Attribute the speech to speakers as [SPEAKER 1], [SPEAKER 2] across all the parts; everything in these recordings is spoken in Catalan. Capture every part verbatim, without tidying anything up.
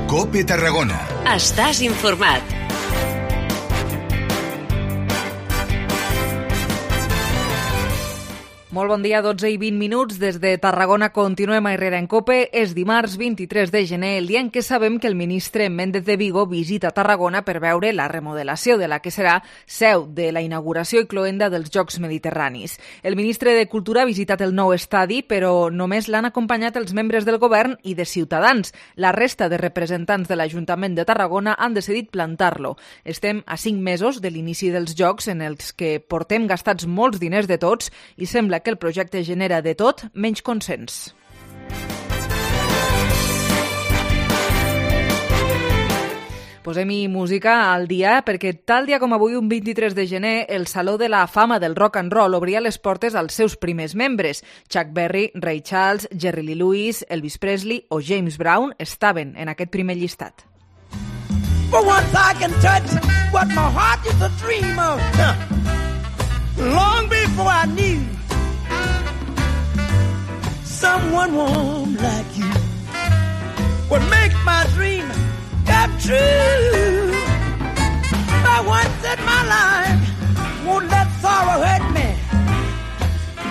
[SPEAKER 1] COPE Tarragona.
[SPEAKER 2] Estàs informat.
[SPEAKER 3] Molt bon dia, dotze i vint minuts. Des de Tarragona continuem a Herrera en COPE. És dimarts vint-i-tres de gener, el dia en què sabem que el ministre Méndez de Vigo visita Tarragona per veure la remodelació de la que serà seu de la inauguració i cloenda dels Jocs Mediterranis. El ministre de Cultura ha visitat el nou estadi, però només l'han acompanyat els membres del govern i de Ciutadans. La resta de representants de l'Ajuntament de Tarragona han decidit plantar-lo. Estem a cinc mesos de l'inici dels Jocs, en els que portem gastats molts diners de tots i sembla que el projecte genera de tot menys consens. Posem-hi música al dia perquè tal dia com avui, un vint-i-tres de gener, el Saló de la Fama del Rock and Roll obria les portes als seus primers membres. Chuck Berry, Ray Charles, Jerry Lee Lewis, Elvis Presley o James Brown estaven en aquest primer llistat.
[SPEAKER 4] For once I can touch what my heart used to dream of. Long before I knew someone warm like you would make my dream come true. For once in my life, won't let sorrow hurt me,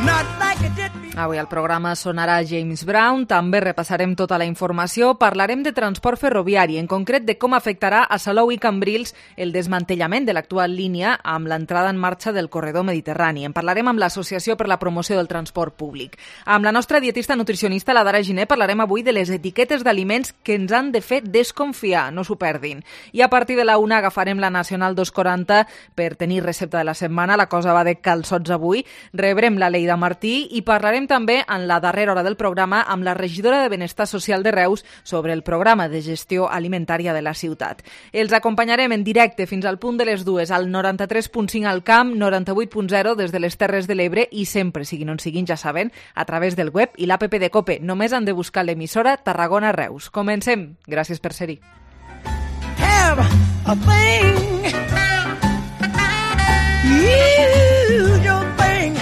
[SPEAKER 4] not like it did before.
[SPEAKER 3] Avui al programa sonarà James Brown, també repassarem tota la informació, parlarem de transport ferroviari, en concret de com afectarà a Salou i Cambrils el desmantellament de l'actual línia amb l'entrada en marxa del corredor mediterrani. En parlarem amb l'Associació per la Promoció del Transport Públic. Amb la nostra dietista nutricionista, la Dara Giner, parlarem avui de les etiquetes d'aliments que ens han de fer desconfiar, no s'ho perdin. I a partir de la una agafarem la Nacional dos quaranta per tenir recepta de la setmana, la cosa va de calçots avui, rebrem la Leida Martí i parlarem també en la darrera hora del programa amb la regidora de Benestar Social de Reus sobre el programa de gestió alimentària de la ciutat. Els acompanyarem en directe fins al punt de les dues al noranta-tres punt cinc al Camp, noranta-vuit punt zero des de les Terres de l'Ebre i sempre, siguin on siguin, ja saben, a través del web i l'app de COPE. Només han de buscar l'emissora Tarragona Reus. Comencem. Gràcies per ser-hi.
[SPEAKER 4] Have a thing. Use your thing.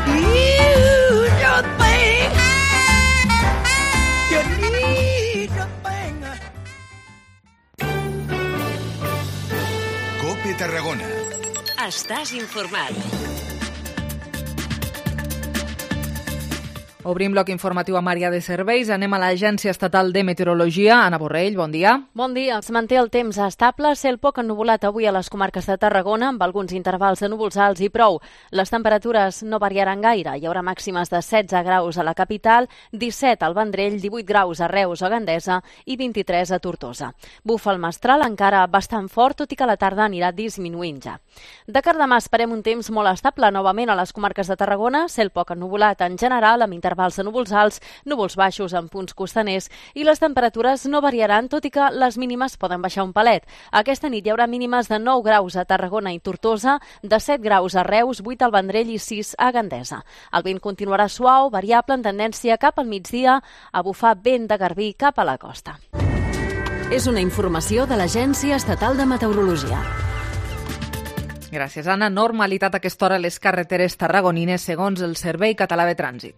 [SPEAKER 4] Use your thing. You need your thing.
[SPEAKER 1] COPE Tarragona.
[SPEAKER 2] Estàs informat.
[SPEAKER 3] Obrim bloc informatiu a Maria de Serveis. Anem a l'Agència Estatal de Meteorologia. Anna Borrell, bon dia.
[SPEAKER 5] Bon dia. Es manté el temps estable, cel poc ennuvolat avui a les comarques de Tarragona, amb alguns intervals de núvols alts i prou. Les temperatures no variaran gaire. Hi haurà màximes de setze graus a la capital, disset al Vendrell, divuit graus a Reus o Gandesa i vint-i-tres a Tortosa. Bufa el mestral encara bastant fort, tot i que a la tarda anirà disminuint ja. De cara a demà esperem un temps molt estable novament a les comarques de Tarragona, cel poc ennuvolat en general, amb intervals de núvols alts, núvols baixos en punts costaners i les temperatures no variaran, tot i que les mínimes poden baixar un palet. Aquesta nit hi haurà mínimes de nou graus a Tarragona i Tortosa, de set graus a Reus, vuit al Vendrell i sis a Gandesa. El vent continuarà suau, variable en tendència cap al migdia, a bufar vent de garbí cap a la costa.
[SPEAKER 2] És una informació de l'Agència Estatal de Meteorologia.
[SPEAKER 3] Gràcies, Anna. Normalitat a aquesta hora a les carreteres tarragonines, segons el Servei Català de Trànsit.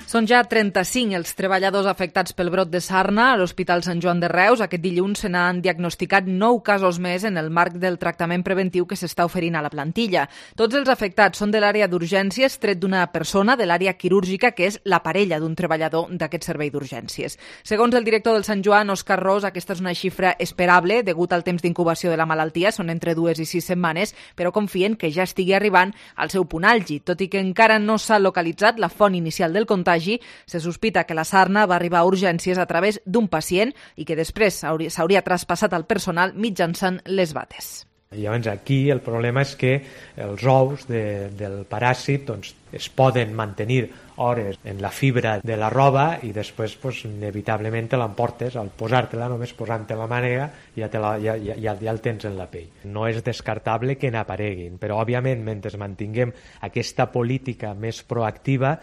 [SPEAKER 3] Són ja trenta-cinc els treballadors afectats pel brot de sarna a l'Hospital Sant Joan de Reus. Aquest dilluns se n'han diagnosticat nou casos més en el marc del tractament preventiu que s'està oferint a la plantilla. Tots els afectats són de l'àrea d'urgències, tret d'una persona de l'àrea quirúrgica, que és la parella d'un treballador d'aquest servei d'urgències. Segons el director del Sant Joan, Òscar Ros, aquesta és una xifra esperable degut al temps d'incubació de la malaltia, són entre dues i sis setmanes, però confien que ja estigui arribant al seu punt àlgid. Tot i que encara no s'ha localitzat la font inicial del contagi, se sospita que la sarna va arribar a urgències a través d'un pacient i que després s'hauria traspassat al personal mitjançant les bates.
[SPEAKER 6] Llavors aquí el problema és que els ous de, del paràsit doncs, es poden mantenir hores en la fibra de la roba i després pues, inevitablement te l'emportes al posar-te-la, només posant-te la mànega ja, te la, ja, ja, ja, ja el tens en la pell. No és descartable que n'apareguin, però òbviament mentre mantinguem aquesta política més proactiva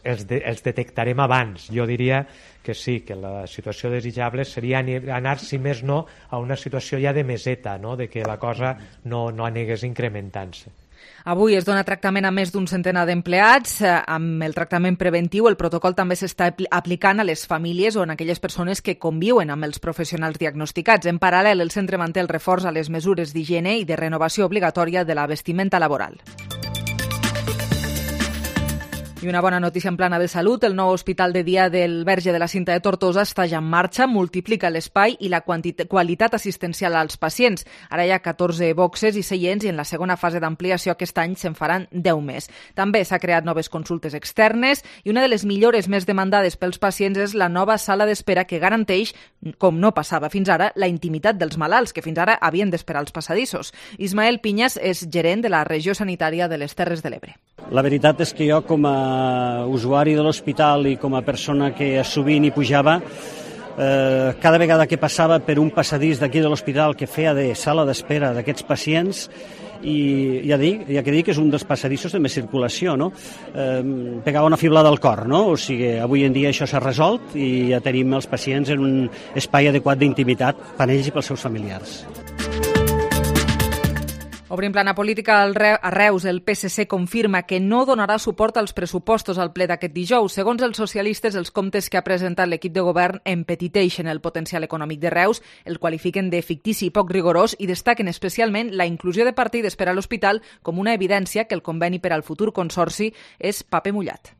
[SPEAKER 6] els, de, els detectarem abans. Jo diria que sí, que la situació desitjable seria anar, si més no, a una situació ja de meseta, no? De que la cosa no, no anegués incrementant-se.
[SPEAKER 3] Avui es dona tractament a més d'un centenar d'empleats. Amb el tractament preventiu, el protocol també s'està aplicant a les famílies o en aquelles persones que conviuen amb els professionals diagnosticats. En paral·lel, el centre manté el reforç a les mesures d'higiene i de renovació obligatòria de la vestimenta laboral. I una bona notícia en plana de salut, el nou hospital de dia del Verge de la Cinta de Tortosa està ja en marxa, multiplica l'espai i la qualitat assistencial als pacients. Ara hi ha catorze boxes i seients i en la segona fase d'ampliació aquest any se'n faran deu més. També s'ha creat noves consultes externes i una de les millores més demandades pels pacients és la nova sala d'espera que garanteix, com no passava fins ara, la intimitat dels malalts, que fins ara havien d'esperar als passadissos. Ismael Piñas és gerent de la regió sanitària de les Terres de l'Ebre.
[SPEAKER 1] La veritat és que jo, com a usuari de l'hospital i com a persona que sovint hi pujava, eh, cada vegada que passava per un passadís d'aquí de l'hospital que feia de sala d'espera d'aquests pacients, i ja dic, ja que dic que és un dels passadissos de més circulació, no? Eh, pegava una fiblada al cor, no? O sigui, avui en dia això s'ha resolt i ja tenim els pacients en un espai adequat d'intimitat per ells i pels seus familiars.
[SPEAKER 3] Obrim plana política a Reus. El P S C confirma que no donarà suport als pressupostos al ple d'aquest dijous. Segons els socialistes, els comptes que ha presentat l'equip de govern empetiteixen el potencial econòmic de Reus, el qualifiquen de fictici i poc rigorós i destaquen especialment la inclusió de partides per a l'hospital com una evidència que el conveni per al futur consorci és paper mullat.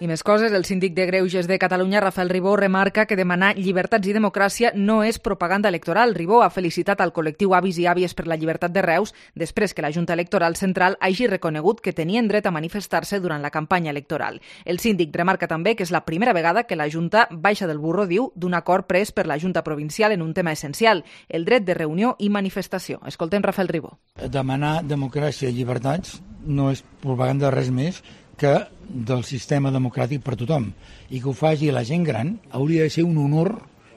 [SPEAKER 3] I més coses, el síndic de Greuges de Catalunya, Rafael Ribó, remarca que demanar llibertats i democràcia no és propaganda electoral. Ribó ha felicitat al col·lectiu Avis i Àvies per la llibertat de Reus després que la Junta Electoral Central hagi reconegut que tenien dret a manifestar-se durant la campanya electoral. El síndic remarca també que és la primera vegada que la Junta baixa del burro, diu, d'un acord pres per la Junta Provincial en un tema essencial, el dret de reunió i manifestació. Escoltem Rafael Ribó.
[SPEAKER 7] Demanar democràcia i llibertats no és propaganda res més que del sistema democràtic per tothom, i que ho faci la gent gran hauria de ser un honor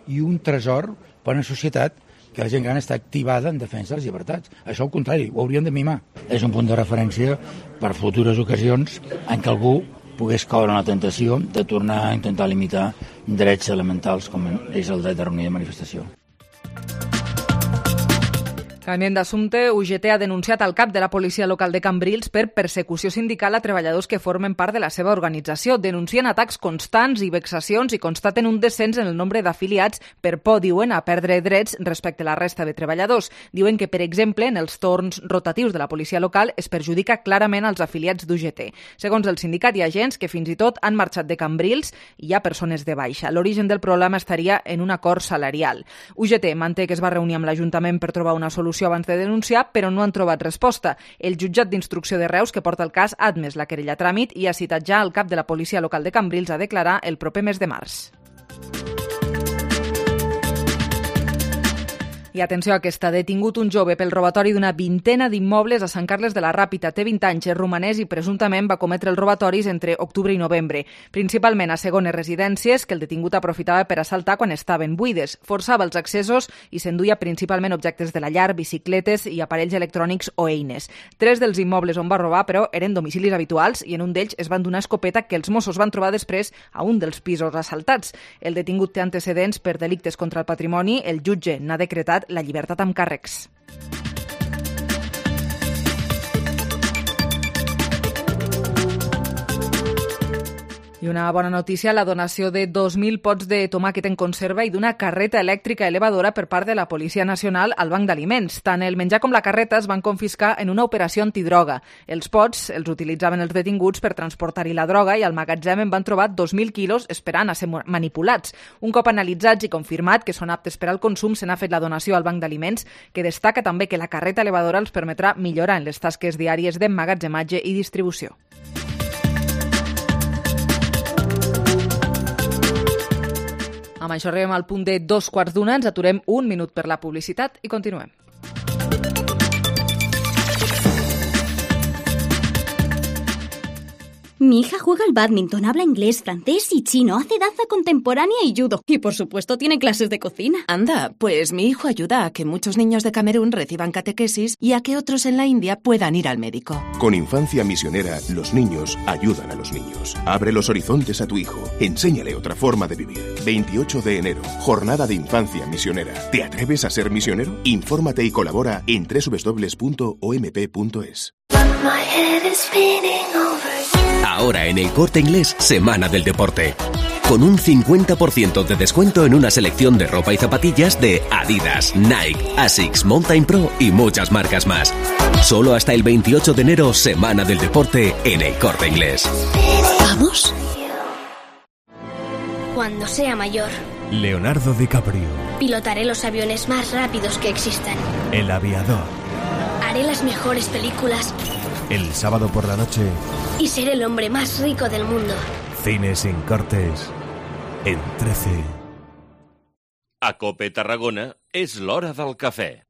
[SPEAKER 7] i un tresor per a una societat que la gent gran està activada en defensa de les llibertats. Això al contrari, ho haurien de mimar. És un punt de referència per futures ocasions en què algú pogués caure en la tentació de tornar a intentar limitar drets elementals com és el dret de reunió i manifestació.
[SPEAKER 3] Canviem d'assumpte, U G T ha denunciat al cap de la policia local de Cambrils per persecució sindical a treballadors que formen part de la seva organització. Denuncien atacs constants i vexacions i constaten un descens en el nombre d'afiliats per por, diuen, a perdre drets respecte a la resta de treballadors. Diuen que, per exemple, en els torns rotatius de la policia local es perjudica clarament als afiliats d'U G T. Segons el sindicat, hi ha agents que fins i tot han marxat de Cambrils i hi ha persones de baixa. L'origen del problema estaria en un acord salarial. U G T manté que es va reunir amb l'Ajuntament per trobar una solució abans de denunciar, però no han trobat resposta. El jutjat d'instrucció de Reus, que porta el cas, ha admès la querella a tràmit i ha citat ja el cap de la policia local de Cambrils a declarar el proper mes de març. I atenció a aquesta, detingut un jove pel robatori d'una vintena d'immobles a Sant Carles de la Ràpita. Té vint anys, és romanès i presumptament va cometre els robatoris entre octubre i novembre, principalment a segones residències que el detingut aprofitava per assaltar quan estaven buides. Forçava els accessos i s'enduia principalment objectes de la llar, bicicletes i aparells electrònics o eines. Tres dels immobles on va robar, però, eren domicilis habituals i en un d'ells es van donar escopeta que els Mossos van trobar després a un dels pisos assaltats. El detingut té antecedents per delictes contra el patrimoni. El jutge n'ha decretat la llibertat amb càrrecs. I una bona notícia, la donació de dos mil pots de tomàquet en conserva i d'una carreta elèctrica elevadora per part de la Policia Nacional al Banc d'Aliments. Tant el menjar com la carreta es van confiscar en una operació antidroga. Els pots els utilitzaven els detinguts per transportar-hi la droga i al magatzem en van trobar dos mil quilos esperant a ser manipulats. Un cop analitzats i confirmat que són aptes per al consum, se n'ha fet la donació al Banc d'Aliments, que destaca també que la carreta elevadora els permetrà millorar en les tasques diàries d'emmagatzematge i distribució. Amb això arribem al punt de dos quarts d'una, ens aturem un minut per la publicitat i continuem.
[SPEAKER 8] Mi hija juega al bádminton, habla inglés, francés y chino, hace danza contemporánea y judo. Y por supuesto tiene clases de cocina.
[SPEAKER 9] Anda, pues mi hijo ayuda a que muchos niños de Camerún reciban catequesis y a que otros en la India puedan ir al médico.
[SPEAKER 10] Con Infancia Misionera, los niños ayudan a los niños. Abre los horizontes a tu hijo. Enséñale otra forma de vivir. veintiocho de enero, Jornada de Infancia Misionera. ¿Te atreves a ser misionero? Infórmate y colabora en doble u doble u doble u punto o m p punto es.
[SPEAKER 11] Ahora en El Corte Inglés, Semana del Deporte. Con un cincuenta por ciento de descuento en una selección de ropa y zapatillas de Adidas, Nike, Asics, Mountain Pro y muchas marcas más. Solo hasta el veintiocho de enero, Semana del Deporte en El Corte Inglés.
[SPEAKER 8] ¿Vamos?
[SPEAKER 12] Cuando sea mayor,
[SPEAKER 13] Leonardo DiCaprio.
[SPEAKER 12] pilotaré los aviones más rápidos que existan.
[SPEAKER 13] El aviador.
[SPEAKER 12] Haré las mejores películas
[SPEAKER 13] El sábado por la noche,
[SPEAKER 12] y seré el hombre más rico del mundo.
[SPEAKER 13] Cine sin cortes, en trece.
[SPEAKER 14] A Cope Tarragona és l'hora del cafè.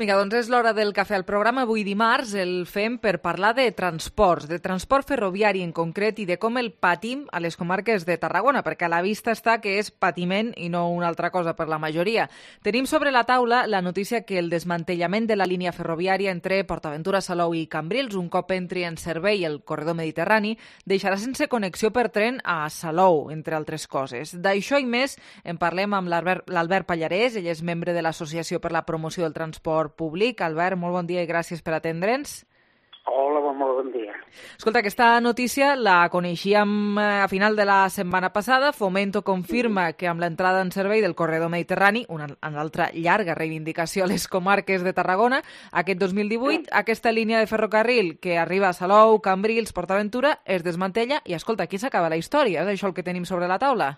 [SPEAKER 3] Vinga, doncs és l'hora del cafè al programa. Avui dimarts el fem per parlar de transports, de transport ferroviari en concret i de com el patim a les comarques de Tarragona, perquè a la vista està que és patiment i no una altra cosa per la majoria. Tenim sobre la taula la notícia que el desmantellament de la línia ferroviària entre PortAventura, Salou i Cambrils, un cop entri en servei el corredor mediterrani, deixarà sense connexió per tren a Salou, entre altres coses. D'això i més en parlem amb l'Albert Pallarès, ell és membre de l'Associació per la Promoció del Transport Públic. Albert, molt bon dia i gràcies per atendre'ns.
[SPEAKER 15] Hola, molt bon dia.
[SPEAKER 3] Escolta, aquesta notícia la coneixíem a final de la setmana passada. Fomento confirma que amb l'entrada en servei del corredor mediterrani, una, una altra llarga reivindicació a les comarques de Tarragona, aquest dos mil divuit, aquesta línia de ferrocarril que arriba a Salou, Cambrils, PortAventura, es desmantella i, escolta, aquí s'acaba la història. És això el que tenim sobre la taula?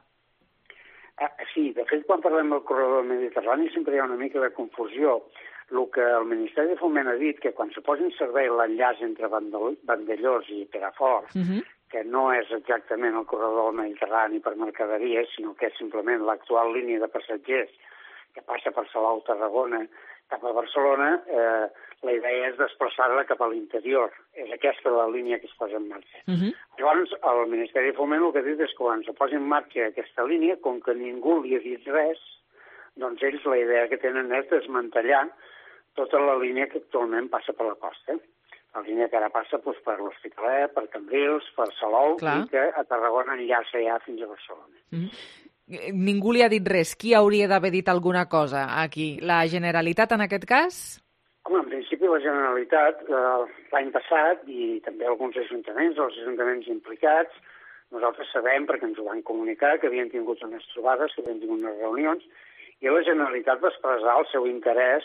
[SPEAKER 15] Ah, sí, de fet, quan parlem del corredor mediterrani sempre hi ha una mica de confusió. El que el Ministeri de Foment ha dit, que quan se posi en servei l'enllaç entre Vandellós i Perafort, uh -huh. que no és exactament el corredor mediterrani per mercaderies, sinó que és simplement l'actual línia de passatgers que passa per Salou, Tarragona, cap a Barcelona, eh, la idea és desplaçar-la cap a l'interior. És aquesta la línia que es posa en marxa. Uh -huh. Llavors, el Ministeri de Foment el que ha dit és que quan se posi en marxa aquesta línia, com que ningú li ha dit res, doncs ells la idea que tenen és desmantellar tota la línia que actualment passa per la costa. La línia que ara passa doncs, per l'Hospitalet, per Cambrils, per Salou, clar, i que a Tarragona enllaça ja fins a Barcelona.
[SPEAKER 3] Mm. Ningú li ha dit res. Qui hauria d'haver dit alguna cosa aquí? La Generalitat, en aquest cas?
[SPEAKER 15] Home, en principi la Generalitat, eh, l'any passat, i també alguns ajuntaments, els ajuntaments implicats, nosaltres sabem, perquè ens ho van comunicar, que havien tingut unes trobades, que havien tingut unes reunions, i la Generalitat va expressar el seu interès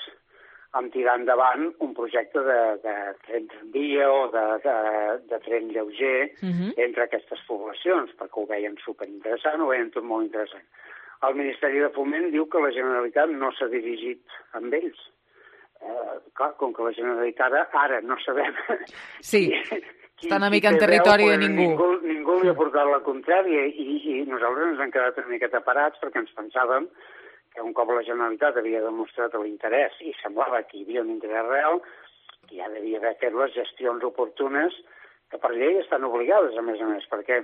[SPEAKER 15] en tirar endavant un projecte de, de tren tramvia o de, de, de tren lleuger uh-huh. entre aquestes poblacions, perquè ho veien superinteressant, ho veien tot molt interessant. El Ministeri de Foment diu que la Generalitat no s'ha dirigit amb ells. Eh, clar, com que la Generalitat ara, ara no sabem...
[SPEAKER 3] Sí, qui, està una mica en territori veu, de ningú.
[SPEAKER 15] ningú. Ningú li ha portat la contrària i, i nosaltres ens hem quedat una miqueta parats perquè ens pensàvem que un cop la Generalitat havia demostrat l'interès i semblava que hi havia un interès real, que ja devia haver fet les gestions oportunes que per llei estan obligades, a més a més, perquè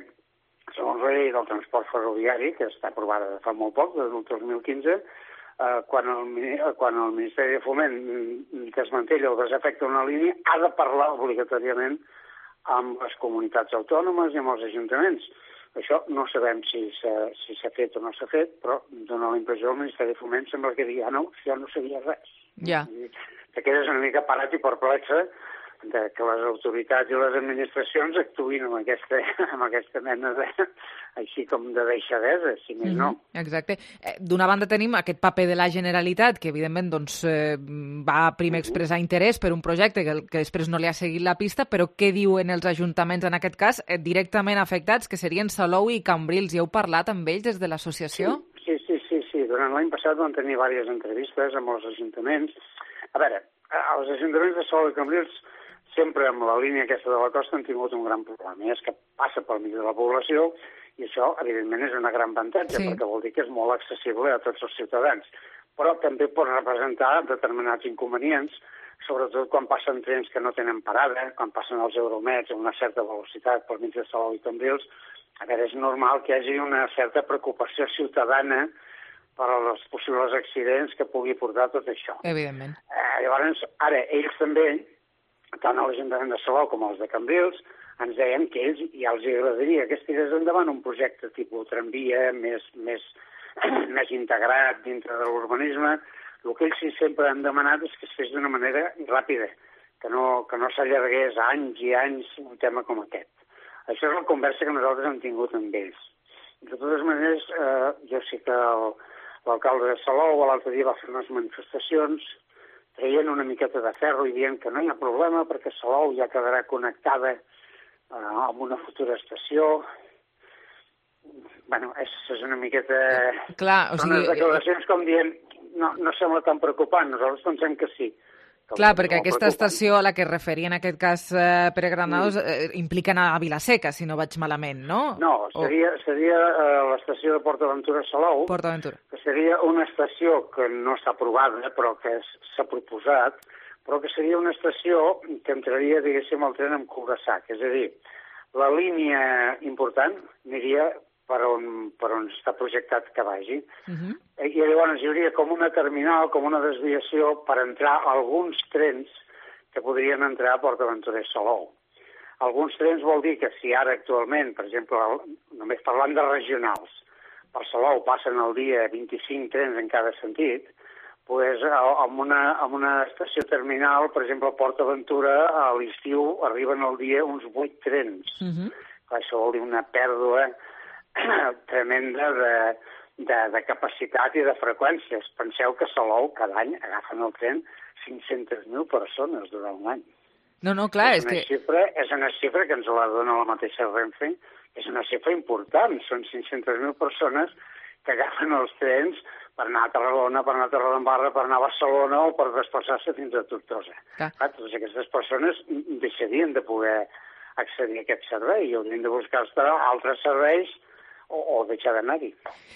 [SPEAKER 15] segons la llei del transport ferroviari, que està aprovada de fa molt poc, del dos mil quinze, eh, quan, el, quan el Ministeri de Foment desmantella o desafecta una línia, ha de parlar obligatòriament amb les comunitats autònomes i amb els ajuntaments. Això no sabem si s'ha si fet o no s'ha fet, però dona la impressió del Ministeri de Foment sembla que digui, ah, no, ja no sabia res.
[SPEAKER 3] Ja.
[SPEAKER 15] Te quedes una mica parat i perplexa de que les autoritats i les administracions actuïn amb aquesta, amb aquesta mena de, així com de deixadesa, si més no.
[SPEAKER 3] Mm-hmm, exacte. D'una banda tenim aquest paper de la Generalitat, que evidentment doncs, eh, va primer expressar interès per un projecte que, que després no li ha seguit la pista, però què diuen els ajuntaments en aquest cas eh, directament afectats, que serien Salou i Cambrils? I heu parlat amb ells des de l'associació?
[SPEAKER 15] Sí, sí, sí, sí. Durant l'any passat vam tenir diverses entrevistes amb els ajuntaments. A veure, els ajuntaments de Salou i Cambrils sempre amb la línia aquesta de la costa han tingut un gran problema, i és que passa pel mig de la població i això, evidentment, és una gran avantatge, sí, perquè vol dir que és molt accessible a tots els ciutadans. però també pot representar determinats inconvenients, sobretot quan passen trens que no tenen parada, quan passen els Euromets a una certa velocitat per mig de Salou i Cambrils. A veure, és normal que hi hagi una certa preocupació ciutadana per als possibles accidents que pugui portar tot això.
[SPEAKER 3] Evidentment.
[SPEAKER 15] Eh, llavors, ara, ells també, tant a l'Ajuntament de Salou com els de Cambrils, ens deien que ells ja els agradaria que estigués endavant un projecte tipus tramvia més, més, més integrat dintre de l'urbanisme. El que ells sí sempre han demanat és que es fes d'una manera ràpida, que no, que no s'allargués anys i anys un tema com aquest. Això és la conversa que nosaltres hem tingut amb ells. De totes maneres, eh, jo sé que l'alcalde de Salou l'altre dia va fer unes manifestacions traient una miqueta de ferro i dient que no hi ha problema perquè Salou ja quedarà connectada eh, amb una futura estació. Bueno, és, és una miqueta...
[SPEAKER 3] Clar, o
[SPEAKER 15] Són
[SPEAKER 3] sigui...
[SPEAKER 15] unes declaracions com dient no, no sembla tan preocupant, nosaltres pensem que sí. Que
[SPEAKER 3] Clar, perquè aquesta estació a la que es referia en aquest cas eh, Pere Granados mm. eh, implica anar a Vilaseca, si no vaig malament, no?
[SPEAKER 15] No, seria, oh. seria eh, l'estació de PortAventura-Salou,
[SPEAKER 3] PortAventura.
[SPEAKER 15] que seria una estació que no està aprovada, però que s'ha proposat, però que seria una estació que entraria, diguéssim, el tren amb cul-de-sac. És a dir, la línia important aniria per on, per on està projectat que vagi. Uh-huh. I llavors hi hauria com una terminal, com una desviació per entrar alguns trens que podrien entrar a PortAventura i Salou. Alguns trens vol dir que si ara actualment, per exemple, només parlant de regionals, per Salou passen al dia vint-i-cinc trens en cada sentit, doncs amb una, amb una estació terminal, per exemple, a PortAventura, a l'estiu arriben al dia uns vuit trens. Uh-huh. Això vol dir una pèrdua tremenda de, de, de capacitat i de freqüències. Penseu que a Salou cada any agafen el tren cinc-centes mil persones durant un any.
[SPEAKER 3] No, no, clar,
[SPEAKER 15] és,
[SPEAKER 3] és
[SPEAKER 15] una
[SPEAKER 3] que...
[SPEAKER 15] Xifra, és una xifra que ens la dona la mateixa Renfe, és una xifra important. Són cinc-centes mil persones que agafen els trens per anar a Tarragona, per anar a Torredembarra, per anar a Barcelona o per desplaçar-se fins a Tortosa. Clar. Clar, totes aquestes persones deixarien de poder accedir a aquest servei i haurien de buscar-se altres serveis o, o deixar d'anar-hi.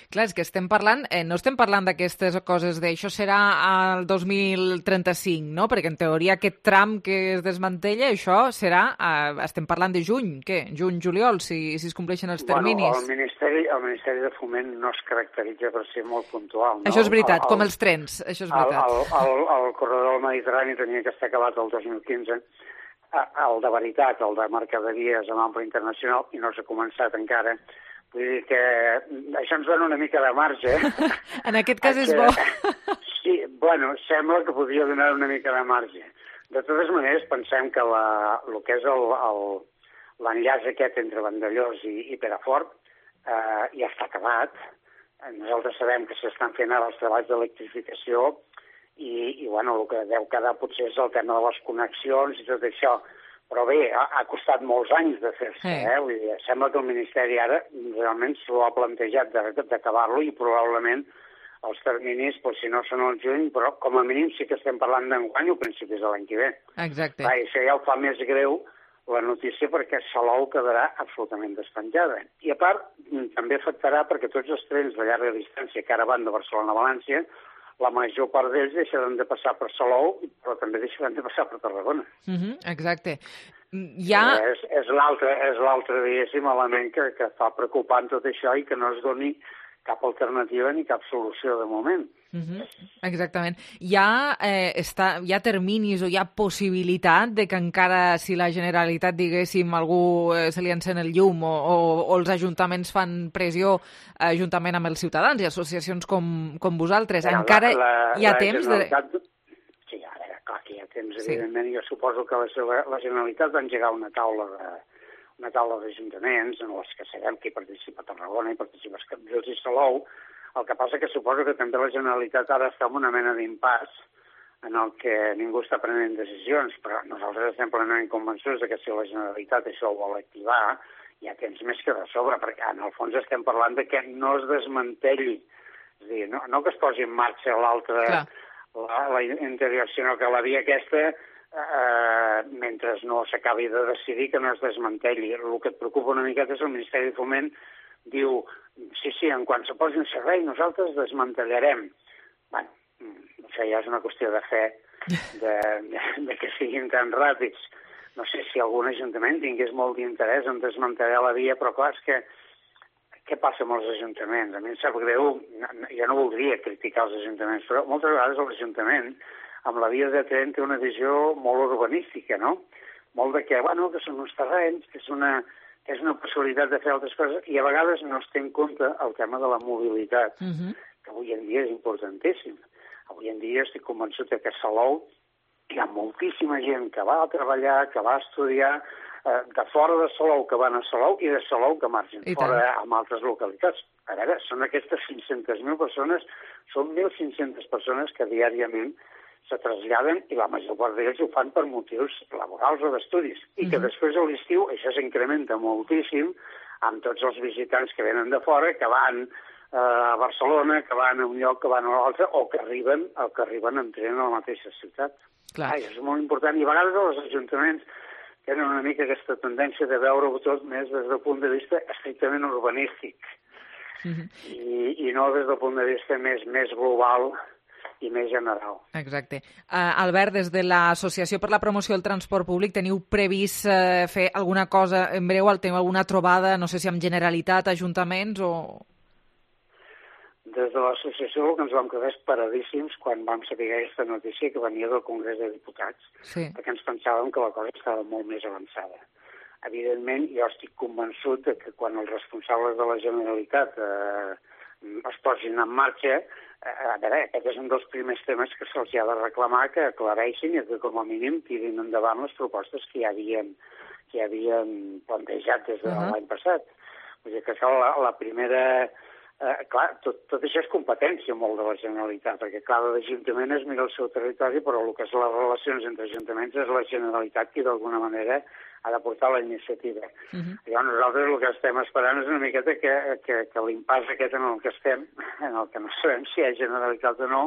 [SPEAKER 3] Clar, és que estem parlant, eh, no estem parlant d'aquestes coses de això serà al dos mil trenta-cinc, no? Perquè en teoria aquest tram que es desmantella, això serà, eh, estem parlant de juny, què? Juny, juliol, si, si es compleixen els terminis.
[SPEAKER 15] Bueno, el Ministeri, el Ministeri de Foment no es caracteritza per ser molt puntual, no?
[SPEAKER 3] Això és veritat,
[SPEAKER 15] el,
[SPEAKER 3] com els trens, això és veritat.
[SPEAKER 15] El, el, el, el corredor del Mediterrani tenia que estar acabat el dos mil quinze, el de veritat, el de mercaderies amb ample internacional, i no s'ha començat encara. Vull dir que això ens dona una mica de marge.
[SPEAKER 3] En aquest cas és bo.
[SPEAKER 15] Sí, bueno, sembla que podria donar una mica de marge. De totes maneres, pensem que la, el que és l'enllaç aquest entre Vandellòs i, i Perafort eh, ja està acabat. Nosaltres sabem que s'estan fent ara els treballs d'electrificació i, i bueno, el que deu quedar potser és el tema de les connexions i tot això. Però bé, ha, ha costat molts anys de fer-se, sí. eh? Vull dir, sembla que el Ministeri ara realment s'ho ha plantejat d'acabar-lo i probablement els terminis, doncs, si no són al juny, però com a mínim sí que estem parlant d'enguany o principis de l'any que ve.
[SPEAKER 3] Exacte.
[SPEAKER 15] Va, això ja ho fa més greu la notícia perquè Salou quedarà absolutament despenjada. I a part, també afectarà perquè tots els trens de llarga distància que ara van de Barcelona a València, la major part d'ells deixaran de passar per Salou, però també deixaran de passar per Tarragona.
[SPEAKER 3] Uh-huh, exacte. Ja...
[SPEAKER 15] És, és l'altre, és l'altre, diguéssim, element que, que fa preocupant tot això i que no es doni cap alternativa ni cap solució de moment.
[SPEAKER 3] Uh-huh. Exactament. Hi ha, eh, està, hi ha terminis o hi ha possibilitat de que encara si la Generalitat, diguéssim, algú eh, se li encén el llum o, o, o els ajuntaments fan pressió eh, juntament amb els ciutadans i associacions com, com vosaltres, ja, encara la, la, hi ha la temps? De...
[SPEAKER 15] Sí, a veure, clar que hi ha temps, sí. Evidentment. Jo suposo que la, la Generalitat va engegar una taula de una taula d'ajuntaments en les que sabem que hi participa Tarragona, hi participa Cambrils i Salou. El que passa que suposo que també la Generalitat ara està en una mena d'impàs en el que ningú està prenent decisions, però nosaltres estem plenament convençuts de que si la Generalitat això ho vol activar, hi ha temps més que de sobre, perquè en el fons estem parlant de que no es desmantelli. És a dir, no, no que es posi en marxa l'altra, la, la interior, sinó que la via aquesta, eh, mentre no s'acabi de decidir, que no es desmantelli. El que et preocupa una miqueta és el Ministeri de Foment diu, sí, sí, en quan se posi en servei nosaltres desmantellarem. Bueno, això ja és una qüestió de fe, de, de, de que siguin tan ràpids. No sé si algun ajuntament tingués molt d'interès en desmantellar la via, però clar, és que què passa amb els ajuntaments? A mi em sap greu, jo no voldria criticar els ajuntaments, però moltes vegades l'Ajuntament amb la via de tren té una visió molt urbanística, no? Molt de que, bueno, que són uns terrenys, que és una, que és una possibilitat de fer altres coses, i a vegades no es té en compte el tema de la mobilitat, uh-huh. que avui en dia és importantíssim. Avui en dia estic convençut que a Salou hi ha moltíssima gent que va a treballar, que va a estudiar, eh, de fora de Salou que van a Salou i de Salou que marxen fora amb altres localitats. A veure, són aquestes cinc-centes mil persones, són mil cinc-centes persones que diàriament se traslladen i la major part d'ells ho fan per motius laborals o d'estudis. I que després a l'estiu això s'incrementa moltíssim amb tots els visitants que venen de fora, que van eh, a Barcelona, que van a un lloc, que van a l'altre, o que arriben, o que arriben en tren a la mateixa ciutat. Clar. Ah, això és molt important. I a vegades els ajuntaments tenen una mica aquesta tendència de veure-ho tot més des del punt de vista estrictament urbanístic. Uh-huh. I, i no des del punt de vista més, més global i més general.
[SPEAKER 3] Exacte. Uh, Albert, des de l'Associació per la Promoció del Transport Públic teniu previst uh, fer alguna cosa en breu? Teniu alguna trobada, no sé si amb Generalitat, ajuntaments o...
[SPEAKER 15] Des de l'associació el que ens vam quedar esperadíssims quan vam saber aquesta notícia que venia del Congrés de Diputats, sí. perquè ens pensàvem que la cosa estava molt més avançada. Evidentment, jo estic convençut de que quan els responsables de la Generalitat eh, es posin en marxa, a veure, aquest és un dels primers temes que se'ls ha de reclamar, que aclareixin i que com a mínim tirin endavant les propostes que ja havien, que ja havien plantejat des de uh-huh. l'any passat. Vull dir que això, la, la primera... Eh, clar, tot, tot això és competència molt de la Generalitat, perquè cada ajuntament es mira el seu territori, però el que és les relacions entre ajuntaments és la Generalitat qui d'alguna manera ha de portar la iniciativa. Uh-huh. Llavors nosaltres el que estem esperant és una miqueta que, que, que l'impàs aquest en el que estem, en el que no sabem si hi ha Generalitat o no,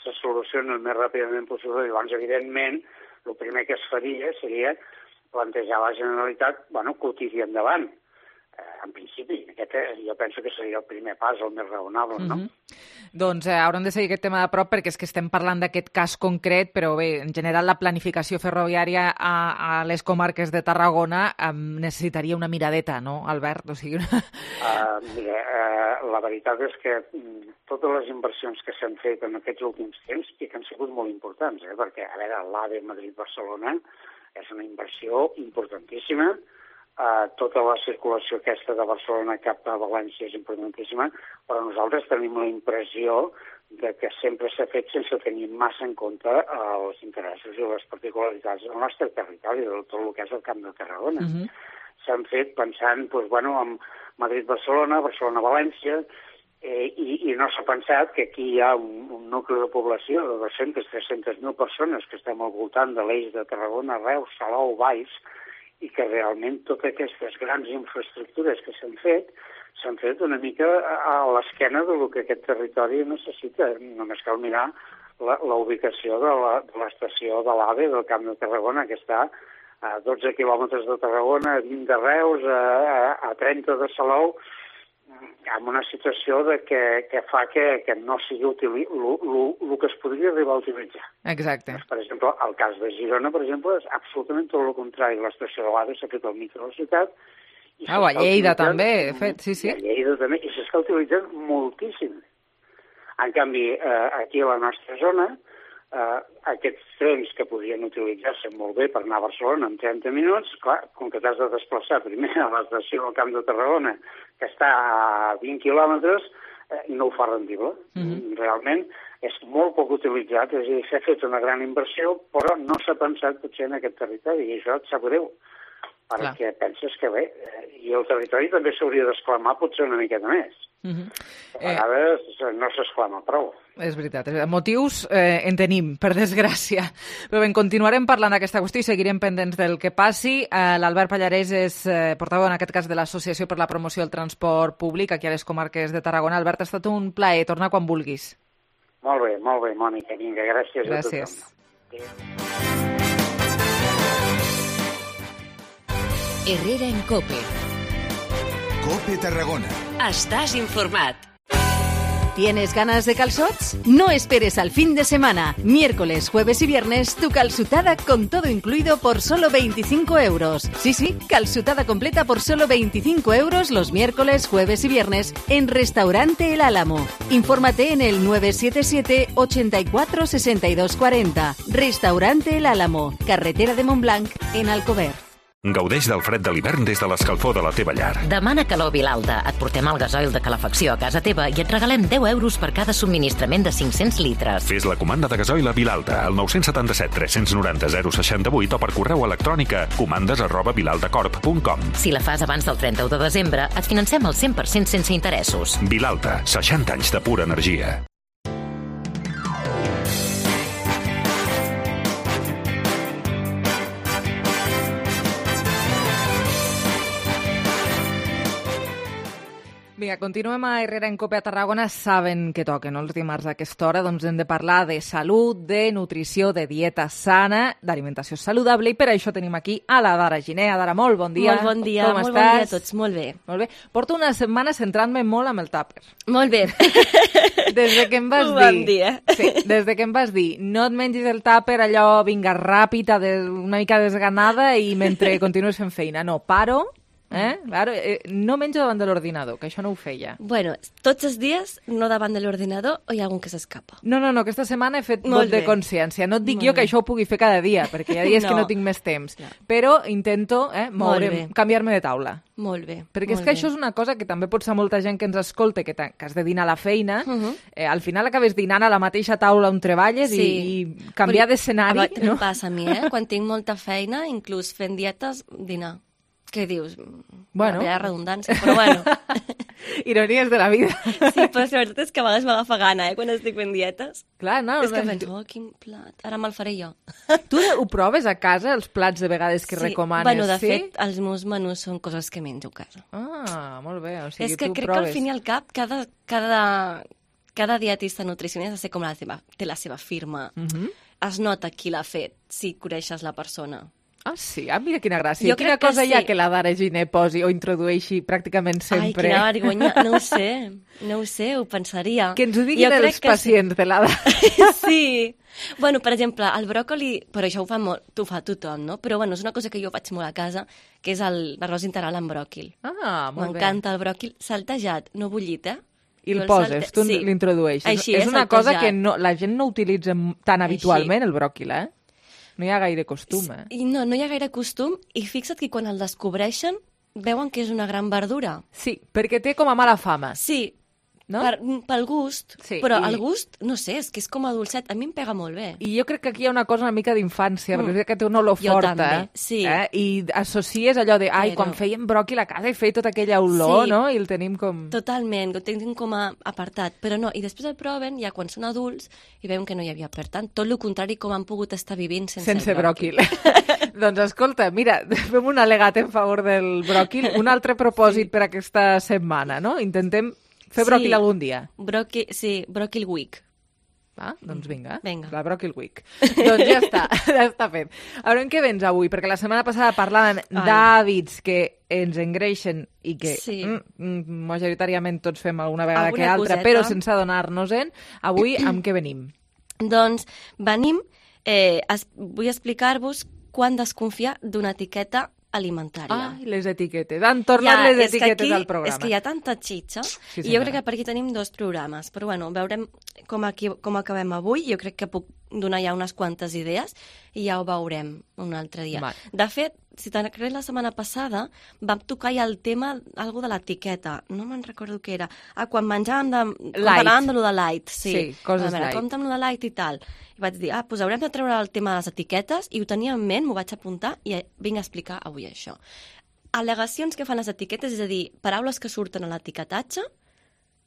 [SPEAKER 15] se solucioni el més ràpidament possible. Llavors, evidentment, el primer que es faria seria plantejar a la Generalitat, bueno, que ho tiri endavant. En principi, aquest jo penso que seria el primer pas, el més raonable, no?
[SPEAKER 3] Mm-hmm. Doncs eh, haurem de seguir aquest tema de prop perquè és que estem parlant d'aquest cas concret, però bé, en general la planificació ferroviària a, a les comarques de Tarragona eh, necessitaria una miradeta, no, Albert? O sigui, una...
[SPEAKER 15] uh, mira, uh, la veritat és que mm, totes les inversions que s'han fet en aquests últims temps i que han sigut molt importants, eh? perquè, a veure, l'AVE Madrid-Barcelona és una inversió importantíssima. Uh, tota la circulació aquesta de Barcelona cap a València és importantíssima, però nosaltres tenim la impressió de que sempre s'ha fet sense tenir massa en compte els interessos i les particularitats del nostre territori, de tot el que és el Camp de Tarragona. Uh-huh. S'han fet pensant doncs, bueno, en Madrid-Barcelona, Barcelona-València, eh, i, i no s'ha pensat que aquí hi ha un, un nucli de població de dues-centes a tres-centes mil persones que estem al voltant de l'eix de Tarragona, Reus, Salou, Valls, i que realment totes aquestes grans infraestructures que s'han fet s'han fet una mica a l'esquena del que aquest territori necessita. Només cal mirar la, la ubicació de, la, de l'estació de l'AVE del Camp de Tarragona, que està a dotze quilòmetres de Tarragona, a vint de Reus, a, a, a trenta de Salou, amb una situació de que, que fa que, que no sigui útil el que es podria arribar a utilitzar.
[SPEAKER 3] Exacte.
[SPEAKER 15] Doncs, per exemple, el cas de Girona, per exemple, és absolutament tot el contrari. L'estació de l'AVE s'ha fet al mig de la ciutat.
[SPEAKER 3] Ah, a Lleida també, de fet, sí, sí.
[SPEAKER 15] A Lleida també, i s'està utilitzant moltíssim. En canvi, eh, aquí a la nostra zona, eh, aquests trens que podrien utilitzar-se molt bé per anar a Barcelona en trenta minuts, clar, com que t'has de desplaçar primer a l'estació del Camp de Tarragona, que està a vint quilòmetres, eh, no ho fa rendible. Mm-hmm. Realment és molt poc utilitzat, és a dir, s'ha fet una gran inversió, però no s'ha pensat potser en aquest territori, i això et sap greu, perquè clar. Penses que bé, eh, i el territori també s'hauria d'exclamar potser una miqueta més. Mm-hmm. A vegades eh... no s'exclama prou.
[SPEAKER 3] És veritat. Motius eh, en tenim, per desgràcia. Però bé, continuarem parlant d'aquesta qüestió i seguirem pendents del que passi. Eh, L'Albert Pallarès és eh, portaveu, en aquest cas, de l'Associació per la Promoció del Transport Públic aquí a les comarques de Tarragona. Albert, ha estat un plaer. Torna quan vulguis.
[SPEAKER 15] Molt bé, molt bé, Mònica. Vinga, gràcies,
[SPEAKER 3] gràcies.
[SPEAKER 15] a tothom.
[SPEAKER 2] Herrera en COPE.
[SPEAKER 16] COPE Tarragona.
[SPEAKER 2] Estàs informat. ¿Tienes ganas de calzots? No esperes al fin de semana. Miércoles, jueves y viernes, tu calzutada con todo incluido por solo veinticinco euros. Sí, sí, calzutada completa por solo veinticinco euros los miércoles, jueves y viernes en Restaurante El Álamo. Infórmate en el nueve siete siete, ochenta y cuatro, sesenta y dos cuarenta. Restaurante El Álamo, carretera de Montblanc, en Alcover.
[SPEAKER 16] Gaudeix del fred de l'hivern des de l'escalfor de la teva llar.
[SPEAKER 17] Demana calor Vilalta. Et portem el gasoil de calefacció a casa teva i et regalem deu euros per cada subministrament de cinc-cents litres.
[SPEAKER 16] Fes la comanda de gasoil a Vilalta al nou set set, tres nou zero, zero sis vuit o per correu electrònic a comandes arroba vilaltacorp punt com.
[SPEAKER 17] Si la fas abans del trenta-u de desembre, et financem el cent per cent sense interessos.
[SPEAKER 16] Vilalta, seixanta anys de pura energia.
[SPEAKER 3] Vinga, continuem a Herrera en Cope a Tarragona. Saben que toquen els dimarts a aquesta hora, doncs hem de parlar de salut, de nutrició, de dieta sana, d'alimentació saludable, i per això tenim aquí a la Dara Giner. Dara, molt bon dia.
[SPEAKER 18] Molt bon dia,
[SPEAKER 3] Com
[SPEAKER 18] molt
[SPEAKER 3] estàs?
[SPEAKER 18] bon dia a tots, molt bé.
[SPEAKER 3] Molt bé. Porto una setmana centrant-me molt amb el tàper.
[SPEAKER 18] Molt bé.
[SPEAKER 3] Des de que em vas
[SPEAKER 18] Ho
[SPEAKER 3] dir...
[SPEAKER 18] vam dir, eh?
[SPEAKER 3] Sí, des de que em vas dir, no et mengis el tàper allò, vinga, ràpid, una mica desganada i mentre continues fent feina. No, paro... Eh? Claro, eh, no menjo davant de l'ordinador, que això no ho feia.
[SPEAKER 18] Bueno, tots els dies no davant de l'ordinador o hi ha algun que s'escapa?
[SPEAKER 3] No, no, no, aquesta setmana he fet
[SPEAKER 18] Molt
[SPEAKER 3] vot de
[SPEAKER 18] bé.
[SPEAKER 3] consciència. No et dic
[SPEAKER 18] Molt
[SPEAKER 3] jo que
[SPEAKER 18] bé.
[SPEAKER 3] això ho pugui fer cada dia, perquè hi ha dies
[SPEAKER 18] No.
[SPEAKER 3] que no tinc més temps. Però intento eh, moure,
[SPEAKER 18] bé.
[SPEAKER 3] canviar-me de taula.
[SPEAKER 18] Molt bé.
[SPEAKER 3] Perquè és
[SPEAKER 18] molt
[SPEAKER 3] que
[SPEAKER 18] bé.
[SPEAKER 3] això és una cosa que també pot ser molta gent que ens escolta, que, que has de dinar a la feina,
[SPEAKER 18] Uh -huh.
[SPEAKER 3] eh, al final acabes dinant a la mateixa taula on treballes
[SPEAKER 18] Sí.
[SPEAKER 3] i, i canviar
[SPEAKER 18] Però-
[SPEAKER 3] d'escenari.
[SPEAKER 18] A mi
[SPEAKER 3] No?
[SPEAKER 18] em passa a mi, eh? Quan tinc molta feina, inclús fent dietes, dinar. Què dius?
[SPEAKER 3] Bueno.
[SPEAKER 18] Hi ha redundància, però bueno.
[SPEAKER 3] Ironies de la vida.
[SPEAKER 18] Sí, però la veritat és que a vegades m'agafa gana, eh, quan estic fent dietes.
[SPEAKER 3] Clar, no,
[SPEAKER 18] És que
[SPEAKER 3] no,
[SPEAKER 18] penso, oh, quin plat, ara me'l faré jo.
[SPEAKER 3] Tu ho proves a casa, els plats de vegades que
[SPEAKER 18] Sí.
[SPEAKER 3] recomanes?
[SPEAKER 18] Bueno, de
[SPEAKER 3] sí?
[SPEAKER 18] fet, els meus menús són coses que menjo a casa.
[SPEAKER 3] Ah, molt bé. O sigui,
[SPEAKER 18] És que
[SPEAKER 3] tu
[SPEAKER 18] crec
[SPEAKER 3] proves.
[SPEAKER 18] que al fin i al cap, cada, cada, cada dietista nutricionista ha de ser com la seva, té la seva firma.
[SPEAKER 3] Mhm.
[SPEAKER 18] Es nota qui l'ha fet, si coneixes la persona.
[SPEAKER 3] Ah, sí? Ah, mira quina gràcia.
[SPEAKER 18] Jo
[SPEAKER 3] Quina
[SPEAKER 18] crec que
[SPEAKER 3] cosa hi ha
[SPEAKER 18] sí.
[SPEAKER 3] que la Dara Giner posi o introdueixi pràcticament sempre?
[SPEAKER 18] Ai, quina vergonya. No ho sé, no ho sé, ho pensaria.
[SPEAKER 3] Que ens ho diguin
[SPEAKER 18] Jo crec
[SPEAKER 3] els
[SPEAKER 18] que
[SPEAKER 3] pacients de la Dara.
[SPEAKER 18] Sí. Bueno, per exemple, el bròcoli, però això ho fa, molt, ho fa tothom, no? Però bueno, és una cosa que jo faig molt a casa, que és el- l'arròs integral amb bròquil.
[SPEAKER 3] Ah, molt bé.
[SPEAKER 18] M'encanta el bròquil saltejat, no bullit, eh?
[SPEAKER 3] I
[SPEAKER 18] Jo
[SPEAKER 3] el poses,
[SPEAKER 18] salte-
[SPEAKER 3] tu
[SPEAKER 18] sí.
[SPEAKER 3] l'introdueixes.
[SPEAKER 18] Així,
[SPEAKER 3] és
[SPEAKER 18] eh,
[SPEAKER 3] una cosa
[SPEAKER 18] saltejat.
[SPEAKER 3] que no, la gent no utilitza m- tan habitualment, el bròquil, eh? No hi ha gaire costum, eh?
[SPEAKER 18] I no, no hi ha gaire costum, i fixa't que quan el descobreixen veuen que és una gran verdura.
[SPEAKER 3] Sí, perquè té com a mala fama.
[SPEAKER 18] Sí,
[SPEAKER 3] no?
[SPEAKER 18] per, pel gust,
[SPEAKER 3] Sí,
[SPEAKER 18] però
[SPEAKER 3] i-
[SPEAKER 18] el gust, no sé, és que és com a dolcet, a mi em pega molt bé.
[SPEAKER 3] I jo crec que aquí hi ha una cosa una mica d'infància,
[SPEAKER 18] Mm.
[SPEAKER 3] perquè és que té una olor
[SPEAKER 18] Jo
[SPEAKER 3] forta,
[SPEAKER 18] també,
[SPEAKER 3] eh?
[SPEAKER 18] sí.
[SPEAKER 3] Eh? I associes allò de, ai,
[SPEAKER 18] Però-
[SPEAKER 3] quan fèiem bròquil a casa i feia tota aquella olor,
[SPEAKER 18] Sí.
[SPEAKER 3] no? I el tenim com...
[SPEAKER 18] Totalment, ho tenim com a apartat, però no, i després el proven ja quan són adults i veuen que no hi havia, per tant, tot el contrari com han pogut estar vivint sense,
[SPEAKER 3] Sense
[SPEAKER 18] el bròquil.
[SPEAKER 3] bròquil. Doncs escolta, mira, fem un al·legat en favor del bròquil. Un altre propòsit sí. per aquesta setmana, no? Intentem fer bròquil
[SPEAKER 18] Sí.
[SPEAKER 3] algun dia.
[SPEAKER 18] Bròquil, sí, bròquil week.
[SPEAKER 3] Ah, doncs vinga,
[SPEAKER 18] Vinga.
[SPEAKER 3] la Bròquil Week. Doncs ja està, ja està fet. A veure, en què vens avui? Perquè la setmana passada parlàvem
[SPEAKER 18] Ai.
[SPEAKER 3] d'hàbits que ens engreixen i que
[SPEAKER 18] Sí.
[SPEAKER 3] mm, mm, majoritàriament tots fem alguna vegada
[SPEAKER 18] Alguna
[SPEAKER 3] que altra,
[SPEAKER 18] coseta.
[SPEAKER 3] però sense adonar-nos-en. Avui amb què venim?
[SPEAKER 18] Doncs venim, eh, es, vull explicar-vos quan desconfiar d'una etiqueta alimentària.
[SPEAKER 3] Ai, les etiquetes. Han tornat
[SPEAKER 18] Ja,
[SPEAKER 3] les
[SPEAKER 18] és que
[SPEAKER 3] etiquetes
[SPEAKER 18] aquí-
[SPEAKER 3] al programa.
[SPEAKER 18] És que hi ha tanta xitxa,
[SPEAKER 3] Sí,
[SPEAKER 18] i jo
[SPEAKER 3] senyora.
[SPEAKER 18] crec que per aquí tenim dos programes. Però bueno, veurem com, aquí, com acabem avui. Jo crec que puc donar ja unes quantes idees i ja ho veurem un altre dia.
[SPEAKER 3] Val.
[SPEAKER 18] De fet, si te'n recordes la setmana passada, vam tocar ja el tema, algo de l'etiqueta. No me'n recordo què era. Ah, quan menjàvem de...
[SPEAKER 3] Light.
[SPEAKER 18] Parlàvem de lo de light, sí.
[SPEAKER 3] Sí, coses
[SPEAKER 18] a veure,
[SPEAKER 3] light.
[SPEAKER 18] compte amb lo de light i tal. I vaig dir, ah, doncs haurem de treure el tema de les etiquetes, i ho tenia en ment, m'ho vaig apuntar, i vinc a explicar avui això. Al·legacions que fan les etiquetes, és a dir, paraules que surten a l'etiquetatge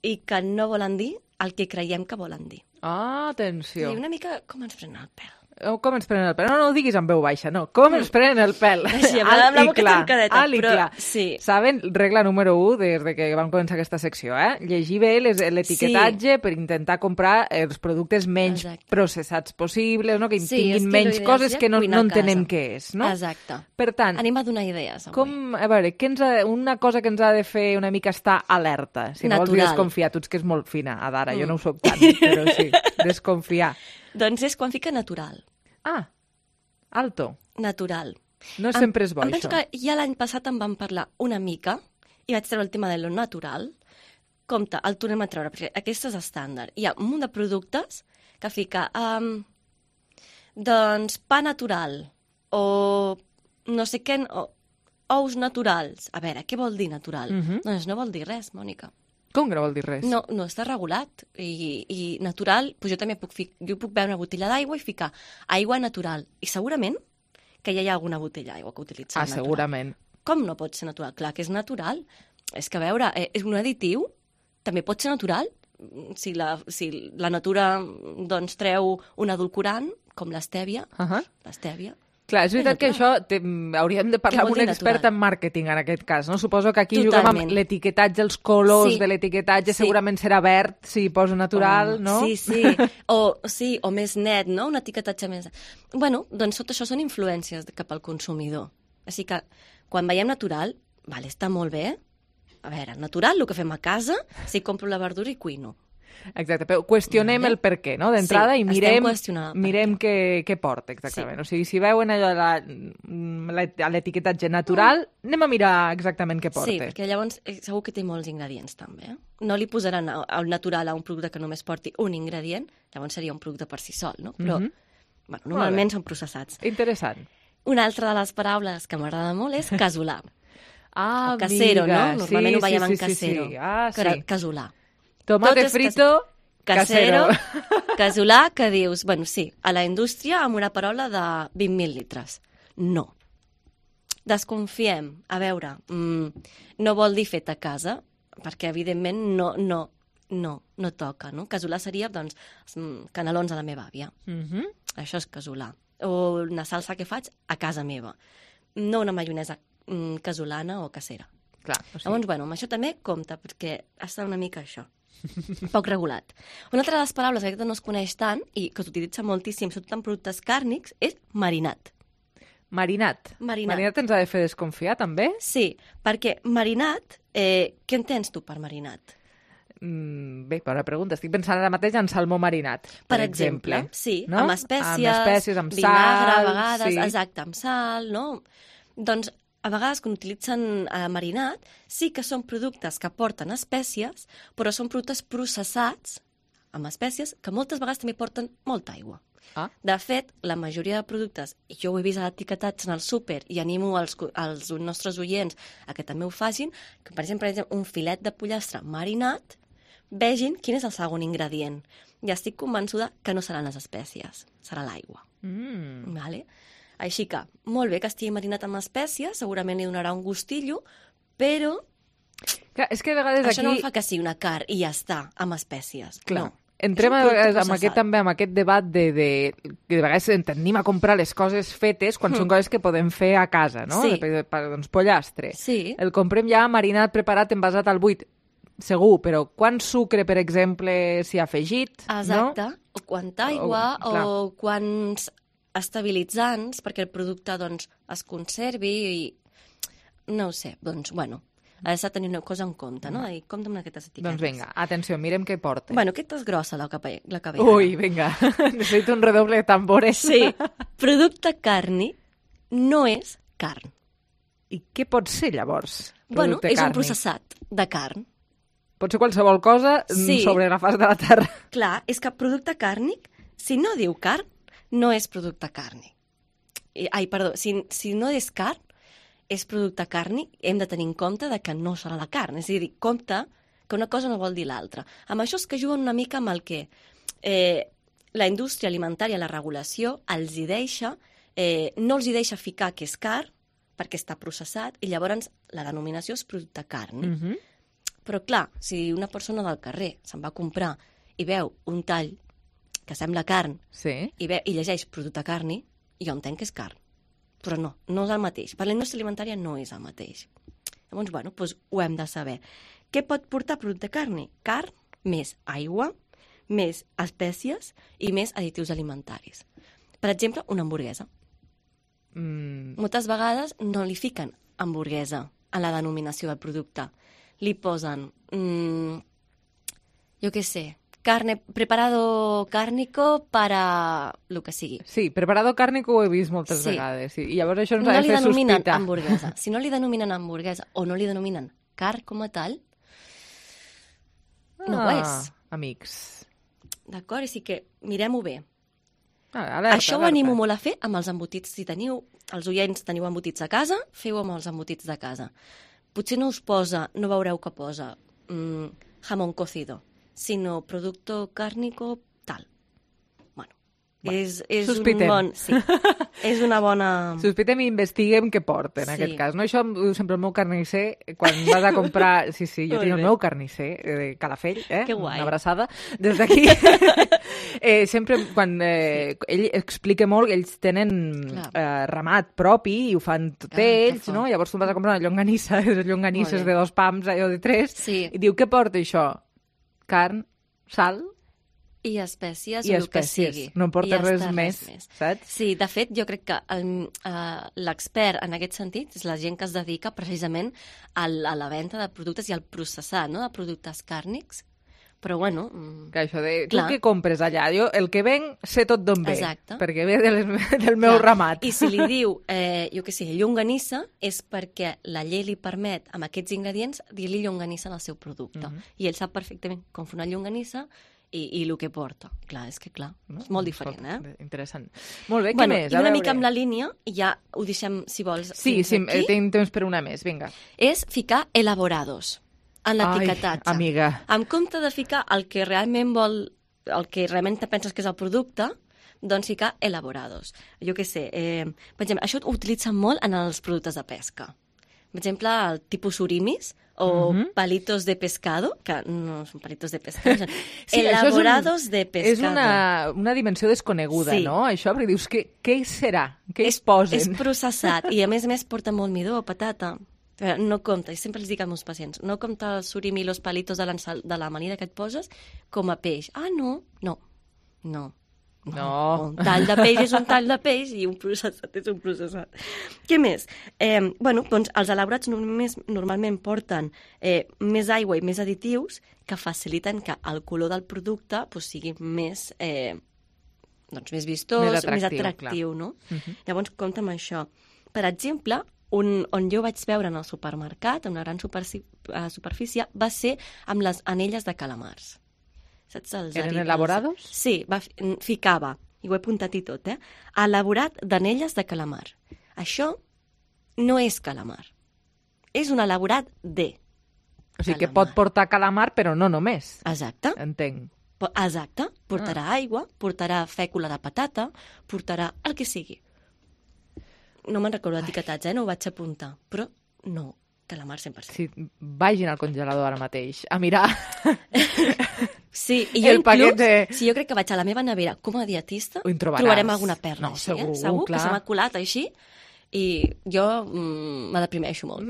[SPEAKER 18] i que no volen dir el que creiem que volen dir.
[SPEAKER 3] Ah, atenció.
[SPEAKER 18] I una mica com ens prenen el pèl.
[SPEAKER 3] Oh, com ens prenen el pèl? No, no ho diguis en veu baixa, no. Com ens prenen el pèl?
[SPEAKER 18] Sí, amb la, la boca tancadeta,
[SPEAKER 3] alt i
[SPEAKER 18] però...
[SPEAKER 3] clar.
[SPEAKER 18] Sí.
[SPEAKER 3] Saben, regla número u des de que vam començar aquesta secció, eh? Llegir bé les- l'etiquetatge
[SPEAKER 18] Sí.
[SPEAKER 3] per intentar comprar els productes menys
[SPEAKER 18] Exacte.
[SPEAKER 3] processats possibles, no? Que
[SPEAKER 18] Sí,
[SPEAKER 3] tinguin
[SPEAKER 18] estilo
[SPEAKER 3] menys
[SPEAKER 18] ideal
[SPEAKER 3] coses
[SPEAKER 18] seria
[SPEAKER 3] que no,
[SPEAKER 18] cuinar
[SPEAKER 3] no
[SPEAKER 18] a casa.
[SPEAKER 3] entenem què és, no?
[SPEAKER 18] Exacte.
[SPEAKER 3] Per tant,
[SPEAKER 18] Anem a donar idees. Avui.
[SPEAKER 3] com, a veure, què ens ha, una cosa que ens ha de fer una mica estar alerta, si no vols dir
[SPEAKER 18] Natural.
[SPEAKER 3] desconfiar, tu ets que és molt fina, Adara, mm. jo
[SPEAKER 18] Mm.
[SPEAKER 3] no ho soc tant, però sí, desconfiar.
[SPEAKER 18] Doncs és quan fica natural.
[SPEAKER 3] Ah, alto.
[SPEAKER 18] Natural.
[SPEAKER 3] No sempre és bo,
[SPEAKER 18] em penso
[SPEAKER 3] això.
[SPEAKER 18] que ja l'any passat en vam parlar una mica i vaig treure el tema de lo natural. Compte, el tornem a treure, perquè aquest és estàndard. Hi ha un munt de productes que fica um, doncs pa natural o no sé què, o, ous naturals. A veure, què vol dir natural?
[SPEAKER 3] Mhm.
[SPEAKER 18] Doncs no vol dir res, Mònica.
[SPEAKER 3] Com que no vol dir res?
[SPEAKER 18] No, no està regulat. I, i natural, doncs jo també puc, fi- jo puc veure una botella d'aigua i ficar aigua natural. I segurament que ja hi ha alguna botella d'aigua que utilitza
[SPEAKER 3] Ah,
[SPEAKER 18] natural.
[SPEAKER 3] segurament.
[SPEAKER 18] Com no pot ser natural? Clar que és natural. És que, a veure, eh, és un additiu, també pot ser natural. Si la, si la natura doncs, treu un edulcorant, com l'estèvia,
[SPEAKER 3] Uh -huh.
[SPEAKER 18] l'estèvia,
[SPEAKER 3] Clar, és veritat que
[SPEAKER 18] natural.
[SPEAKER 3] això té, hauríem de parlar
[SPEAKER 18] Què
[SPEAKER 3] amb
[SPEAKER 18] vol
[SPEAKER 3] un
[SPEAKER 18] dir
[SPEAKER 3] expert
[SPEAKER 18] natural?
[SPEAKER 3] en màrqueting, en aquest cas, no? Suposo que aquí juguem
[SPEAKER 18] Totalment.
[SPEAKER 3] amb l'etiquetatge, els colors
[SPEAKER 18] Sí.
[SPEAKER 3] de l'etiquetatge,
[SPEAKER 18] Sí.
[SPEAKER 3] segurament serà verd, si poso natural,
[SPEAKER 18] Oh,
[SPEAKER 3] no?
[SPEAKER 18] Sí, sí. O, sí, o més net, no? Un etiquetatge més... Bueno, doncs tot això són influències de- cap al consumidor. Així que, quan veiem natural, vale, està molt bé. A veure, natural, el que fem a casa, si compro la verdura i cuino.
[SPEAKER 3] Exacte, però qüestionem
[SPEAKER 18] Vale.
[SPEAKER 3] el per què, no? D'entrada,
[SPEAKER 18] Sí,
[SPEAKER 3] i
[SPEAKER 18] estem
[SPEAKER 3] mirem,
[SPEAKER 18] qüestionant el per
[SPEAKER 3] mirem què, què porta, exactament.
[SPEAKER 18] Sí.
[SPEAKER 3] O sigui, si veuen allò de la- la- l'etiquetatge natural, anem a mirar exactament què porta.
[SPEAKER 18] Sí, perquè llavors eh, segur que té molts ingredients, també. Eh? No li posaran a- al natural a un producte que només porti un ingredient, llavors seria un producte per si sol, no? Però,
[SPEAKER 3] Mhm.
[SPEAKER 18] bueno, normalment són processats.
[SPEAKER 3] Interessant.
[SPEAKER 18] Una altra de les paraules que m'agrada molt és casolà.
[SPEAKER 3] Ah,
[SPEAKER 18] o casero,
[SPEAKER 3] amiga,
[SPEAKER 18] no? Normalment
[SPEAKER 3] sí,
[SPEAKER 18] ho veiem
[SPEAKER 3] sí,
[SPEAKER 18] en
[SPEAKER 3] sí, sí,
[SPEAKER 18] casero.
[SPEAKER 3] sí. Ah,
[SPEAKER 18] Cara-
[SPEAKER 3] sí.
[SPEAKER 18] Casolà.
[SPEAKER 3] Tomate
[SPEAKER 18] Tot és
[SPEAKER 3] frito,
[SPEAKER 18] Casero,
[SPEAKER 3] casero.
[SPEAKER 18] casolà, que dius, bueno, sí, a la indústria amb una paraula de vint mil litres. No. Desconfiem. A veure, mm, no vol dir fet a casa, perquè evidentment no, no, no, no toca, no? Casolà seria, doncs, mm, canelons a la meva àvia.
[SPEAKER 3] Mhm.
[SPEAKER 18] Això és casolà. O una salsa que faig a casa meva. No una maionesa mm, casolana o casera.
[SPEAKER 3] Clar, o sigui...
[SPEAKER 18] Llavors, bueno, amb això també compta, perquè està una mica això. Poc regulat. Una altra de les paraules que aquesta no es coneix tant i que s'utilitza moltíssim, sobretot en productes càrnics, és marinat.
[SPEAKER 3] Marinat.
[SPEAKER 18] Marinat.
[SPEAKER 3] Marinat ens ha de fer desconfiar, també?
[SPEAKER 18] Sí, perquè marinat, eh, què entens tu per marinat?
[SPEAKER 3] Mm, bé, bona pregunta. Estic pensant ara mateix en salmó marinat, per,
[SPEAKER 18] Per exemple, sí,
[SPEAKER 3] no?
[SPEAKER 18] amb espècies,
[SPEAKER 3] amb espècies, amb
[SPEAKER 18] vinagre,
[SPEAKER 3] sal,
[SPEAKER 18] a vegades,
[SPEAKER 3] sí.
[SPEAKER 18] exacte, amb sal, no? Doncs, a vegades, quan utilitzen eh, marinat, sí que són productes que porten espècies, però són productes processats amb espècies que moltes vegades també porten molta aigua.
[SPEAKER 3] Ah.
[SPEAKER 18] De fet, la majoria de productes, i jo ho he vist a l'etiquetatge en el súper i animo els, co- els nostres oients a que també ho facin, que per exemple, un filet de pollastre marinat, vegin quin és el segon ingredient. I estic convençuda que no seran les espècies, serà l'aigua.
[SPEAKER 3] Mm.
[SPEAKER 18] Vale? Així que, molt bé que estigui marinat amb espècies, segurament li donarà un gustillo, però
[SPEAKER 3] Clar, és que a vegades
[SPEAKER 18] això
[SPEAKER 3] aquí...
[SPEAKER 18] no em fa que sigui una carn i ja està, amb espècies.
[SPEAKER 3] Clar.
[SPEAKER 18] No.
[SPEAKER 3] Entrem
[SPEAKER 18] És
[SPEAKER 3] a
[SPEAKER 18] un producte
[SPEAKER 3] vegades amb
[SPEAKER 18] processat.
[SPEAKER 3] aquest, també amb aquest debat de, de, que de vegades en tendim a comprar les coses fetes quan
[SPEAKER 18] Mm.
[SPEAKER 3] són coses que podem fer a casa, no?
[SPEAKER 18] Sí.
[SPEAKER 3] De, per, doncs pollastre.
[SPEAKER 18] Sí.
[SPEAKER 3] El comprem ja marinat, preparat, envasat al buit. Segur, però quant sucre, per exemple, s'hi ha afegit?
[SPEAKER 18] Exacte.
[SPEAKER 3] No?
[SPEAKER 18] O quanta aigua,
[SPEAKER 3] O-
[SPEAKER 18] o,
[SPEAKER 3] clar.
[SPEAKER 18] o quants estabilitzants perquè el producte doncs, es conservi i... No ho sé, doncs, bueno, has de tenir una cosa en compte, no? I compte amb aquestes etiquetes.
[SPEAKER 3] Doncs vinga, atenció, mirem què porta.
[SPEAKER 18] Bueno, aquesta és grossa, la, capa, la cabella.
[SPEAKER 3] Ui, vinga, necessito un redoble de tambores.
[SPEAKER 18] Sí, producte càrnic no és carn.
[SPEAKER 3] I què pot ser, llavors?
[SPEAKER 18] Bueno,
[SPEAKER 3] producte
[SPEAKER 18] és un
[SPEAKER 3] càrnic?
[SPEAKER 18] processat de carn.
[SPEAKER 3] Pot ser qualsevol cosa
[SPEAKER 18] Sí.
[SPEAKER 3] sobre la faç de la terra.
[SPEAKER 18] Clar, és que producte càrnic, si no diu carn, no és producte càrnic. I- Ai, perdó, si, si no és carn, és producte càrnic, hem de tenir en compte de que no serà la carn. És a dir, compte que una cosa no vol dir l'altra. Amb això és que juguen una mica amb el que eh, la indústria alimentària, la regulació, els hi deixa, eh, no els hi deixa ficar que és carn, perquè està processat, i llavors la denominació és producte càrnic.
[SPEAKER 3] Mm -hmm.
[SPEAKER 18] Però clar, si una persona del carrer se'n va a comprar i veu un tall que sembla carn,
[SPEAKER 3] sí.
[SPEAKER 18] i, ve, i llegeix producte carni, jo entenc que és carn. Però no, no és el mateix. Per la indústria alimentària no és el mateix. Llavors, bueno, doncs ho hem de saber. Què pot portar producte carni? Carn, més aigua, més espècies i més additius alimentaris. Per exemple, una hamburguesa.
[SPEAKER 3] Mm.
[SPEAKER 18] Moltes vegades no li fiquen hamburguesa a la denominació del producte. Li posen, mmm, jo què sé, carne, preparado cárnico para lo que sigui.
[SPEAKER 3] Sí, preparado cárnico ho he vist moltes
[SPEAKER 18] sí.
[SPEAKER 3] vegades. Sí. I llavors això ens
[SPEAKER 18] no
[SPEAKER 3] ha de fer sospitar.
[SPEAKER 18] No li denominen hamburguesa. Si no li denominen hamburguesa o no li denominen carn com a tal, no
[SPEAKER 3] ah,
[SPEAKER 18] ho és.
[SPEAKER 3] Amics.
[SPEAKER 18] D'acord? I sí que mirem-ho bé.
[SPEAKER 3] Ah, alerta,
[SPEAKER 18] Això
[SPEAKER 3] alerta.
[SPEAKER 18] ho animo molt a fer amb els embotits. Si teniu, els oients teniu embotits a casa, feu amb els embotits de casa. Potser no us posa, no veureu que posa mmm, jamón cocido, sinó producto cárnico tal. Bueno, bueno és, és un bon... Sí, és una bona...
[SPEAKER 3] Sospitem i investiguem què porta, en sí. aquest cas. No? Això ho diu sempre el meu carnisser, quan vas a comprar... Sí, sí, jo tinc el meu carnisser de Calafell, eh?
[SPEAKER 18] Que guai.
[SPEAKER 3] Una abraçada. Des d'aquí, eh, sempre quan eh, ell explica molt que ells tenen eh, ramat propi i ho fan tot ah, ells, no? Llavors tu vas a comprar una llonganissa, les llonganisses de dos pams, allò de tres,
[SPEAKER 18] sí.
[SPEAKER 3] i diu, què porta això? Carn, sal...
[SPEAKER 18] I espècies,
[SPEAKER 3] I
[SPEAKER 18] o el que
[SPEAKER 3] espècies.
[SPEAKER 18] sigui.
[SPEAKER 3] No porta res,
[SPEAKER 18] res
[SPEAKER 3] més,
[SPEAKER 18] més,
[SPEAKER 3] saps?
[SPEAKER 18] Sí, de fet, jo crec que l'expert en aquest sentit és la gent que es dedica precisament a la, a la venda de productes i al processar, no?, de productes càrnics. Però, bueno...
[SPEAKER 3] Que això de...
[SPEAKER 18] Clar.
[SPEAKER 3] Tu què compres allà? Jo, el que venc, sé tot d'on ve.
[SPEAKER 18] Exacte.
[SPEAKER 3] Perquè ve de les, del meu
[SPEAKER 18] Clar.
[SPEAKER 3] ramat.
[SPEAKER 18] I si li diu, eh, jo què sé, llonganissa, és perquè la llei li permet, amb aquests ingredients, dir-li llonganissa al seu producte. Mm-hmm. I ell sap perfectament com fer una llonganissa i, i el que porta. Clar, és que clar, no? És molt diferent, eh?
[SPEAKER 3] Interessant. Molt bé, què
[SPEAKER 18] bueno,
[SPEAKER 3] més?
[SPEAKER 18] I una mica amb la línia, i ja ho deixem, si vols,
[SPEAKER 3] sí, sí, aquí. Tinc temps per una més, vinga.
[SPEAKER 18] És ficar elaborados en l'etiquetatge.
[SPEAKER 3] Ai, amiga.
[SPEAKER 18] En compte de ficar el que realment vol, el que realment te penses que és el producte, doncs ficar elaborados. Jo què sé, eh, per exemple, això ho utilitzen molt en els productes de pesca. Per exemple, el tipus surimis o uh-huh. palitos de pescado, que no són palitos de pescado, són sí, elaborados un, de pescado.
[SPEAKER 3] És una, una dimensió desconeguda, sí. no? Això, perquè dius, què, què serà? Què
[SPEAKER 18] és,
[SPEAKER 3] es posen?
[SPEAKER 18] És processat i, a més a més, porta molt midó, patata. No compta, i sempre els dic als meus pacients, no compta el surimi i els palitos de, de l'amanida que et poses com a peix. Ah, no, no, no.
[SPEAKER 3] No.
[SPEAKER 18] Un tall de peix és un tall de peix i un processat és un processat. Què més? Eh, bueno, doncs els elaborats només, normalment porten eh, més aigua i més additius que faciliten que el color del producte pues, sigui més, eh, doncs, més vistós, més atractiu, més atractiu no? Uh-huh. Llavors, compta amb això. Per exemple, un, on jo vaig veure en el supermercat, en una gran superfi- superfície, va ser amb les anelles de calamars. Saps, els
[SPEAKER 3] Eren
[SPEAKER 18] aribes?
[SPEAKER 3] elaborados?
[SPEAKER 18] Sí, va, ficava, i ho he apuntat i tot, eh? Elaborat d'anelles de calamar. Això no és calamar. És un elaborat de
[SPEAKER 3] O sigui
[SPEAKER 18] calamar.
[SPEAKER 3] que pot portar calamar, però no només.
[SPEAKER 18] Exacte.
[SPEAKER 3] Entenc.
[SPEAKER 18] Exacte. Portarà ah. aigua, portarà fècula de patata, portarà el que sigui. No me'n recordo l'etiquetatge, eh? No ho vaig apuntar, però no. Calamar cent per cent.
[SPEAKER 3] Sí, vagin al congelador ara mateix a mirar.
[SPEAKER 18] Sí, i jo
[SPEAKER 3] el
[SPEAKER 18] inclús,
[SPEAKER 3] de...
[SPEAKER 18] si jo crec que vaig a la meva nevera com a dietista,
[SPEAKER 3] trobaràs.
[SPEAKER 18] trobarem alguna perla.
[SPEAKER 3] No,
[SPEAKER 18] així,
[SPEAKER 3] segur,
[SPEAKER 18] eh? segur
[SPEAKER 3] clar.
[SPEAKER 18] que se m'ha colat així i jo mm, me deprimeixo molt.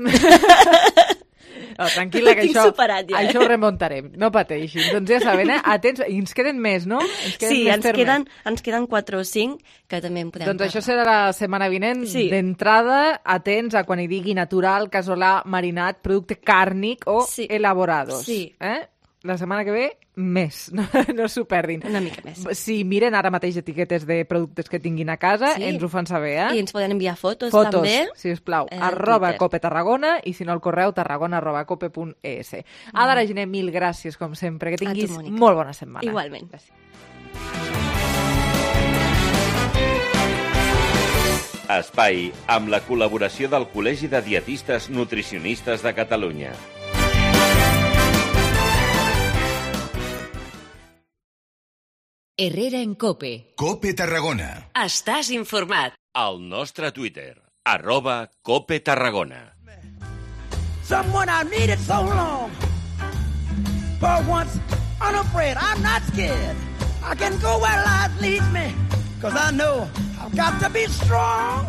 [SPEAKER 3] No, tranquil·la, que això,
[SPEAKER 18] superat, ja, eh?
[SPEAKER 3] això ho remuntarem, no pateixin. Doncs ja saben, eh? Atents, i ens queden més, no? Ens queden
[SPEAKER 18] sí,
[SPEAKER 3] més
[SPEAKER 18] ens queden, ens queden quatre o cinc que també en podem
[SPEAKER 3] Doncs
[SPEAKER 18] parlar.
[SPEAKER 3] això serà la setmana vinent.
[SPEAKER 18] Sí.
[SPEAKER 3] D'entrada, atents a quan hi digui natural, casolà, marinat, producte càrnic o
[SPEAKER 18] Sí.
[SPEAKER 3] elaborados.
[SPEAKER 18] Sí.
[SPEAKER 3] Eh? La setmana que ve, més. No, no s'ho perdin.
[SPEAKER 18] Una mica més.
[SPEAKER 3] Si miren ara mateix etiquetes de productes que tinguin a casa,
[SPEAKER 18] Sí.
[SPEAKER 3] ens ho fan saber, eh?
[SPEAKER 18] I ens poden enviar fotos,
[SPEAKER 3] Fotos,
[SPEAKER 18] també.
[SPEAKER 3] sisplau,
[SPEAKER 18] eh,
[SPEAKER 3] arroba
[SPEAKER 18] Twitter.
[SPEAKER 3] cope Tarragona i si no el correu tarragona arroba cope punt es. Ada Reginer, mil gràcies, com sempre. Que tinguis
[SPEAKER 18] tu, Mònica.
[SPEAKER 3] molt bona setmana.
[SPEAKER 18] Igualment.
[SPEAKER 3] Gràcies.
[SPEAKER 14] Espai amb la col·laboració del Col·legi de Dietistes Nutricionistes de Catalunya.
[SPEAKER 2] Herrera en Cope.
[SPEAKER 19] Cope Tarragona.
[SPEAKER 2] Estàs informat.
[SPEAKER 14] Al nostre Twitter, arroba Cope Tarragona.
[SPEAKER 4] Someone I needed so long. For once, unafraid, I'm not scared. I can go where life leads me, 'cause I know I've got to be strong.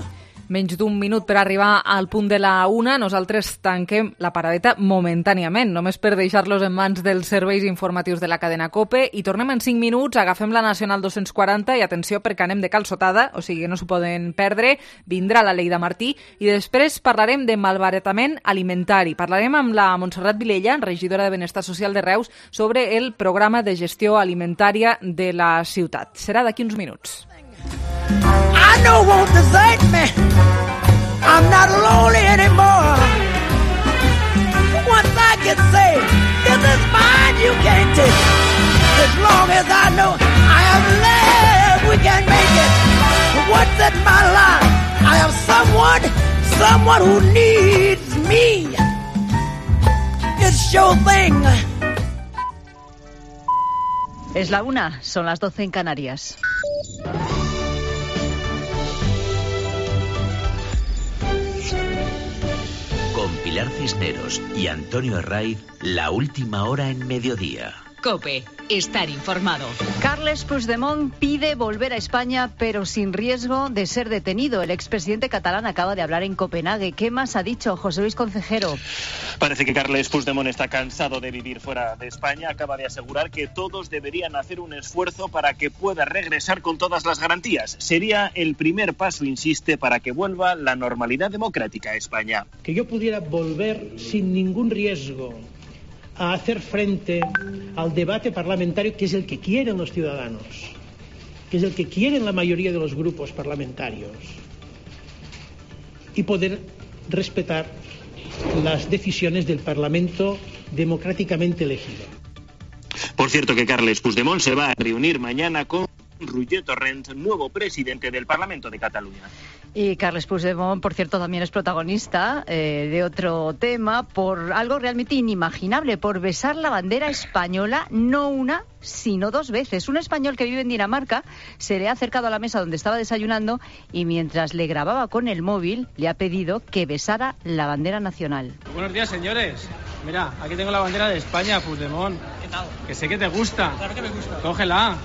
[SPEAKER 3] Menys d'un minut per arribar al punt de la una, nosaltres tanquem la paradeta momentàniament, només per deixar-los en mans dels serveis informatius de la cadena COPE, i tornem en cinc minuts, agafem la Nacional dos-cents quaranta i atenció perquè anem de calçotada, o sigui que no s'ho poden perdre, vindrà la Lleida Martí i després parlarem de malbaratament alimentari. Parlarem amb la Montserrat Vilella, regidora de Benestar Social de Reus, sobre el programa de gestió alimentària de la ciutat. Serà d'aquí uns minuts.
[SPEAKER 4] I know won't desert me. I'm not lonely anymore. Once I get saved, this is mine, you can't take it. As long as I know I have love, we can make it. What's in my life? I have someone, someone who needs me. It's your thing.
[SPEAKER 19] Es la una, son las doce en Canarias.
[SPEAKER 20] Con Pilar Cisneros y Antonio Herraiz, la última hora en mediodía.
[SPEAKER 2] COPE, estar informado.
[SPEAKER 19] Carles Puigdemont pide volver a España, pero sin riesgo de ser detenido. El expresidente catalán acaba de hablar en Copenhague. ¿Qué más ha dicho José Luis Concejero?
[SPEAKER 21] Parece que Carles Puigdemont está cansado de vivir fuera de España. Acaba de asegurar que todos deberían hacer un esfuerzo para que pueda regresar con todas las garantías. Sería el primer paso, insiste, para que vuelva la normalidad democrática a España.
[SPEAKER 22] Que yo pudiera volver sin ningún riesgo a hacer frente al debate parlamentario, que es el que quieren los ciudadanos, que es el que quieren la mayoría de los grupos parlamentarios, y poder respetar las decisiones del Parlamento democráticamente elegido.
[SPEAKER 21] Por cierto que Carles Puigdemont se va a reunir mañana con Roger Torrent, nuevo presidente del Parlamento de Cataluña.
[SPEAKER 19] Y Carles Puigdemont, por cierto, también es protagonista eh, de otro tema, por algo realmente inimaginable, por besar la bandera española, no una, sino dos veces. Un español que vive en Dinamarca se le ha acercado a la mesa donde estaba desayunando y mientras le grababa con el móvil, le ha pedido que besara la bandera nacional.
[SPEAKER 23] Buenos días, señores. Mira, aquí tengo la bandera de España, Puigdemont. ¿Qué tal? Que sé que te gusta. Claro que me gusta. Cógela.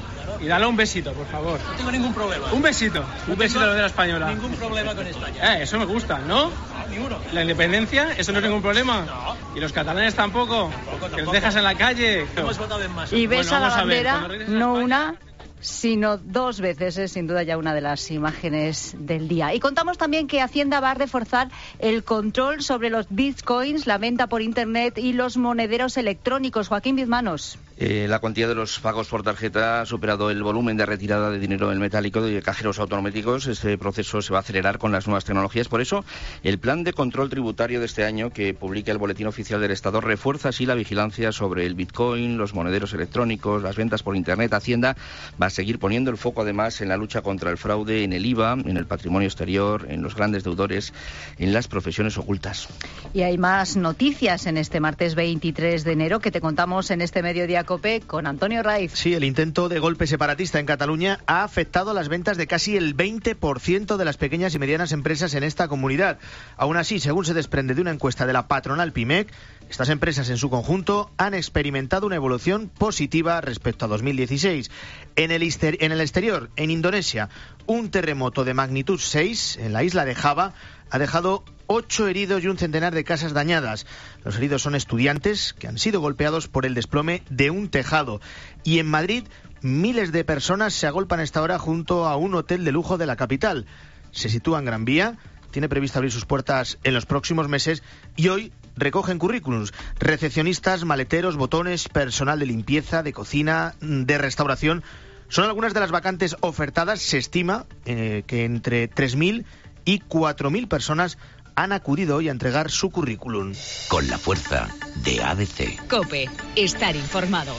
[SPEAKER 23] Y dale un besito, por favor. No tengo ningún problema. Un besito. No un besito de la bandera española. Ningún problema con España. Eh, eso me gusta, ¿no? No, ninguno. ¿La independencia? ¿Eso no es ningún problema? No. ¿Y los catalanes tampoco? Tampoco, tampoco. ¿Que los dejas en la calle? Hemos votado en masa.
[SPEAKER 19] Y besa bueno, la bandera, no una, sino dos veces. Es sin duda ya una de las imágenes del día. Y contamos también que Hacienda va a reforzar el control sobre los bitcoins, la venta por internet y los monederos electrónicos. Joaquín Bizmanos.
[SPEAKER 24] Eh, la cuantía de los pagos por tarjeta ha superado el volumen de retirada de dinero en metálico de cajeros automáticos. Este proceso se va a acelerar con las nuevas tecnologías. Por eso, el plan de control tributario de este año que publica el Boletín Oficial del Estado refuerza así la vigilancia sobre el bitcoin, los monederos electrónicos, las ventas por internet. Hacienda va a seguir poniendo el foco además en la lucha contra el fraude, en el I V A, en el patrimonio exterior, en los grandes deudores, en las profesiones ocultas.
[SPEAKER 19] Y hay más noticias en este martes veintitrés de enero que te contamos en este Mediodía COPE con Antonio Raiz.
[SPEAKER 25] Sí, el intento de golpe separatista en Cataluña ha afectado a las ventas de casi el veinte por ciento de las pequeñas y medianas empresas en esta comunidad. Aún así, según se desprende de una encuesta de la patronal PIMEC, estas empresas en su conjunto han experimentado una evolución positiva respecto a dos mil dieciséis. En el, en el exterior, en Indonesia, un terremoto de magnitud seis en la isla de Java ha dejado ocho heridos y un centenar de casas dañadas. Los heridos son estudiantes que han sido golpeados por el desplome de un tejado. Y en Madrid, miles de personas se agolpan a esta hora junto a un hotel de lujo de la capital. Se sitúa en Gran Vía, tiene previsto abrir sus puertas en los próximos meses y hoy recogen currículums. Recepcionistas, maleteros, botones, personal de limpieza, de cocina, de restauración. Son algunas de las vacantes ofertadas. Se estima eh, que entre tres mil y cuatro mil personas han acudido hoy a entregar su currículum.
[SPEAKER 20] Con la fuerza de A D C.
[SPEAKER 2] COPE, estar informado.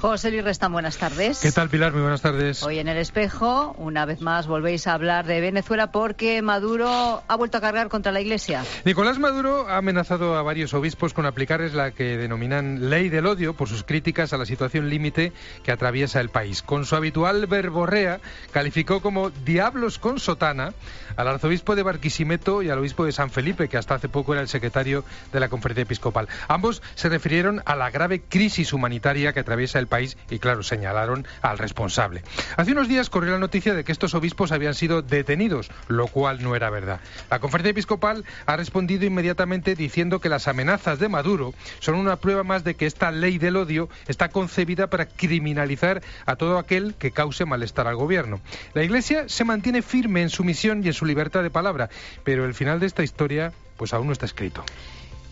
[SPEAKER 19] José Luis Restán, buenas tardes.
[SPEAKER 26] ¿Qué tal, Pilar? Muy buenas tardes.
[SPEAKER 19] Hoy en El Espejo, una vez más, volvéis a hablar de Venezuela porque Maduro ha vuelto a cargar contra la Iglesia.
[SPEAKER 26] Nicolás Maduro ha amenazado a varios obispos con aplicarles la que denominan ley del odio por sus críticas a la situación límite que atraviesa el país. Con su habitual verborrea, calificó como diablos con sotana al arzobispo de Barquisimeto y al obispo de San Felipe, que hasta hace poco era el secretario de la Conferencia Episcopal. Ambos se refirieron a la grave crisis humanitaria que atraviesa el país y, claro, señalaron al responsable. Hace unos días corrió la noticia de que estos obispos habían sido detenidos, lo cual no era verdad. La Conferencia Episcopal ha respondido inmediatamente diciendo que las amenazas de Maduro son una prueba más de que esta ley del odio está concebida para criminalizar a todo aquel que cause malestar al gobierno. La Iglesia se mantiene firme en su misión y en su libertad de palabra, pero el final de esta historia pues aún no está escrito.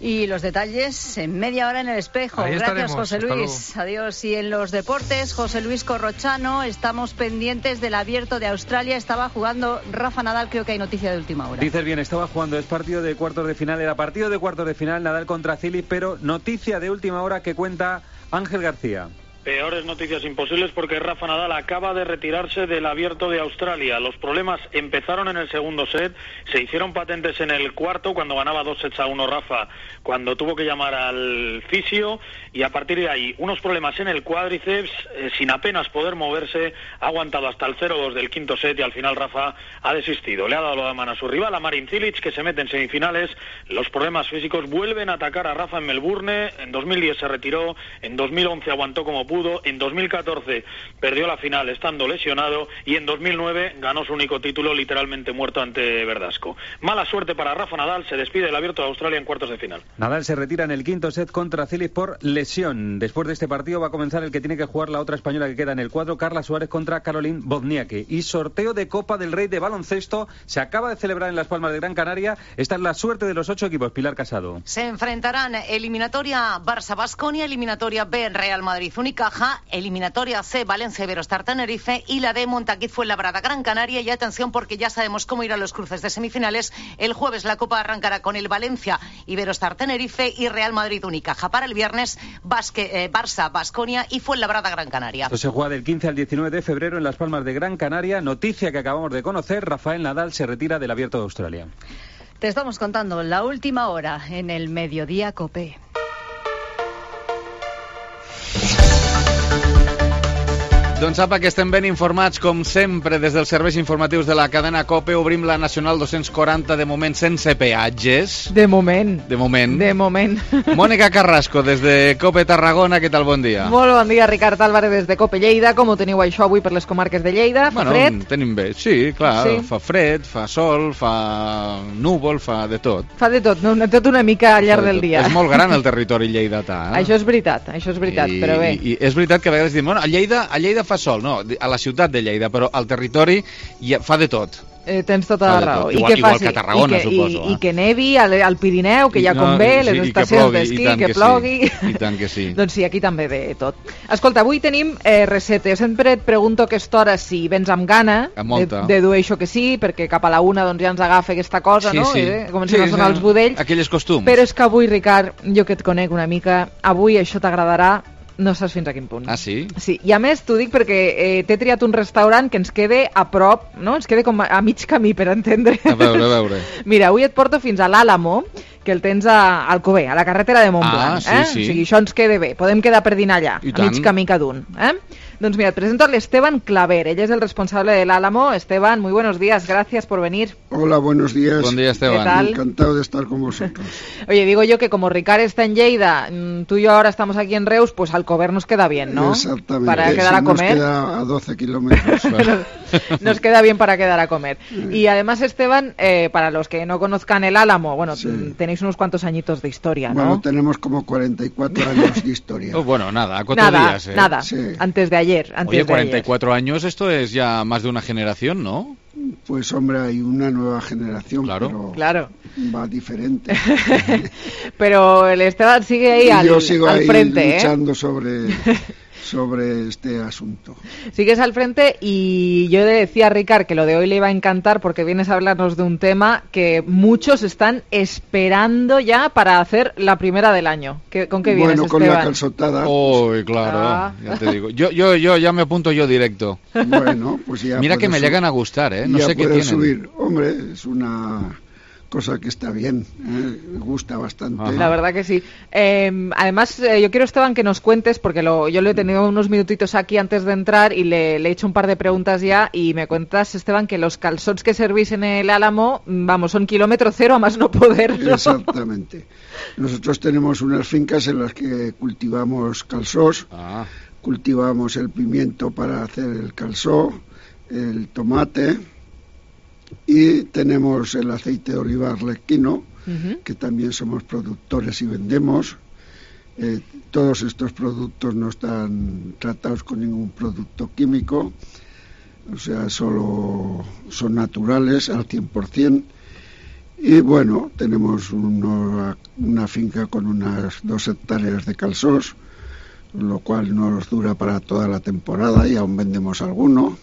[SPEAKER 19] Y los detalles en media hora en el espejo.
[SPEAKER 26] Ahí
[SPEAKER 19] Gracias,
[SPEAKER 26] estaremos.
[SPEAKER 19] José Luis. Adiós. Y en los deportes, José Luis Corrochano, estamos pendientes del Abierto de Australia. Estaba jugando Rafa Nadal, creo que hay noticia de última hora.
[SPEAKER 1] Dices bien, estaba jugando, es partido de cuartos de final, era partido de cuartos de final, Nadal contra Cilic, pero noticia de última hora que cuenta Ángel García.
[SPEAKER 5] Peores noticias imposibles porque Rafa Nadal acaba de retirarse del Abierto de Australia. Los problemas empezaron en el segundo set, se hicieron patentes en el cuarto cuando ganaba dos sets a uno Rafa, cuando tuvo que llamar al fisio, y a partir de ahí unos problemas en el cuádriceps, eh, sin apenas poder moverse, ha aguantado hasta el cero dos del quinto set y al final Rafa ha desistido. Le ha dado la mano a su rival, a Marin Cilic, que se mete en semifinales. Los problemas físicos vuelven a atacar a Rafa en Melbourne. En dos mil diez se retiró, en dos mil once aguantó como pudo, en dos mil catorce perdió la final estando lesionado y en dos mil nueve ganó su único título literalmente muerto ante Verdasco. Mala suerte para Rafa Nadal, se despide del Abierto de Australia en cuartos de final.
[SPEAKER 1] Nadal se retira en el quinto set contra Cilic por lesión. Después de este partido va a comenzar el que tiene que jugar la otra española que queda en el cuadro, Carla Suárez contra Caroline Wozniacki. Y sorteo de Copa del Rey de baloncesto se acaba de celebrar en Las Palmas de Gran Canaria. Esta es la suerte de los ocho equipos. Pilar Casado.
[SPEAKER 6] Se enfrentarán eliminatoria Barça-Baskonia, eliminatoria B Real Madrid-Unicaja, eliminatoria C Valencia Iberostar Tenerife y la D Montaquit Fuenlabrada Gran Canaria. Y atención porque ya sabemos cómo irán los cruces de semifinales. El jueves la Copa arrancará con el Valencia Iberostar Tenerife y Real Madrid Unicaja. Para el viernes Basque, eh, Barça Baskonia y Fuenlabrada Gran Canaria.
[SPEAKER 1] Esto se juega del quince al diecinueve de febrero en Las Palmas de Gran Canaria. Noticia que acabamos de conocer: Rafael Nadal se retira del Abierto de Australia.
[SPEAKER 19] Te estamos contando la última hora en el Mediodía COPE.
[SPEAKER 7] Doncs apa, que estem ben informats, com sempre, des dels serveis informatius de la cadena COPE. Obrim la Nacional dos-cents quaranta, de moment sense peatges.
[SPEAKER 3] De moment.
[SPEAKER 7] De moment.
[SPEAKER 3] De moment.
[SPEAKER 7] Mònica Carrasco, des de COPE Tarragona, què tal, bon dia?
[SPEAKER 3] Molt bon dia, Ricard Álvarez, des de COPE Lleida. Com ho teniu això avui per les comarques de Lleida? Fa
[SPEAKER 7] bueno,
[SPEAKER 3] fred?
[SPEAKER 7] Tenim bé, sí, clar,
[SPEAKER 3] Sí.
[SPEAKER 7] fa fred, fa sol, fa núvol, fa de tot.
[SPEAKER 3] Fa de tot, no, tot una mica al llarg
[SPEAKER 7] Fa de
[SPEAKER 3] del
[SPEAKER 7] tot.
[SPEAKER 3] dia.
[SPEAKER 7] És molt gran el territori lleidatà. Eh?
[SPEAKER 3] Això és veritat, això és veritat,
[SPEAKER 7] I,
[SPEAKER 3] però bé.
[SPEAKER 7] I, I és veritat que a vegades diuen, bueno, a Lleida, a Lleida fa sol, no, a la ciutat de Lleida, però al territori ja fa de tot.
[SPEAKER 3] Eh, tens tota
[SPEAKER 7] Fa
[SPEAKER 3] la
[SPEAKER 7] de
[SPEAKER 3] raó.
[SPEAKER 7] tot.
[SPEAKER 3] I
[SPEAKER 7] Igual-
[SPEAKER 3] que
[SPEAKER 7] igual
[SPEAKER 3] faci,
[SPEAKER 7] que a Tarragona,
[SPEAKER 3] i que,
[SPEAKER 7] suposo,
[SPEAKER 3] I,
[SPEAKER 7] eh?
[SPEAKER 3] i que nevi al, al Pirineu, que ja
[SPEAKER 7] No,
[SPEAKER 3] convé,
[SPEAKER 7] sí,
[SPEAKER 3] les
[SPEAKER 7] i que
[SPEAKER 3] estacions
[SPEAKER 7] plogui, i
[SPEAKER 3] d'esquí,
[SPEAKER 7] tant
[SPEAKER 3] que,
[SPEAKER 7] que sí.
[SPEAKER 3] plogui.
[SPEAKER 7] I tant que sí.
[SPEAKER 3] Doncs sí, aquí també de tot. Escolta, avui tenim eh, receta. Jo sempre et pregunto a aquesta hora si vens amb gana.
[SPEAKER 7] Amb molta.
[SPEAKER 3] De, dedueixo que sí, perquè cap a la una doncs, ja ens agafa aquesta cosa,
[SPEAKER 7] Sí,
[SPEAKER 3] no?
[SPEAKER 7] sí.
[SPEAKER 3] Eh? Comencen
[SPEAKER 7] Sí,
[SPEAKER 3] a sonar
[SPEAKER 7] sí.
[SPEAKER 3] els budells.
[SPEAKER 7] Aquelles costums.
[SPEAKER 3] Però és que avui, Ricard, jo que et conec una mica, avui això t'agradarà, no saps fins a quin punt.
[SPEAKER 7] Ah, sí?
[SPEAKER 3] Sí, i a més t'ho dic perquè eh, t'he triat un restaurant que ens quede a prop, no? Ens quede com a, a mig camí, per entendre.
[SPEAKER 7] A veure, a veure.
[SPEAKER 3] Mira, avui et porto fins a l'Àlamo, que el tens a Alcover, a la carretera de Montblanc.
[SPEAKER 7] Ah, sí,
[SPEAKER 3] eh?
[SPEAKER 7] sí.
[SPEAKER 3] O sigui, això ens quede bé. Podem quedar per dinar allà,
[SPEAKER 7] I
[SPEAKER 3] a mig
[SPEAKER 7] tant.
[SPEAKER 3] camí cada un. Eh? Doncs mira, et presento a l'Esteban Claver. Ell és el responsable de l'Àlamo. Esteban, muy buenos días. Gracias por venir.
[SPEAKER 9] Hola, buenos días.
[SPEAKER 7] Buen día, Esteban.
[SPEAKER 3] ¿Qué tal?
[SPEAKER 9] Encantado de estar con vosotros.
[SPEAKER 3] Oye, digo yo que como Ricard está en Lleida, mm, tú y yo ahora estamos aquí en Reus, pues Alcover nos queda bien, ¿no?
[SPEAKER 9] Exactamente.
[SPEAKER 3] Para quedar
[SPEAKER 9] Sí,
[SPEAKER 3] a comer.
[SPEAKER 9] Nos queda a doce kilómetros.
[SPEAKER 3] Nos queda bien para quedar a comer. Y además, Esteban, eh, para los que no conozcan el Álamo, bueno,
[SPEAKER 9] Sí.
[SPEAKER 3] mm, tenéis unos cuantos añitos de historia, ¿no?
[SPEAKER 9] Bueno, tenemos como cuarenta y cuatro años de historia.
[SPEAKER 7] Oh, bueno, nada, a cuatro
[SPEAKER 3] nada,
[SPEAKER 7] días. ¿eh?
[SPEAKER 3] nada.
[SPEAKER 9] Sí.
[SPEAKER 3] Antes de ayer, antes
[SPEAKER 7] Oye,
[SPEAKER 3] de
[SPEAKER 7] cuarenta y
[SPEAKER 3] ayer.
[SPEAKER 7] cuatro años, esto es ya más de una generación, ¿no?
[SPEAKER 9] Pues hombre, hay una nueva generación,
[SPEAKER 7] Claro.
[SPEAKER 9] pero
[SPEAKER 3] Claro.
[SPEAKER 9] va diferente.
[SPEAKER 3] Pero el Esteban sigue ahí
[SPEAKER 9] Y
[SPEAKER 3] al,
[SPEAKER 9] yo sigo
[SPEAKER 3] al
[SPEAKER 9] ahí
[SPEAKER 3] frente, ¿eh?
[SPEAKER 9] luchando sobre, sobre este asunto.
[SPEAKER 3] Sigues al frente y yo le decía a Ricard que lo de hoy le iba a encantar porque vienes a hablarnos de un tema que muchos están esperando ya para hacer la primera del año. ¿Qué- ¿Con qué vienes,
[SPEAKER 9] Bueno, con
[SPEAKER 3] Esteban?
[SPEAKER 9] la calzotada.
[SPEAKER 7] Uy, claro,
[SPEAKER 3] Ah.
[SPEAKER 7] ya te digo. Yo, yo, yo ya me apunto yo directo.
[SPEAKER 9] Bueno, pues ya
[SPEAKER 7] Mira que
[SPEAKER 9] puedes
[SPEAKER 7] me
[SPEAKER 9] sub-
[SPEAKER 7] llegan a gustar, ¿eh? No
[SPEAKER 9] ya
[SPEAKER 7] sé qué
[SPEAKER 9] puedes
[SPEAKER 7] tienen.
[SPEAKER 9] subir. Hombre, es una cosa que está bien, ¿eh? Me gusta bastante.
[SPEAKER 3] La verdad que sí. Eh, además, eh, yo quiero, Esteban, que nos cuentes, porque lo, yo lo he tenido unos minutitos aquí antes de entrar y le, le he hecho un par de preguntas ya, y me cuentas, Esteban, que los calzots que servís en el Álamo, mm, vamos, son kilómetro cero a más no poder, ¿no?
[SPEAKER 9] Exactamente. Nosotros tenemos unas fincas en las que cultivamos calzós,
[SPEAKER 7] Ah.
[SPEAKER 9] cultivamos el pimiento para hacer el calçot, el tomate, y tenemos el aceite de oliva arlequino, uh-huh. que también somos productores y vendemos. Eh, todos estos productos no están tratados con ningún producto químico, o sea, solo son naturales al cien por ciento. Y bueno, tenemos uno, una finca con unas dos hectáreas de calçots, lo cual nos dura para toda la temporada y aún vendemos alguno.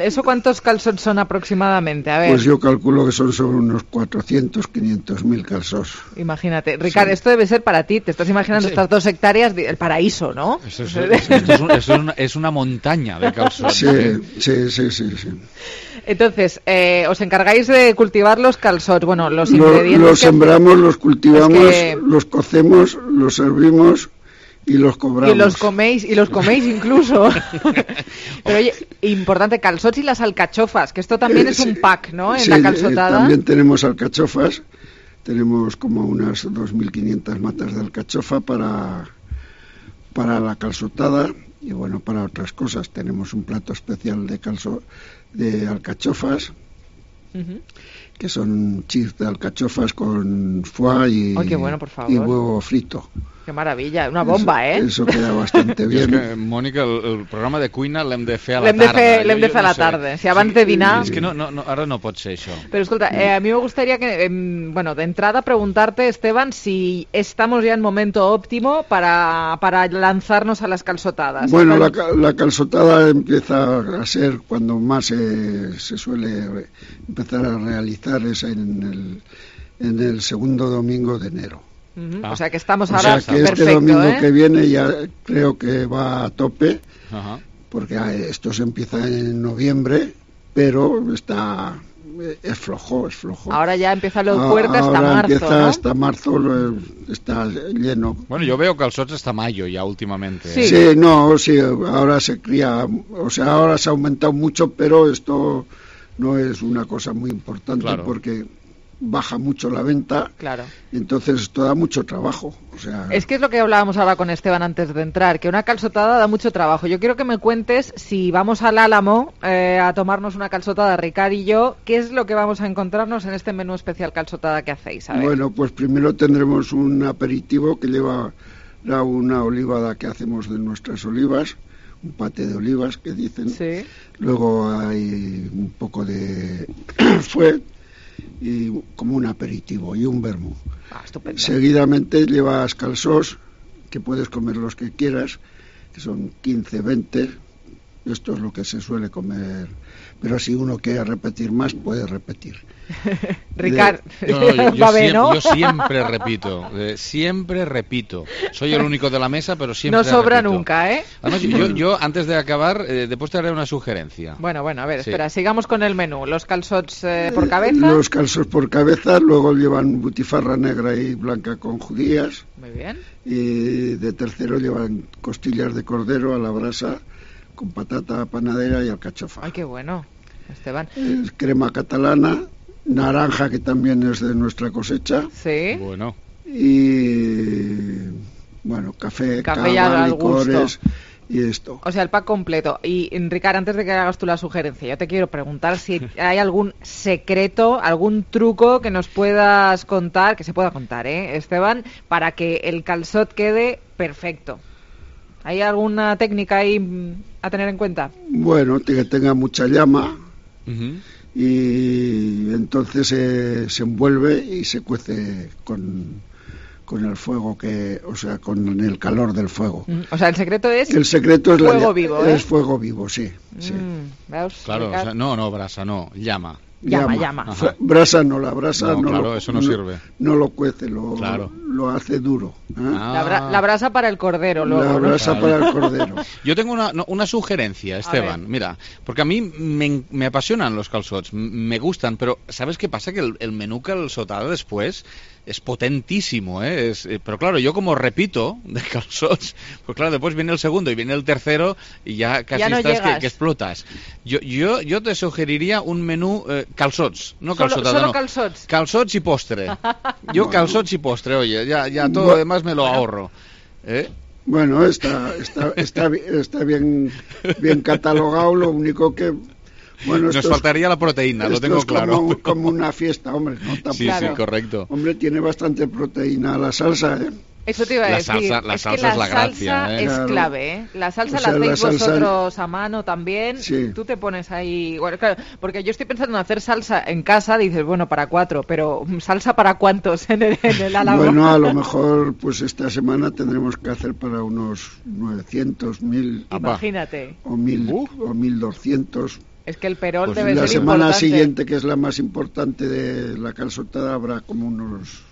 [SPEAKER 3] ¿Eso cuántos calçots son aproximadamente? A ver.
[SPEAKER 9] Pues yo calculo que son sobre unos cuatrocientos, quinientos mil calçots.
[SPEAKER 3] Imagínate. Ricardo, sí. Esto debe ser para ti. Te estás imaginando sí. estas dos hectáreas, el paraíso, ¿no?
[SPEAKER 7] Eso es, esto es, un, es, una, es una montaña de calçots.
[SPEAKER 9] Sí, sí, sí, sí, sí.
[SPEAKER 3] Entonces, eh, os encargáis de cultivar los calçots, bueno, los
[SPEAKER 9] Lo,
[SPEAKER 3] ingredientes...
[SPEAKER 9] Los
[SPEAKER 3] que...
[SPEAKER 9] sembramos, los cultivamos,
[SPEAKER 3] es que...
[SPEAKER 9] los cocemos, los servimos... Y los cobramos.
[SPEAKER 3] Y los coméis, y los coméis incluso. Pero oye, importante, calçots y las alcachofas, que esto también eh, es sí, un pack, ¿no? En
[SPEAKER 9] sí,
[SPEAKER 3] la calçotada.
[SPEAKER 9] Eh, también tenemos alcachofas, tenemos como unas dos mil quinientas matas de alcachofa para, para la calçotada y bueno, para otras cosas. Tenemos un plato especial de calzo, de alcachofas, uh-huh. que son chips de alcachofas con foie y,
[SPEAKER 3] oh, qué bueno, por favor.
[SPEAKER 9] Y huevo frito.
[SPEAKER 3] Qué maravilla, una bomba,
[SPEAKER 9] eso,
[SPEAKER 3] eh?
[SPEAKER 9] Eso queda bastante bien.
[SPEAKER 7] És que, Mònica, el, el programa de cuina l'hem de fer a la
[SPEAKER 3] l'hem de
[SPEAKER 7] tarda.
[SPEAKER 3] Fer, l'hem de fer a la
[SPEAKER 7] no
[SPEAKER 3] tarda.
[SPEAKER 7] Sé.
[SPEAKER 3] Si abans sí, de dinar...
[SPEAKER 7] Es que no, no, no, ahora no pot ser això.
[SPEAKER 3] Pero escolta, eh, a mí me gustaría que, eh, bueno, de entrada preguntarte, Esteban, si estamos ya en momento óptimo para, para lanzarnos a las calçotadas.
[SPEAKER 9] Bueno, la, la calçotada empieza a ser cuando más se, se suele empezar a realizar es en el, en el segundo domingo de enero.
[SPEAKER 3] Uh-huh. Ah. O sea que estamos
[SPEAKER 9] o
[SPEAKER 3] ahora
[SPEAKER 9] sea que
[SPEAKER 3] perfecto,
[SPEAKER 9] este domingo
[SPEAKER 3] ¿eh?
[SPEAKER 9] que viene ya creo que va a tope,
[SPEAKER 7] uh-huh.
[SPEAKER 9] porque esto se empieza en noviembre, pero está es flojo, es flojo.
[SPEAKER 3] Ahora ya empieza lo fuerte hasta
[SPEAKER 9] ahora
[SPEAKER 3] marzo,
[SPEAKER 9] empieza
[SPEAKER 3] ¿no?
[SPEAKER 9] hasta marzo, está lleno.
[SPEAKER 7] Bueno, yo veo calçots hasta mayo ya últimamente.
[SPEAKER 9] Sí. sí, no, sí, ahora se cría, o sea, ahora se ha aumentado mucho, pero esto no es una cosa muy importante, claro. porque baja mucho la venta,
[SPEAKER 3] claro.
[SPEAKER 9] y entonces esto da mucho trabajo. O sea...
[SPEAKER 3] Es que es lo que hablábamos ahora con Esteban antes de entrar, que una calçotada da mucho trabajo. Yo quiero que me cuentes, si vamos al Álamo eh, a tomarnos una calçotada, Ricard y yo, ¿qué es lo que vamos a encontrarnos en este menú especial calçotada que hacéis? A ver.
[SPEAKER 9] Bueno, pues primero tendremos un aperitivo que lleva una olivada que hacemos de nuestras olivas, un pate de olivas que dicen.
[SPEAKER 3] Sí.
[SPEAKER 9] Luego hay un poco de fuet, y como un aperitivo y un vermú.
[SPEAKER 3] Ah, estupendo.
[SPEAKER 9] Seguidamente llevas calçots, que puedes comer los que quieras, que son quince, veinte. Esto es lo que se suele comer, pero si uno quiere repetir más, puede repetir.
[SPEAKER 3] Ricard,
[SPEAKER 7] de... no, no, yo, yo, siempre, ¿no? yo siempre repito, eh, siempre repito. Soy el único de la mesa, pero siempre
[SPEAKER 3] no sobra
[SPEAKER 7] repito.
[SPEAKER 3] Nunca, ¿eh?
[SPEAKER 7] Además, yo, yo antes de acabar, eh, después te haré una sugerencia.
[SPEAKER 3] Bueno, bueno, a ver,
[SPEAKER 7] sí.
[SPEAKER 3] espera, sigamos con el menú. Los calçots eh, por cabeza.
[SPEAKER 9] Los calçots por cabeza, luego llevan butifarra negra y blanca con judías.
[SPEAKER 3] Muy bien.
[SPEAKER 9] Y de tercero llevan costillas de cordero a la brasa con patata panadera y alcachofa.
[SPEAKER 3] Ay, qué bueno, Esteban.
[SPEAKER 9] Es crema catalana, naranja que también es de nuestra cosecha.
[SPEAKER 3] Sí.
[SPEAKER 7] Bueno.
[SPEAKER 9] Y bueno, café,
[SPEAKER 3] café
[SPEAKER 9] cava, licores y esto.
[SPEAKER 3] O sea, el pack completo. Y Ricard, antes de que hagas tú la sugerencia, yo te quiero preguntar si hay algún secreto, algún truco que nos puedas contar, que se pueda contar, ¿eh, Esteban? Para que el calçot quede perfecto. ¿Hay alguna técnica ahí a tener en cuenta?
[SPEAKER 9] Bueno, que tenga mucha llama,
[SPEAKER 7] uh-huh.
[SPEAKER 9] y entonces eh, se envuelve y se cuece con, con el fuego, que, o sea, con el calor del fuego.
[SPEAKER 3] Uh-huh. O sea, el secreto es,
[SPEAKER 9] el secreto es
[SPEAKER 3] fuego
[SPEAKER 9] la,
[SPEAKER 3] vivo, ¿eh?
[SPEAKER 9] Es fuego vivo, sí. sí.
[SPEAKER 3] Mm, ¿veus,
[SPEAKER 7] claro, o sea, no, no, brasa, no, llama.
[SPEAKER 3] Llama, llama.
[SPEAKER 9] llama. Brasa no, la brasa
[SPEAKER 7] no,
[SPEAKER 9] no,
[SPEAKER 7] claro,
[SPEAKER 9] lo,
[SPEAKER 7] eso no,
[SPEAKER 9] no
[SPEAKER 7] sirve.
[SPEAKER 9] No lo cuece, lo,
[SPEAKER 7] claro.
[SPEAKER 9] lo hace duro. ¿eh?
[SPEAKER 3] Ah. La, bra la brasa para el cordero. Luego,
[SPEAKER 9] la brasa
[SPEAKER 3] ¿no?
[SPEAKER 9] para el cordero.
[SPEAKER 7] Yo tengo una, una sugerencia, Esteban. Mira, porque a mí me, me apasionan los calçots, me gustan, pero ¿sabes qué pasa? Que el, el menú calçotada después es potentísimo, ¿eh? Es, eh, pero claro, yo como repito de calçots, pues claro, después viene el segundo y viene el tercero y ya casi
[SPEAKER 3] ya no
[SPEAKER 7] estás que, que explotas. Yo, yo, yo te sugeriría un menú eh, calçots, no calçotada,
[SPEAKER 3] solo, solo
[SPEAKER 7] no.
[SPEAKER 3] calçots.
[SPEAKER 7] Calçots y postre. Yo calçots y postre, oye, ya, ya todo lo demás me lo ahorro. ¿Eh?
[SPEAKER 9] Bueno, está, está, está, está bien, bien catalogado, lo único que... Bueno,
[SPEAKER 7] Nos faltaría la proteína, lo tengo
[SPEAKER 9] es
[SPEAKER 7] claro.
[SPEAKER 9] Como, como una fiesta, hombre. No, tampoco.
[SPEAKER 7] Sí,
[SPEAKER 9] Claro.
[SPEAKER 7] sí, correcto.
[SPEAKER 9] Hombre, tiene bastante proteína la salsa, ¿eh?
[SPEAKER 3] Eso te iba a
[SPEAKER 7] La
[SPEAKER 3] decir.
[SPEAKER 7] salsa- la
[SPEAKER 3] es
[SPEAKER 7] salsa
[SPEAKER 3] que la,
[SPEAKER 7] es la gracia,
[SPEAKER 3] salsa
[SPEAKER 7] ¿eh?
[SPEAKER 3] es
[SPEAKER 9] Claro.
[SPEAKER 3] clave, ¿eh? La salsa
[SPEAKER 9] O sea,
[SPEAKER 3] la
[SPEAKER 9] la
[SPEAKER 3] hacéis
[SPEAKER 9] salsa-
[SPEAKER 3] vosotros a mano también.
[SPEAKER 9] Sí.
[SPEAKER 3] Tú te pones ahí... Bueno, claro, porque yo estoy pensando en hacer salsa en casa, dices, bueno, para cuatro, pero ¿salsa para cuántos en el, en el Álamo?
[SPEAKER 9] Bueno, a lo mejor pues esta semana tendremos que hacer para unos novecientos, mil
[SPEAKER 3] Imagínate.
[SPEAKER 9] o mil o mil doscientos.
[SPEAKER 3] Es que el perol
[SPEAKER 9] Pues
[SPEAKER 3] debe
[SPEAKER 9] la
[SPEAKER 3] ser
[SPEAKER 9] semana
[SPEAKER 3] importante.
[SPEAKER 9] siguiente, que es la más importante de la calçotada, habrá como unos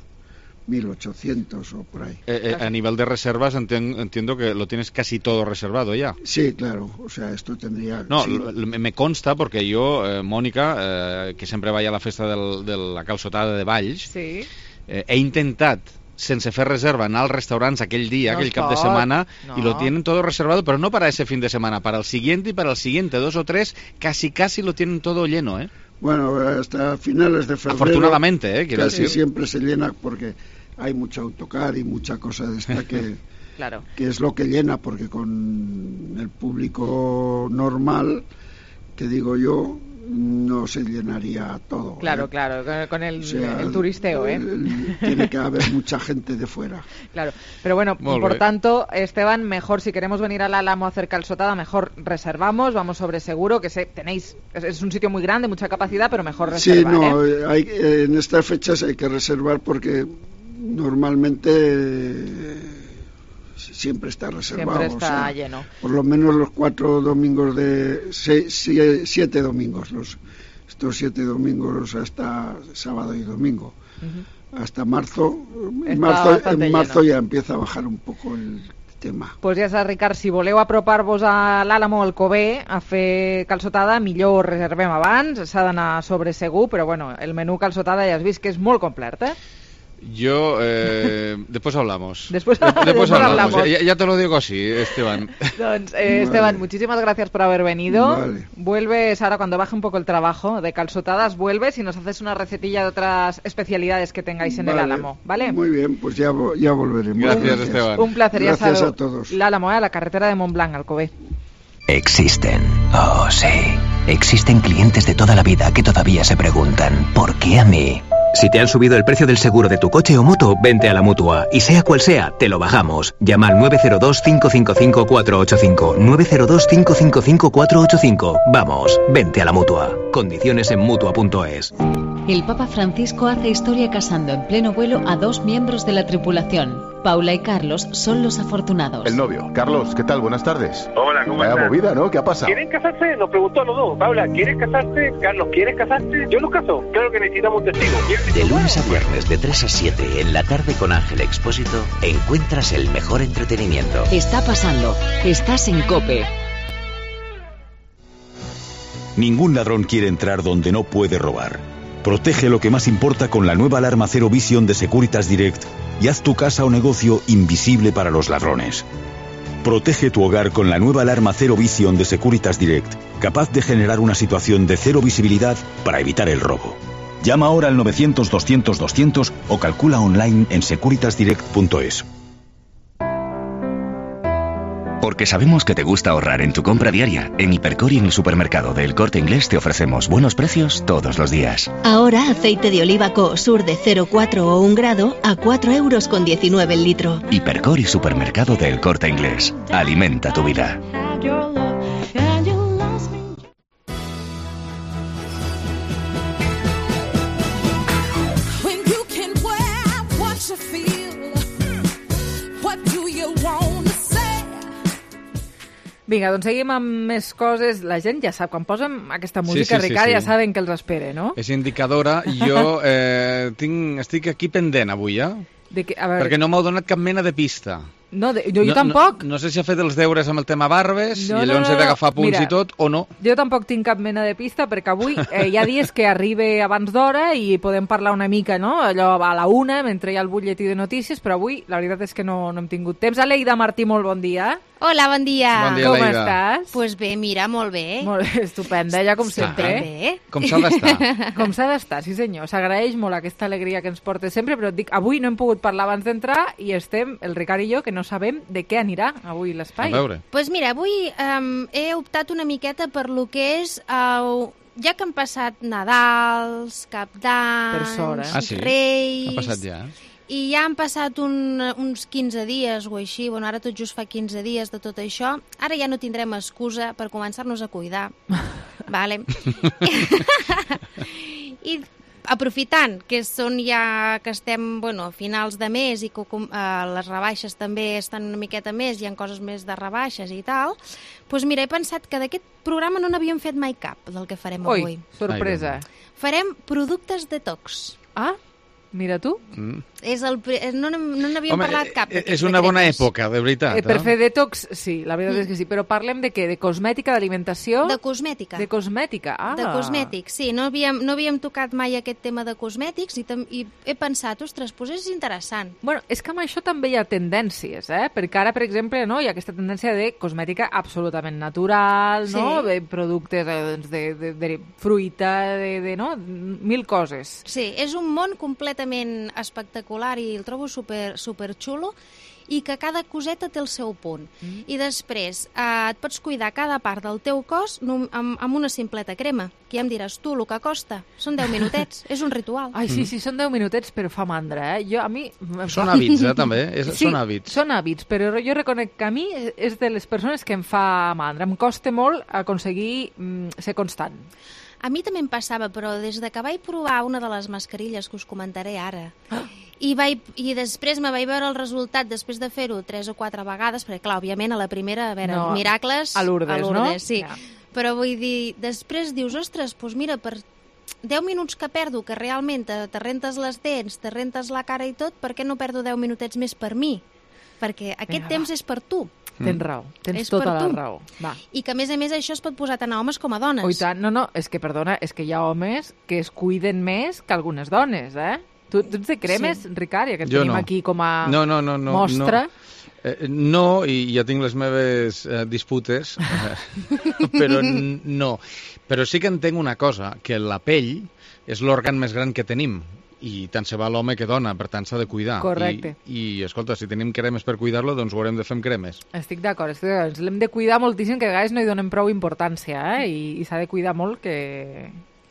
[SPEAKER 9] mil ochocientos o por ahí.
[SPEAKER 7] Eh, eh, a nivel de reservas entien- entiendo que lo tienes casi todo reservado ya.
[SPEAKER 9] Sí, claro, o sea, esto tendría...
[SPEAKER 7] No,
[SPEAKER 9] sí.
[SPEAKER 7] l- l- me consta porque yo, eh, Mónica, eh, que sempre vaig a la festa del, de la calçotada de Valls,
[SPEAKER 3] Sí.
[SPEAKER 7] eh, he intentat sense fer reserva anar als restaurants aquell dia,
[SPEAKER 3] No
[SPEAKER 7] aquell
[SPEAKER 3] es
[SPEAKER 7] cap de
[SPEAKER 3] pot,
[SPEAKER 7] semana,
[SPEAKER 3] no.
[SPEAKER 7] y lo tienen todo reservado, pero no para ese fin de semana, para el siguiente y para el siguiente, dos o tres, casi casi lo tienen todo lleno, ¿eh?
[SPEAKER 9] Bueno, hasta finales de febrero...
[SPEAKER 7] Afortunadamente, ¿eh? Quiero
[SPEAKER 9] casi
[SPEAKER 7] decir.
[SPEAKER 9] siempre se llena porque hay mucho autocar y mucha cosa de esta que...
[SPEAKER 3] Claro.
[SPEAKER 9] que es lo que llena, porque con el público normal, que digo yo, no se llenaría todo.
[SPEAKER 3] Claro,
[SPEAKER 9] ¿eh?
[SPEAKER 3] claro, con- con el,
[SPEAKER 9] O sea,
[SPEAKER 3] el turisteo, ¿eh?
[SPEAKER 9] el- tiene que haber mucha gente de fuera.
[SPEAKER 3] Claro, pero bueno,
[SPEAKER 9] Molt
[SPEAKER 3] por
[SPEAKER 9] bé.
[SPEAKER 3] tanto, Esteban, mejor si queremos venir al Álamo a hacer calçotada, mejor reservamos, vamos sobre seguro, que sé, tenéis, es, es un sitio muy grande, mucha capacidad, pero mejor
[SPEAKER 9] Sí,
[SPEAKER 3] reservar,
[SPEAKER 9] no,
[SPEAKER 3] ¿eh?
[SPEAKER 9] eh, hay, eh, en estas fechas hay que reservar porque normalmente eh, siempre está reservado.
[SPEAKER 3] Siempre está
[SPEAKER 9] o sea,
[SPEAKER 3] lleno.
[SPEAKER 9] Por lo menos los cuatro domingos de... se- sie- siete domingos, los estos siete domingos hasta sábado y domingo.
[SPEAKER 3] Ujú.
[SPEAKER 9] Hasta marzo. En
[SPEAKER 3] Está
[SPEAKER 9] marzo,
[SPEAKER 3] bastante
[SPEAKER 9] en marzo
[SPEAKER 3] lleno.
[SPEAKER 9] ya empieza a bajar un poco el tema.
[SPEAKER 3] Pues ja saps, Ricard, si voleu apropar-vos a l'Àlamo o al Cové a fer calçotada, millor reservem abans, s'ha d'anar sobre segur, però bueno, el menú calçotada ja has vist que és molt complet, eh?
[SPEAKER 7] Yo, eh, después hablamos.
[SPEAKER 3] Después-
[SPEAKER 7] De-
[SPEAKER 3] después
[SPEAKER 7] hablamos.
[SPEAKER 3] hablamos.
[SPEAKER 7] Ya, ya te lo digo así, Esteban.
[SPEAKER 3] Doncs, eh, Esteban, muchísimas gracias por haber venido.
[SPEAKER 9] Vale.
[SPEAKER 3] Vuelves ahora cuando baje un poco el trabajo de calzotadas, vuelves y nos haces una recetilla de otras especialidades que tengáis en el
[SPEAKER 9] Vale.
[SPEAKER 3] Álamo, ¿vale?
[SPEAKER 9] Muy bien, pues ya, vo- ya volveremos.
[SPEAKER 7] Gracias, Esteban.
[SPEAKER 3] Un placer, ya
[SPEAKER 9] Gracias
[SPEAKER 3] sabeu.
[SPEAKER 9] a todos.
[SPEAKER 3] L'Álamo, eh, a la carretera de Montblanc, Alcover.
[SPEAKER 8] Existen. Oh, sí. Existen clientes de toda la vida que todavía se preguntan, ¿por qué a mí? Si te han subido el precio del seguro de tu coche o moto, vente a la Mutua. Y sea cual sea, te lo bajamos. Llama al nueve cero dos, cinco cinco cinco, cuatro ocho cinco. nueve cero dos, cinco cinco cinco, cuatro ocho cinco. Vamos, vente a la Mutua. Condiciones en Mutua punto es.
[SPEAKER 2] El Papa Francisco hace historia casando en pleno vuelo a dos miembros de la tripulación. Paula y Carlos son los afortunados.
[SPEAKER 10] El novio. Carlos, ¿qué tal? Buenas tardes.
[SPEAKER 11] Hola, ¿cómo
[SPEAKER 10] Vaya
[SPEAKER 11] estás?
[SPEAKER 10] movida, ¿no? ¿Qué ha pasado?
[SPEAKER 11] ¿Quieren casarse? Nos preguntó a los dos. Paula, ¿quieres casarte? Carlos, ¿quieres casarte? Yo los caso. Claro que necesitamos un testigo.
[SPEAKER 20] De lunes a viernes de tres a siete en la tarde con Ángel Expósito encuentras el mejor entretenimiento.
[SPEAKER 2] Está pasando. Estás en COPE.
[SPEAKER 12] Ningún ladrón quiere entrar donde no puede robar. Protege lo que más importa con la nueva alarma Zero Vision de Securitas Direct y haz tu casa o negocio invisible para los ladrones. Protege tu hogar con la nueva alarma Zero Vision de Securitas Direct, capaz de generar una situación de cero visibilidad para evitar el robo. Llama ahora al novecientos, doscientos, doscientos o calcula online en securitas direct punto es.
[SPEAKER 13] Porque sabemos que te gusta ahorrar en tu compra diaria. En Hipercor y en el supermercado del Corte Inglés te ofrecemos buenos precios todos los días.
[SPEAKER 15] Ahora aceite de oliva Sur de cero coma cuatro o un grado a cuatro euros con diecinueve el litro.
[SPEAKER 13] Hipercor y supermercado del Corte Inglés. Alimenta tu vida.
[SPEAKER 4] When you can wear what you feel, what do you want to say?
[SPEAKER 3] Vinga, doncs seguim amb més coses. La gent ja sap, quan posem aquesta música,
[SPEAKER 7] sí, sí,
[SPEAKER 3] Ricard,
[SPEAKER 7] sí.
[SPEAKER 3] ja saben que els espere, no?
[SPEAKER 7] És indicadora. Jo eh, tinc, estic aquí pendent avui, ja,
[SPEAKER 3] De que, a veure,
[SPEAKER 7] perquè no m'heu donat cap mena de pista.
[SPEAKER 3] no, de, jo, jo
[SPEAKER 7] no,
[SPEAKER 3] tampoc.
[SPEAKER 7] No, no sé si ha fet els deures amb el tema barbes
[SPEAKER 3] No,
[SPEAKER 7] i
[SPEAKER 3] no,
[SPEAKER 7] llavors
[SPEAKER 3] no,
[SPEAKER 7] he d'agafar
[SPEAKER 3] no.
[SPEAKER 7] punts
[SPEAKER 3] Mira,
[SPEAKER 7] i tot, o no.
[SPEAKER 3] Jo tampoc tinc cap mena de pista perquè avui eh, hi ha dies que arribe abans d'hora i podem parlar una mica, no? Allò a la una, mentre hi ha el butlletí de notícies, però avui la veritat és que no, no hem tingut temps. Aleida Martí, molt bon dia.
[SPEAKER 27] Hola, bon dia.
[SPEAKER 7] Bon dia,
[SPEAKER 3] Com
[SPEAKER 7] Aleida.
[SPEAKER 3] estàs?
[SPEAKER 27] Pues bé, mira, molt bé.
[SPEAKER 3] Molt bé, estupenda, ja com sempre.
[SPEAKER 27] Bé.
[SPEAKER 7] Com s'ha d'estar.
[SPEAKER 3] Com s'ha d'estar, sí senyor. S'agraeix molt aquesta alegria que ens porta sempre, però et dic, avui no hem pogut parlar abans d'entrar i estem, el Ricard i jo, que no no sabem de què anirà avui l'espai.
[SPEAKER 7] A veure.
[SPEAKER 27] Doncs pues mira, avui um, he optat una miqueta per lo que és... Uh, ja que han passat Nadals, Cap d'Any,
[SPEAKER 3] Per sort, eh?
[SPEAKER 7] Ah, sí?
[SPEAKER 27] Reis...
[SPEAKER 7] Ha passat ja.
[SPEAKER 27] I ja han passat un, uns quinze dies o així, bueno, ara tot just fa quinze dies de tot això, ara ja no tindrem excusa per començar-nos a cuidar. Vale. I aprofitant que són ja que estem, bueno, a finals de mes i que uh, les rebaixes també estan una miqueta més, hi ha coses més de rebaixes i tal, doncs mira, he pensat que d'aquest programa no n'havíem fet mai cap, del que farem
[SPEAKER 3] Ui,
[SPEAKER 27] avui.
[SPEAKER 3] sorpresa.
[SPEAKER 27] Farem productes detox.
[SPEAKER 3] Ah, mira tu.
[SPEAKER 7] Mm.
[SPEAKER 27] És el, no no n'havíem
[SPEAKER 7] Home,
[SPEAKER 27] parlat cap.
[SPEAKER 7] és una bona època, de veritat.
[SPEAKER 3] Eh, per
[SPEAKER 7] eh?
[SPEAKER 3] fer detox, sí, la veritat és que sí. Però parlem de què? De cosmètica, d'alimentació?
[SPEAKER 27] De cosmètica.
[SPEAKER 3] De cosmètica, ah.
[SPEAKER 27] De cosmètics, sí. No havíem, no havíem tocat mai aquest tema de cosmètics i, tam, i he pensat, ostres, doncs és interessant.
[SPEAKER 3] Bueno, és que amb això també hi ha tendències, eh? Perquè ara, per exemple, no, hi ha aquesta tendència de cosmètica absolutament natural,
[SPEAKER 27] Sí.
[SPEAKER 3] no? De productes eh, doncs, de, de, de fruita, de, de, no? Mil coses.
[SPEAKER 27] Sí, és un món completament espectacular i el trobo super, super xulo i que cada coseta té el seu punt. Mm. I després eh, et pots cuidar cada part del teu cos amb, amb una simpleta crema, que ja em diràs tu el que costa. Són deu minutets, és un ritual.
[SPEAKER 3] Ai, sí, sí, són deu minutets, però fa mandra, eh? Jo, a mi...
[SPEAKER 7] Són hàbits, eh, també. És,
[SPEAKER 3] sí,
[SPEAKER 7] són hàbits.
[SPEAKER 3] són hàbits, però jo reconec que a mi és de les persones que em fa mandra. Em costa molt aconseguir mm, ser constant.
[SPEAKER 27] A mi també em passava, però des de que vaig provar una de les mascarilles que us comentaré ara, ah. i, vaig, i després me vaig veure el resultat després de fer-ho tres o quatre vegades, perquè clar, òbviament a la primera, a veure,
[SPEAKER 3] no,
[SPEAKER 27] miracles...
[SPEAKER 3] A Lourdes,
[SPEAKER 27] a Lourdes,
[SPEAKER 3] no?
[SPEAKER 27] Sí.
[SPEAKER 3] Ja.
[SPEAKER 27] Però vull dir, després dius, ostres, doncs mira, per deu minuts que perdo, que realment te, te rentes les dents, te rentes la cara i tot, per què no perdo deu minutets més per mi? Perquè aquest
[SPEAKER 3] Vinga,
[SPEAKER 27] temps
[SPEAKER 3] va.
[SPEAKER 27] és per tu.
[SPEAKER 3] Tens raó, tens
[SPEAKER 27] És
[SPEAKER 3] tota
[SPEAKER 27] per
[SPEAKER 3] la
[SPEAKER 27] tu.
[SPEAKER 3] raó. Va.
[SPEAKER 27] I que, a més a més, això es pot posar tant a homes com a dones.
[SPEAKER 3] Ui, tant, no, no, és que, perdona, és que hi ha homes que es cuiden més que algunes dones, eh? Tu, tu ets de cremes, sí. Ricard, ja que et
[SPEAKER 7] Jo
[SPEAKER 3] tenim
[SPEAKER 7] no.
[SPEAKER 3] aquí com a
[SPEAKER 7] no, no, no, no,
[SPEAKER 3] mostra.
[SPEAKER 7] No. Eh, no, i ja tinc les meves eh, disputes, eh, però n- no. Però sí que entenc una cosa, que la pell és l'òrgan més gran que tenim, i tant se va l'home que dona, per tant s'ha de cuidar.
[SPEAKER 3] Correcte.
[SPEAKER 7] I, i escolta, si tenim cremes per cuidar-lo, doncs ho haurem de fer amb cremes.
[SPEAKER 3] Estic d'acord, estic d'acord. Ens l'hem de cuidar moltíssim, que a vegades no hi donem prou importància, eh? I, i s'ha de cuidar molt que...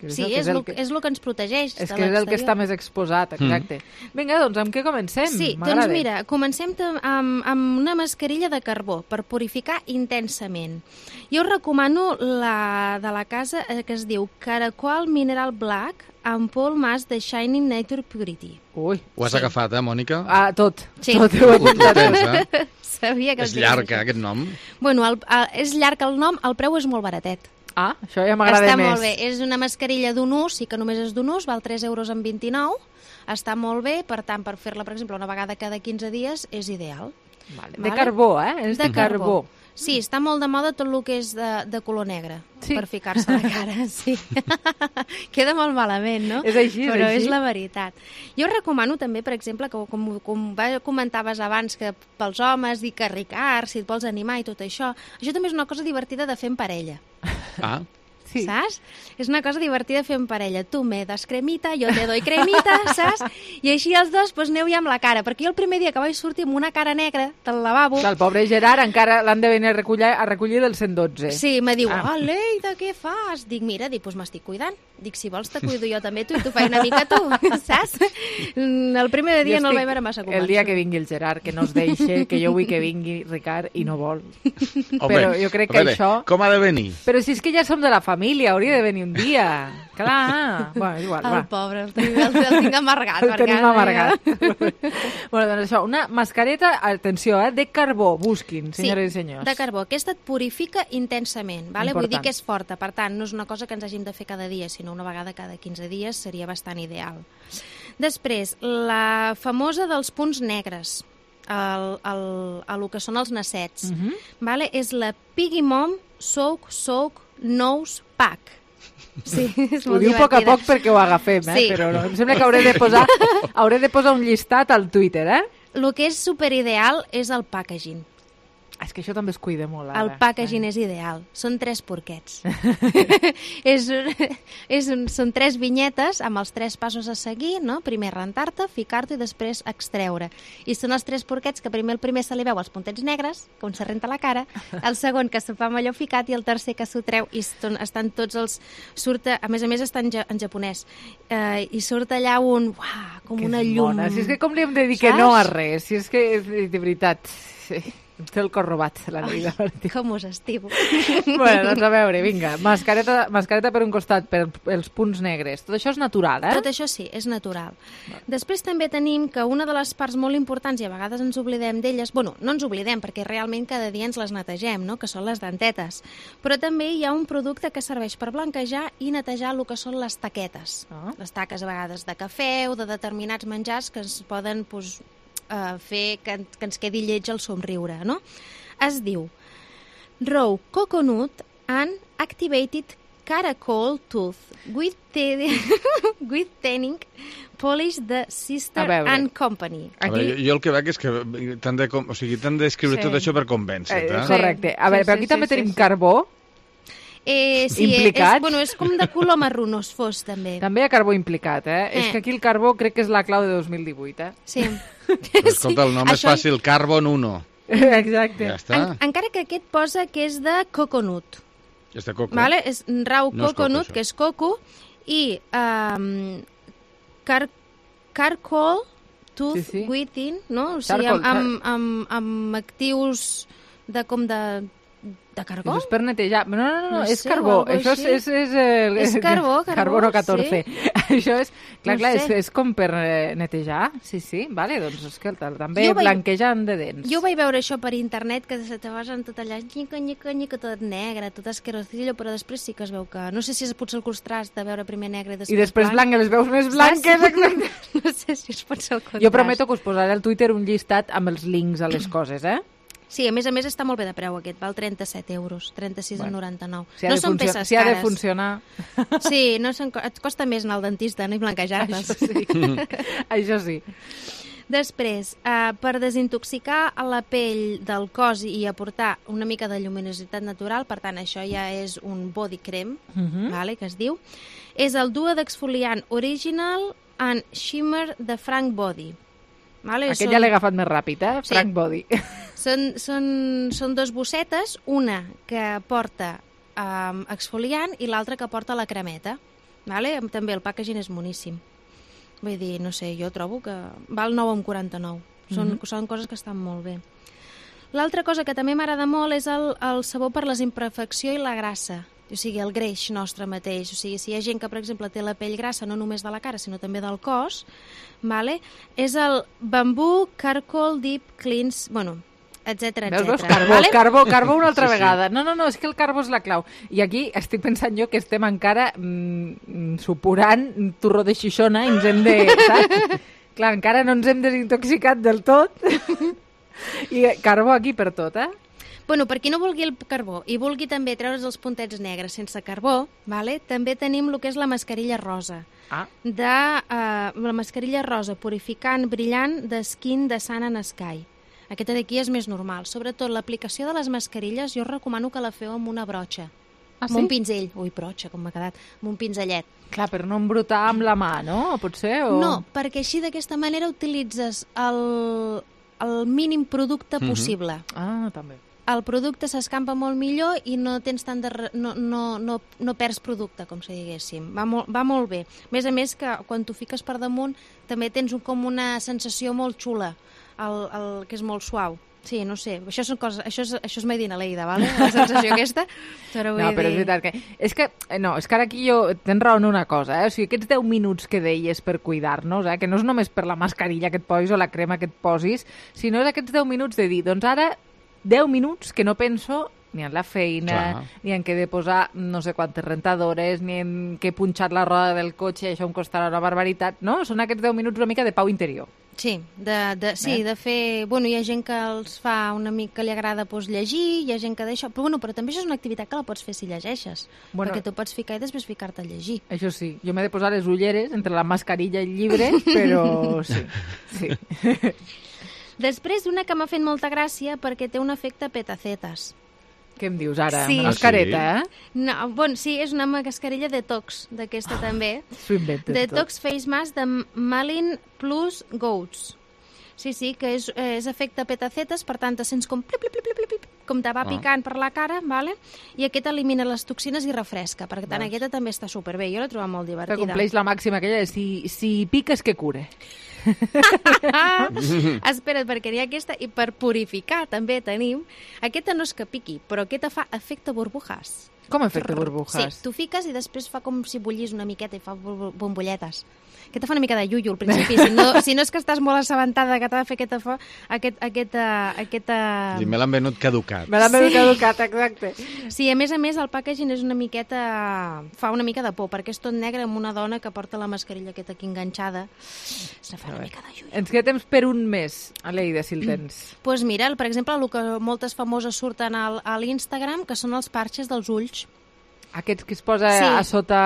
[SPEAKER 3] que
[SPEAKER 27] Sí,
[SPEAKER 3] que
[SPEAKER 27] és, el, que... és el que ens protegeix
[SPEAKER 3] És
[SPEAKER 27] de
[SPEAKER 3] que és el que està
[SPEAKER 27] l'exterior.
[SPEAKER 3] més exposat, exacte. Mm. Vinga, doncs, amb què comencem?
[SPEAKER 27] Sí, doncs mira, comencem amb, amb una mascarilla de carbó per purificar intensament. Jo us recomano la de la casa eh, que es diu Caracol Mineral Black amb Paul Mas de Shining Nature Purity.
[SPEAKER 3] Ui.
[SPEAKER 7] Ho has sí. agafat, eh, Mònica?
[SPEAKER 3] Ah, tot.
[SPEAKER 27] Sí.
[SPEAKER 3] Tot ho he
[SPEAKER 7] Ho tens, eh?
[SPEAKER 27] Sabia que
[SPEAKER 7] És llarg, eh, aquest nom.
[SPEAKER 27] Bueno, el, el, és llarg el nom, el preu és molt baratet.
[SPEAKER 3] Ah, això ja m'agrada més.
[SPEAKER 27] Està molt bé. És una mascarilla d'un ús, sí que només és d'un ús, val tres euros amb vint-i-nou. Està molt bé, per tant, per fer-la, per exemple, una vegada cada quinze dies, és ideal.
[SPEAKER 3] Vale. De carbó, eh? És de, de carbó. carbó.
[SPEAKER 27] Sí, està molt de moda tot el que és de, de color negre, sí. per ficar-se a la cara, sí. Queda molt malament, no?
[SPEAKER 3] És així, és
[SPEAKER 27] Però
[SPEAKER 3] així.
[SPEAKER 27] és la veritat. Jo recomano també, per exemple, que com, com comentaves abans, que pels homes, i que Ricard, si et vols animar i tot això, això també és una cosa divertida de fer en parella.
[SPEAKER 7] Ah,
[SPEAKER 27] Sí. Saps? És una cosa divertida fer en parella. Tu me das cremita, jo te doy cremita, saps? I així els dos pues, aneu ja amb la cara. Perquè jo el primer dia que vaig sortir amb una cara negra del lavabo...
[SPEAKER 3] El pobre Gerard encara l'han de venir a recollir, a recollir del cent dotze.
[SPEAKER 27] Sí, me diu,
[SPEAKER 3] ah.
[SPEAKER 27] oh, Leida, què fas? Dic, mira, dic, pues m'estic cuidant. Dic, si vols te cuido jo també tu i tu fai una mica tu, saps? El primer dia no el vaig veure massa convençut.
[SPEAKER 3] El dia que vingui el Gerard, que no es deixe, que jo vull que vingui Ricard i no vol.
[SPEAKER 7] Home,
[SPEAKER 3] però jo crec que
[SPEAKER 7] veure,
[SPEAKER 3] això...
[SPEAKER 7] Com ha de venir?
[SPEAKER 3] Però si és que ja som de la família, hauria de venir un dia. Clar. Bueno, és igual,
[SPEAKER 27] el
[SPEAKER 3] va.
[SPEAKER 27] pobre, el tinc, el, el tinc amargat.
[SPEAKER 3] El tenim amargat. Bueno, doncs això, una mascareta, atenció, eh, de carbó, busquin, senyores
[SPEAKER 27] sí,
[SPEAKER 3] i senyors.
[SPEAKER 27] de carbó. Aquesta et purifica intensament, vale?
[SPEAKER 3] Important.
[SPEAKER 27] Vull dir que és forta, per tant, no és una cosa que ens hàgim de fer cada dia, sinó una vegada cada quinze dies seria bastant ideal. Després, la famosa dels punts negres, el, el, el, el que són els nassets,
[SPEAKER 3] Uh -huh.
[SPEAKER 27] vale? És la Piggy Mom Soak Soak Nose Pack. Sí, és
[SPEAKER 3] ho
[SPEAKER 27] molt
[SPEAKER 3] diu a poc a
[SPEAKER 27] divertida.
[SPEAKER 3] poc perquè ho agafem, eh?
[SPEAKER 27] Sí.
[SPEAKER 3] Però no, em sembla que hauré de posar, hauré de posar un llistat al Twitter, eh?
[SPEAKER 27] El que és superideal és el packaging.
[SPEAKER 3] És que això també es cuida molt, ara.
[SPEAKER 27] El packaging és ideal. Són tres porquets. és un, és un, són tres vinyetes amb els tres passos a seguir, no? Primer rentar-te, ficar-te i després extreure. I són els tres porquets que primer el primer se li veu els puntets negres, com se renta la cara, el segon que se fa amb allò ficat i el tercer que s'ho treu i estan, estan tots els... Surt, a més a més està en, ja, en japonès. Eh, I surt allà un... Uah, com
[SPEAKER 3] que
[SPEAKER 27] una llum.
[SPEAKER 3] Mona. Si és que com li hem de dir que no a res, si és que de veritat... Sí. Té el cor robat, la Neida Martí.
[SPEAKER 27] Com us estimo.
[SPEAKER 3] Bueno, doncs a veure, vinga, mascareta, mascareta per un costat, per els punts negres. Tot això és natural, eh?
[SPEAKER 27] Tot això sí, és natural. Va. Després també tenim que una de les parts molt importants, i a vegades ens oblidem d'elles, bueno, no ens oblidem, perquè realment cada dia ens les netegem, no?, que són les dentetes. Però també hi ha un producte que serveix per blanquejar i netejar el que són les taquetes. Oh. Les taques a vegades de cafè o de determinats menjars que es poden... Pues, Uh, fer que, que ens quedi lleig el somriure, no? Es diu Raw Coconut and Activated Caracol Tooth with, with Tanning Polish the Sister and Company.
[SPEAKER 7] Aquí... A veure, jo, jo el que veig és que t'han de, o sigui, t'han d'escriure sí. tot això per convèncer-te.
[SPEAKER 3] Eh, correcte. A veure, sí, però aquí sí, també sí, tenim sí. carbó.
[SPEAKER 27] Eh, sí, implicat. És, bueno, és com de color marronós fos, també.
[SPEAKER 3] També hi ha carbó implicat, eh? eh? És que aquí el carbó crec que és la clau de dos mil divuit, eh?
[SPEAKER 27] Sí.
[SPEAKER 7] Però, escolta, el nom sí. és Això... fàcil, Carbon uno.
[SPEAKER 3] Exacte.
[SPEAKER 7] Ja està.
[SPEAKER 27] En, encara que aquest posa que és de coconut.
[SPEAKER 7] És de coco.
[SPEAKER 27] Vale? És raw
[SPEAKER 7] no
[SPEAKER 27] coconut,
[SPEAKER 7] és coco,
[SPEAKER 27] que és coco, i um, car carcoal tooth sí, sí. within, no? O sigui, amb, amb, amb, amb actius de com de... De carbó?
[SPEAKER 3] És per netejar. No, no, no, no,
[SPEAKER 27] no
[SPEAKER 3] és
[SPEAKER 27] sé,
[SPEAKER 3] carbó. Això és... És, és, el,
[SPEAKER 27] és carbó, carbó.
[SPEAKER 3] Carbono catorze. Sí. Això és... Clar,
[SPEAKER 27] no
[SPEAKER 3] clar,
[SPEAKER 27] sé.
[SPEAKER 3] és, és com per netejar. Sí, sí, vale, doncs escolta, també
[SPEAKER 27] vaig...
[SPEAKER 3] blanquejant de dents.
[SPEAKER 27] Jo vaig veure això per internet, que se te vas en tot allà, nyica, nyica, nyica, tot negre, tot esquerocillo, però després sí que es veu que... No sé si és potser el contrast de veure primer negre i després
[SPEAKER 3] I després blanc, blanc les veus més blanques. Exacte.
[SPEAKER 27] No sé si és potser el contrast.
[SPEAKER 3] Jo prometo que us posaré al Twitter un llistat amb els links a les coses, eh?
[SPEAKER 27] Sí, a més a més està molt bé de preu aquest, val trenta-set euros, trenta-sis bueno, noranta-nou.
[SPEAKER 3] Si no són peces si cares. Si ha de funcionar...
[SPEAKER 27] Sí, no són, et costa més anar al dentista, no? I blanquejar-les.
[SPEAKER 3] Això sí. Això sí.
[SPEAKER 27] Després, eh, per desintoxicar la pell del cos i aportar una mica de lluminositat natural, per tant, això ja és un body cream, uh -huh. vale, que es diu, és el duo d'exfoliant Original and Shimmer de Frank Body. Vale?
[SPEAKER 3] Aquest
[SPEAKER 27] són...
[SPEAKER 3] ja l'he agafat més ràpid, eh?
[SPEAKER 27] Sí.
[SPEAKER 3] Frank Body.
[SPEAKER 27] Són, són, són dos bossetes, una que porta um, exfoliant i l'altra que porta la cremeta. Vale? També el packaging és moníssim. Vull dir, no sé, jo trobo que val nou coma quaranta-nou. Són, mm -hmm. són coses que estan molt bé. L'altra cosa que també m'agrada molt és el, el sabó per les imperfecció i la grassa. O sigui, el greix nostre mateix. O sigui, si hi ha gent que, per exemple, té la pell grassa no només de la cara, sinó també del cos, vale? És el Bamboo Charcoal Deep Cleanse, bueno, etcètera, etcètera.
[SPEAKER 3] Veus, carbó,
[SPEAKER 27] vale?
[SPEAKER 3] carbó, carbó una altra
[SPEAKER 7] sí, sí.
[SPEAKER 3] vegada. No, no, no, és que el carbó és la clau. I aquí estic pensant jo que estem encara mm, supurant turro de xixona i ens hem de... Saps? Clar, encara no ens hem desintoxicat del tot. I carbó aquí per tot, eh?
[SPEAKER 27] Bueno, per qui no vulgui el carbó i vulgui també treure's els puntets negres sense carbó, vale? També tenim el que és la mascarilla rosa.
[SPEAKER 3] Ah.
[SPEAKER 27] De, uh, la mascarilla rosa purificant brillant de Skin de Sun and Sky. Aquesta d'aquí és més normal. Sobretot l'aplicació de les mascarilles jo recomano que la feu amb una brotxa.
[SPEAKER 3] Ah,
[SPEAKER 27] amb
[SPEAKER 3] sí?
[SPEAKER 27] un pinzell. Ui, brotxa, com m'ha quedat. Amb un pinzellet.
[SPEAKER 3] Clar, per no embrutar amb la mà, no? Potser? O...
[SPEAKER 27] No, perquè així d'aquesta manera utilitzes el, el mínim producte
[SPEAKER 3] Mm-hmm.
[SPEAKER 27] possible.
[SPEAKER 3] Ah, també.
[SPEAKER 27] El producte s'escampa molt millor i no tens tant de re... no, no, no, no perds producte, com si diguéssim. Va molt, va molt bé. A més a més que quan t'ho fiques per damunt també tens un, com una sensació molt xula, el, el, que és molt suau. Sí, no sé, això, són coses, això, és, això és made in Aleida, ¿vale? La sensació aquesta. Però
[SPEAKER 3] no, però és veritat que... És que, no, és que ara aquí jo tens raó en una cosa, eh? O sigui, aquests deu minuts que deies per cuidar-nos, eh? Que no és només per la mascarilla que et posis o la crema que et posis, sinó és aquests deu minuts de dir, doncs ara deu minuts que no penso ni en la feina, clar, ni en què he de posar no sé quantes rentadores, ni en què he punxat la roda del cotxe i això em costarà una barbaritat, no? Són aquests deu minuts una mica de pau interior.
[SPEAKER 27] Sí, de, de, sí eh? de fer... Bueno, hi ha gent que els fa una mica, que li agrada pues, llegir, hi ha gent que d'això... Però, bueno, però també això és una activitat que la pots fer si llegeixes, bueno, perquè tu pots ficar i després ficar-te a llegir.
[SPEAKER 3] Això sí, jo m'he de posar les ulleres entre la mascarilla i el llibre, però sí, sí.
[SPEAKER 27] Després, una que m'ha fet molta gràcia perquè té un efecte petacetes.
[SPEAKER 3] Què em dius ara?
[SPEAKER 27] Sí.
[SPEAKER 3] Una mascareta, eh?
[SPEAKER 27] No, bon, sí, és una mascarilla detox, d'aquesta ah, també.
[SPEAKER 3] S'ho inventen
[SPEAKER 27] Detox
[SPEAKER 3] tot.
[SPEAKER 27] Face Mask de Malin Plus Goats. Sí, sí, que és, és efecte petacetes, per tant, te sents com plip, plip, plip, plip, plip, com te va picant ah. per la cara, vale? I aquest elimina les toxines i refresca. Per tant, aquesta també està superbé. Jo l'he trobat molt divertida.
[SPEAKER 3] Que compleix la màxima aquella de si, si piques que cure.
[SPEAKER 27] Espera't, perquè hi ha aquesta, i per purificar també tenim, aquesta no és que piqui, però aquesta fa efecte burbujas.
[SPEAKER 3] Com efecte burbujas?
[SPEAKER 27] Sí, tu fiques i després fa com si bullís una miqueta i fa bombolletes. Aquesta fa una mica de iuiu al principi, si no, si no és que estàs molt assabentada que t'ha de fer aquesta fa, aquest, aquesta, aquesta...
[SPEAKER 7] Sí, me l'han venut caducat.
[SPEAKER 3] Me l'han venut sí. caducat, exacte.
[SPEAKER 27] Sí, a més a més el packaging és una miqueta... fa una mica de por, perquè és tot negre amb una dona que porta la mascarilla aquesta aquí enganxada. Se fa una mica de iuiu.
[SPEAKER 3] Ens queda temps per un més, Aleida, si el tens.
[SPEAKER 27] Doncs pues mira, per exemple, el que moltes famoses surten al, a l'Instagram, que són els parxes dels ulls.
[SPEAKER 3] Aquests que es posa
[SPEAKER 27] sí.
[SPEAKER 3] a sota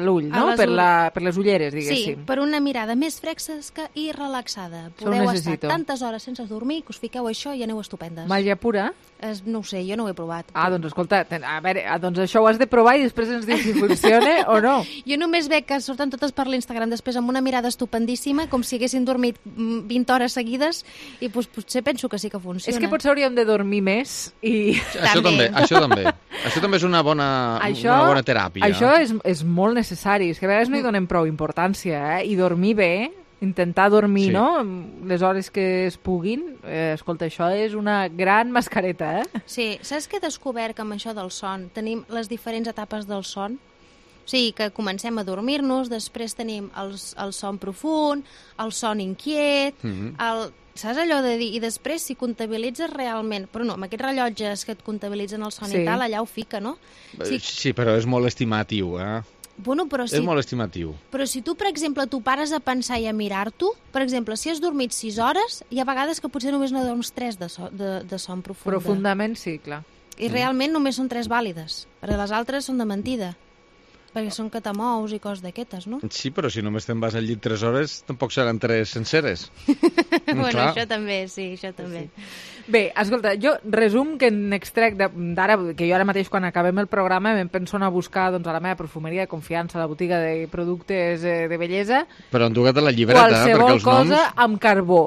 [SPEAKER 3] l'ull, no? Per, la, per les ulleres, diguéssim.
[SPEAKER 27] Sí, per una mirada més fresca i relaxada. Podeu estar tantes hores sense dormir que us fiqueu això i aneu estupendes.
[SPEAKER 3] Màgia pura?
[SPEAKER 27] Es, no ho sé, jo no ho he provat.
[SPEAKER 3] Ah, doncs escolta, a veure, doncs això ho has de provar i després ens dius si funciona o no.
[SPEAKER 27] Jo només veig que surten totes per l'Instagram després amb una mirada estupendíssima, com si haguessin dormit vint hores seguides, i pues, potser penso que sí que funciona.
[SPEAKER 3] És que potser hauríem de dormir més i...
[SPEAKER 7] Això també, això també. Això també és una bona,
[SPEAKER 3] això,
[SPEAKER 7] una bona teràpia.
[SPEAKER 3] Això és, és molt necessari. És que a vegades no hi donem prou importància, eh? I dormir bé, intentar dormir, sí. no?, les hores que es puguin. Eh, escolta, això és una gran mascareta, eh?
[SPEAKER 27] Sí. Saps què he descobert que amb això del son tenim les diferents etapes del son? O sigui, que comencem a dormir-nos, després tenim el, el son profund, el son inquiet, mm-hmm. el... Saps allò de dir, i després si comptabilitzes realment, però no, amb aquests rellotges que et comptabilitzen el son sí. i tal, allà ho fica, no?
[SPEAKER 7] Sí, sí, però és molt estimatiu, eh?
[SPEAKER 27] Bueno, però si...
[SPEAKER 7] És molt estimatiu.
[SPEAKER 27] Però si tu, per exemple, tu pares a pensar i a mirar-t'ho, per exemple, si has dormit sis hores, hi ha vegades que potser només no dorms tres de, so, de, de son profunda.
[SPEAKER 3] Profundament, sí, clar.
[SPEAKER 27] I realment només són tres vàlides, perquè les altres són de mentida. Perquè són catamous i coses d'aquestes, no?
[SPEAKER 7] Sí, però si només te'n vas al llit tres hores, tampoc seran tres senceres.
[SPEAKER 27] Bueno, clar. Això també, sí, això també. Sí.
[SPEAKER 3] Bé, escolta, jo resum que n'extrec d'ara, que jo ara mateix quan acabem el programa em penso anar a buscar doncs, a la meva perfumeria de confiança, a la botiga de productes eh, de bellesa.
[SPEAKER 7] Però enduga't a la llibreta,
[SPEAKER 3] qualsevol
[SPEAKER 7] perquè els noms...
[SPEAKER 3] cosa amb carbó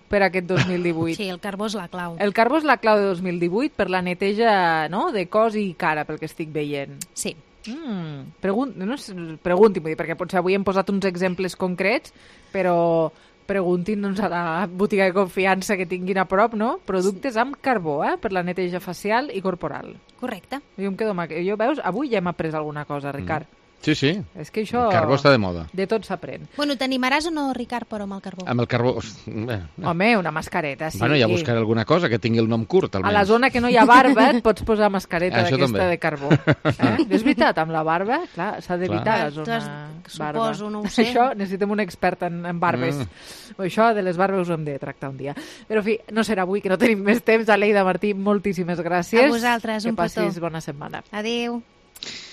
[SPEAKER 3] per aquest dos mil divuit.
[SPEAKER 27] Sí, el carbó és la clau.
[SPEAKER 3] El carbó és la clau de dos mil divuit per la neteja, no?, de cos i cara, pel que estic veient.
[SPEAKER 27] Sí.
[SPEAKER 3] Mm, pregun no, pregunti, vull dir, perquè potser avui hem posat uns exemples concrets, però preguntin doncs, a la botiga de confiança que tinguin a prop, no? Productes amb carbó, eh? Per la neteja facial i corporal.
[SPEAKER 27] Correcte.
[SPEAKER 3] Jo em quedo amb... Jo, veus, avui ja hem après alguna cosa, Ricard.
[SPEAKER 7] Mm. Sí, sí.
[SPEAKER 3] És que això...
[SPEAKER 7] El carbó està de moda.
[SPEAKER 3] De tot s'aprèn.
[SPEAKER 27] Bueno, t'animaràs o no, Ricard, però amb el carbó?
[SPEAKER 7] Amb el carbó... Bé,
[SPEAKER 3] no. Home, una mascareta, sí.
[SPEAKER 7] Bueno, ja buscaré alguna cosa que tingui el nom curt, almenys.
[SPEAKER 3] A la zona que no hi ha barba et pots posar mascareta d'aquesta de carbó. Eh? És veritat, amb la barba, clar, s'ha d'evitar la zona has, barba.
[SPEAKER 27] Suposo, no ho sé.
[SPEAKER 3] Això, necessitem un expert en, en barbes. Mm. Això de les barbes ho hem de tractar un dia. Però, en fi, no serà avui, que no tenim més temps. Aleida Martí, moltíssimes gràcies.
[SPEAKER 27] A vosaltres, un petó.
[SPEAKER 3] Que passis bona setmana.
[SPEAKER 27] Adéu.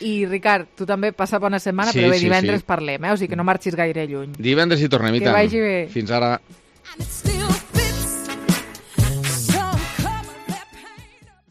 [SPEAKER 3] I, Ricard, tu també passa bona setmana, sí, però bé, sí, divendres sí. parlem, eh? O sigui que no marxis gaire lluny.
[SPEAKER 7] Divendres hi tornem, i tant.
[SPEAKER 3] Que vagi bé.
[SPEAKER 7] Fins ara.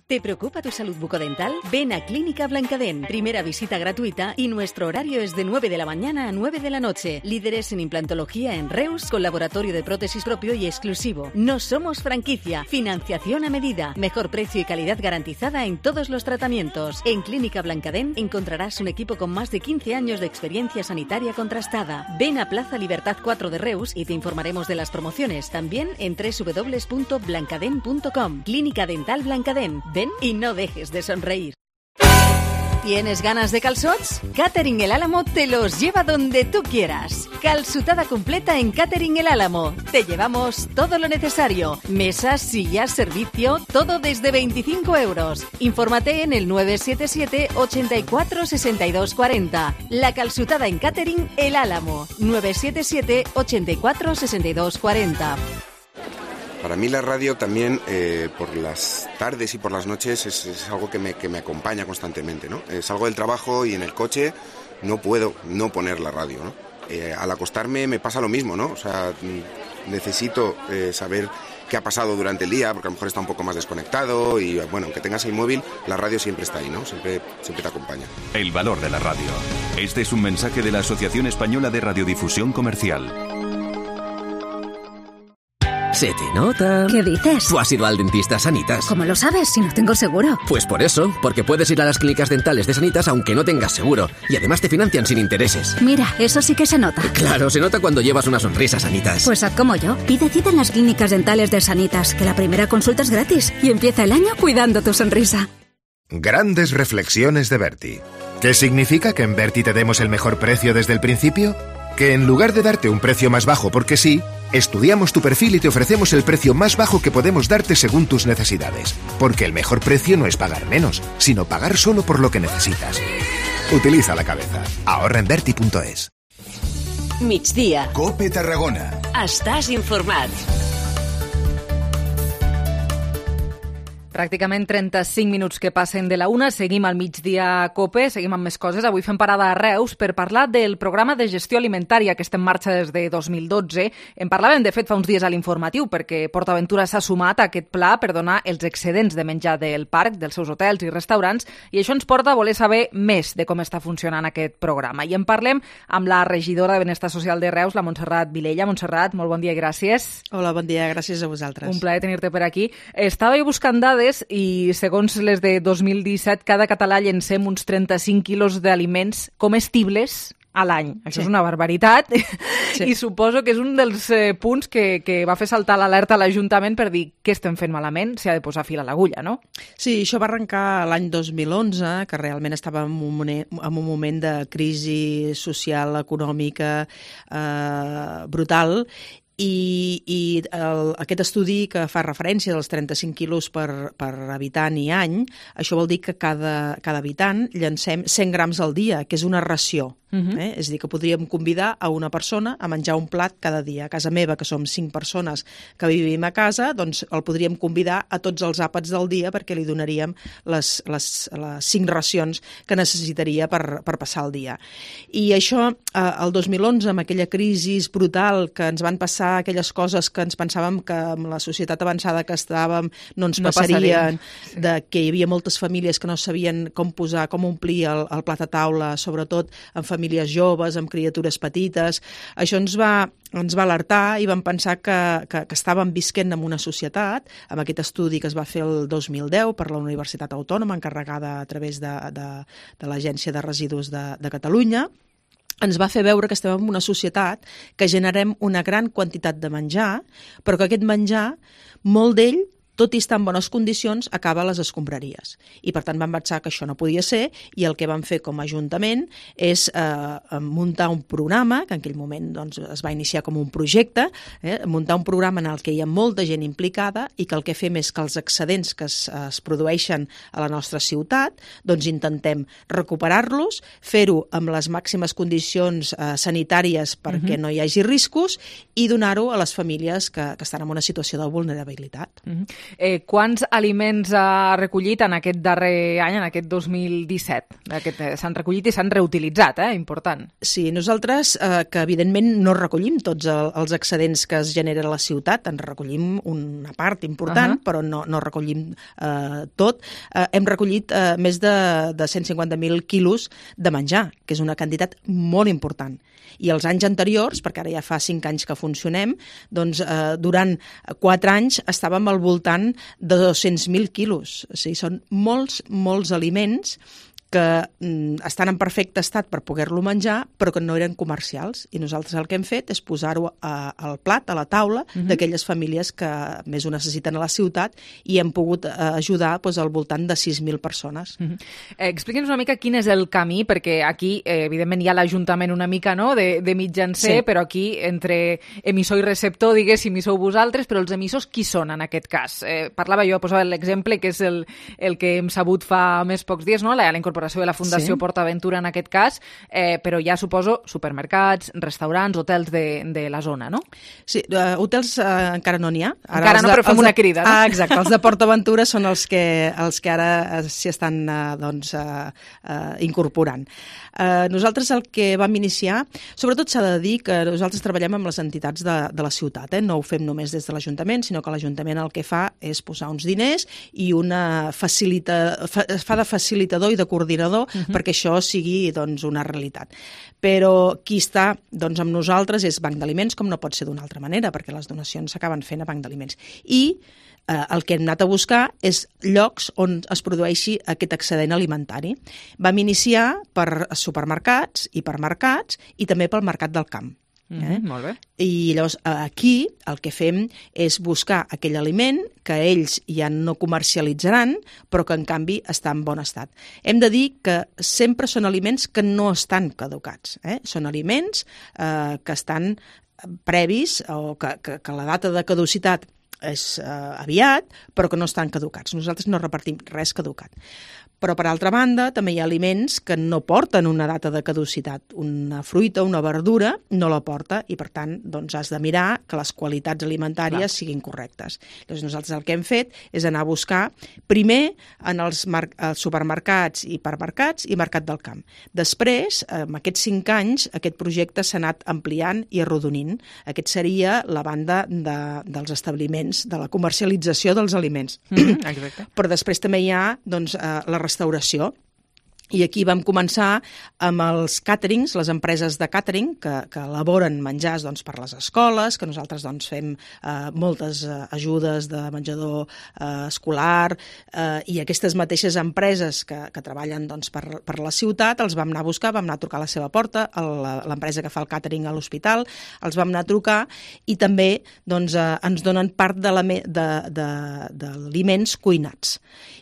[SPEAKER 2] ¿Te preocupa tu salud bucodental? Ven a Clínica Blancadent. Primera visita gratuita y nuestro horario es de nueve de la mañana a nueve de la noche. Líderes en implantología en Reus, con laboratorio de prótesis propio y exclusivo. No somos franquicia. Financiación a medida. Mejor precio y calidad garantizada en todos los tratamientos. En Clínica Blancadent encontrarás un equipo con más de quince años de experiencia sanitaria contrastada. Ven a Plaza Libertad cuatro de Reus y te informaremos de las promociones. También en doble u doble u doble u punto blancadent punto com. Clínica Dental Blancadent. Ven y no dejes de sonreír. ¿Tienes ganas de calzots? Catering El Álamo te los lleva donde tú quieras. Calzutada completa en Catering El Álamo. Te llevamos todo lo necesario. Mesas, sillas, servicio, todo desde veinticinco euros. Infórmate en el nueve siete siete, ochenta y cuatro, sesenta y dos cuarenta. La calzutada en Catering El Álamo. nueve siete siete, ochenta y cuatro, sesenta y dos cuarenta.
[SPEAKER 14] Para mí la radio también, eh, por las tardes y por las noches, es, es algo que me, que me acompaña constantemente, ¿no? Eh, salgo del trabajo y en el coche no puedo no poner la radio, ¿no? Eh, al acostarme me pasa lo mismo, ¿no? O sea, necesito eh, saber qué ha pasado durante el día, porque a lo mejor está un poco más desconectado y bueno, aunque tengas el móvil, la radio siempre está ahí, ¿no? Siempre, siempre te acompaña.
[SPEAKER 16] El valor de la radio. Este es un mensaje de la Asociación Española de Radiodifusión Comercial.
[SPEAKER 17] Se te nota.
[SPEAKER 18] ¿Qué dices?
[SPEAKER 17] ¿Tú has ido al dentista Sanitas?
[SPEAKER 18] ¿Cómo lo sabes si no tengo seguro?
[SPEAKER 17] Pues por eso, porque puedes ir a las clínicas dentales de Sanitas aunque no tengas seguro. Y además te financian sin intereses.
[SPEAKER 18] Mira, eso sí que se nota.
[SPEAKER 17] Claro, se nota cuando llevas una sonrisa, Sanitas.
[SPEAKER 18] Pues haz como yo. Pide cita en las clínicas dentales de Sanitas, que la primera consulta es gratis. Y empieza el año cuidando tu sonrisa.
[SPEAKER 21] Grandes reflexiones de Berti. ¿Qué significa que en Berti te demos el mejor precio desde el principio? Que en lugar de darte un precio más bajo porque sí, estudiamos tu perfil y te ofrecemos el precio más bajo que podemos darte según tus necesidades. Porque el mejor precio no es pagar menos, sino pagar solo por lo que necesitas. Utiliza la cabeza. Ahorra en Berti punto es.
[SPEAKER 22] Migdia.
[SPEAKER 21] Cope Tarragona.
[SPEAKER 22] Estàs informat.
[SPEAKER 3] Pràcticament trenta-cinc minuts que passen de la una. Seguim al migdia COPE, seguim amb més coses. Avui fem parada a Reus per parlar del programa de gestió alimentària que està en marxa des de dos mil dotze. En parlàvem, de fet, fa uns dies a l'informatiu, perquè PortAventura s'ha sumat a aquest pla per donar els excedents de menjar del parc, dels seus hotels i restaurants, i això ens porta a voler saber més de com està funcionant aquest programa. I en parlem amb la regidora de Benestar Social de Reus, la Montserrat Vilella. Montserrat, molt bon dia i gràcies.
[SPEAKER 23] Hola, bon dia, gràcies a vosaltres.
[SPEAKER 3] Un plaer tenir-te per aquí. Estava buscant dades i segons les de dos mil disset, cada català llencem uns trenta-cinc quilos d'aliments comestibles a l'any. Això sí. És una barbaritat sí. I suposo que és un dels eh, punts que, que va fer saltar l'alerta a l'Ajuntament per dir què estem fent malament, s'ha de posar fil a l'agulla, no?
[SPEAKER 23] Sí, això va arrencar l'any dos mil onze, que realment estava en un moment, en un moment de crisi social, econòmica eh, brutal, i, i el, aquest estudi que fa referència dels trenta-cinc quilos per, per habitant i any, això vol dir que cada, cada habitant llancem cent grams al dia, que és una ració. Uh-huh. eh? És a dir, que podríem convidar a una persona a menjar un plat cada dia. A casa meva, que som cinc persones que vivim a casa, doncs el podríem convidar a tots els àpats del dia perquè li donaríem les, les, les cinc racions que necessitaria per, per passar el dia. I això, eh, el dos mil onze, amb aquella crisi brutal que ens van passar aquelles coses que ens pensàvem que amb la societat avançada que estàvem no ens no passarien, sí. De que hi havia moltes famílies que no sabien com posar, com omplir el, el plat a taula, sobretot en famílies famílies joves, amb criatures petites. Això ens va, ens va alertar i vam pensar que, que, que estàvem visquent en una societat, amb aquest estudi que es va fer el dos mil deu per la Universitat Autònoma, encarregada a través de, de, de l'Agència de Residus de, de Catalunya, ens va fer veure que estem en una societat que generem una gran quantitat de menjar, però que aquest menjar, molt d'ell, tot i estar en bones condicions, acaba a les escombraries. I, per tant, vam pensar que això no podia ser i el que vam fer com a Ajuntament és eh, muntar un programa, que en aquell moment doncs, es va iniciar com un projecte, eh, muntar un programa en el que hi ha molta gent implicada i que el que fem és que els excedents que es, es produeixen a la nostra ciutat, doncs intentem recuperar-los, fer-ho amb les màximes condicions eh, sanitàries perquè uh-huh. no hi hagi riscos i donar-ho a les famílies que, que estan en una situació de vulnerabilitat.
[SPEAKER 3] Uh-huh. Eh, quants aliments ha recollit en aquest darrer any, en aquest dos mil disset? Aquest, eh, s'han recollit i s'han reutilitzat, eh? Important.
[SPEAKER 23] Sí, nosaltres, eh, que evidentment no recollim tots el, els excedents que es generen a la ciutat, en recollim una part important, uh-huh. però no, no recollim eh, tot. Eh, hem recollit eh, més de, de cent cinquanta mil quilos de menjar, que és una quantitat molt important. I els anys anteriors, perquè ara ja fa cinc anys que funcionem, doncs eh, durant quatre anys estàvem al voltant de dos-cents mil quilos. O sigui, són molts, molts aliments que mm, estan en perfecte estat per poder-lo menjar, però que no eren comercials. I nosaltres el que hem fet és posar-ho a, al plat, a la taula, uh-huh. d'aquelles famílies que més ho necessiten a la ciutat i hem pogut eh, ajudar doncs, al voltant de sis mil persones.
[SPEAKER 3] Uh-huh. eh, Expliqui'ns una mica quin és el camí, perquè aquí, eh, evidentment, hi ha l'Ajuntament una mica no? de, de mitjancer, sí. Però aquí, entre emissor i receptor, diguéssim, hi sou vosaltres, però els emissors qui són en aquest cas? Eh, parlava jo, posava l'exemple, que és el, el que hem sabut fa més pocs dies, no? la, la incorporació incorporació de la Fundació
[SPEAKER 23] Sí.
[SPEAKER 3] PortAventura en aquest cas, eh, però ja suposo supermercats, restaurants, hotels de, de la zona, no?
[SPEAKER 23] Sí, uh, hotels uh, encara no n'hi ha. Ara
[SPEAKER 3] Encara
[SPEAKER 23] els
[SPEAKER 3] no,
[SPEAKER 23] de-
[SPEAKER 3] però fem
[SPEAKER 23] els de-
[SPEAKER 3] una crida, no?
[SPEAKER 23] Ah, exacte, els de PortAventura són els que, els que ara uh, s'hi estan uh, doncs, uh, uh, incorporant. Uh, nosaltres el que vam iniciar, sobretot s'ha de dir que nosaltres treballem amb les entitats de, de la ciutat, eh? No ho fem només des de l'Ajuntament, sinó que l'Ajuntament el que fa és posar uns diners i una facilita, fa, fa de facilitador i de coordinador uh-huh. perquè això sigui doncs, una realitat. Però qui està doncs, amb nosaltres és Banc d'Aliments, com no pot ser d'una altra manera, perquè les donacions s'acaben fent a Banc d'Aliments. I eh, el que hem anat a buscar és llocs on es produeixi aquest excedent alimentari. Vam iniciar per supermercats, hipermercats i també pel mercat del camp. Eh?
[SPEAKER 3] Mm, molt bé.
[SPEAKER 23] I llavors aquí el que fem és buscar aquell aliment que ells ja no comercialitzaran, però que en canvi està en bon estat. Hem de dir que sempre són aliments que no estan caducats. Eh? Són aliments eh, que estan previs o que, que, que la data de caducitat és eh, aviat, però que no estan caducats. Nosaltres no repartim res caducat. Però, per altra banda, també hi ha aliments que no porten una data de caducitat. Una fruita, una verdura, no la porta i, per tant, doncs has de mirar que les qualitats alimentàries Clar. siguin correctes. Llavors, nosaltres el que hem fet és anar a buscar primer en els, els supermercats, hipermercats i mercat del camp. Després, en aquests cinc anys, aquest projecte s'ha anat ampliant i arrodonint. Aquest seria la banda de, dels establiments, de la comercialització dels aliments.
[SPEAKER 3] Mm, exacte.
[SPEAKER 23] Però després també hi ha doncs, la restauració. I aquí vam començar amb els càterings, les empreses de càtering que, que elaboren menjars doncs, per les escoles, que nosaltres doncs, fem eh, moltes eh, ajudes de menjador eh, escolar eh, i aquestes mateixes empreses que, que treballen doncs, per, per la ciutat els vam anar a buscar, vam anar a trucar a la seva porta, l'empresa que fa el càtering a l'hospital, els vam anar a trucar i també doncs, eh, ens donen part d'aliments de, de, de, cuinats.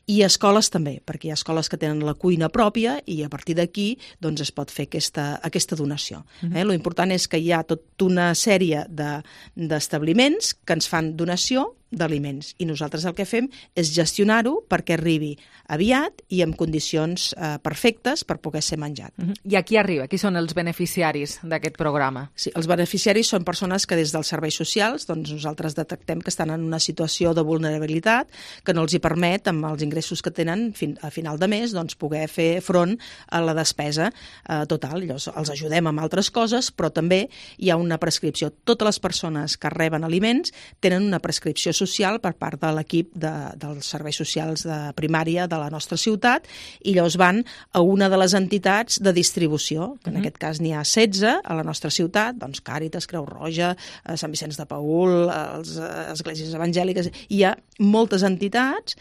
[SPEAKER 23] I escoles també, perquè hi ha escoles que tenen la cuina pròpia i a partir d'aquí doncs, es pot fer aquesta, aquesta donació. Eh? Lo important és que hi ha tota una sèrie d'establiments de, que ens fan donació d'aliments i nosaltres el que fem és gestionar-ho perquè arribi aviat i en condicions eh, perfectes per poder ser menjat.
[SPEAKER 3] Uh-huh. I a qui arriba? Qui són els beneficiaris d'aquest programa?
[SPEAKER 23] Sí, els beneficiaris són persones que des dels serveis socials doncs nosaltres detectem que estan en una situació de vulnerabilitat que no els hi permet, amb els ingressos que tenen fin, a final de mes, doncs poder fer front a la despesa eh, total. Llavors els ajudem amb altres coses, però també hi ha una prescripció. Totes les persones que reben aliments tenen una prescripció social per part de l'equip de, dels serveis socials de primària de la nostra ciutat i llavors van a una de les entitats de distribució, que en uh-huh. aquest cas n'hi ha setze a la nostra ciutat, doncs Càritas, Creu Roja, Sant Vicenç de Paül, les esglésies evangèliques, hi ha moltes entitats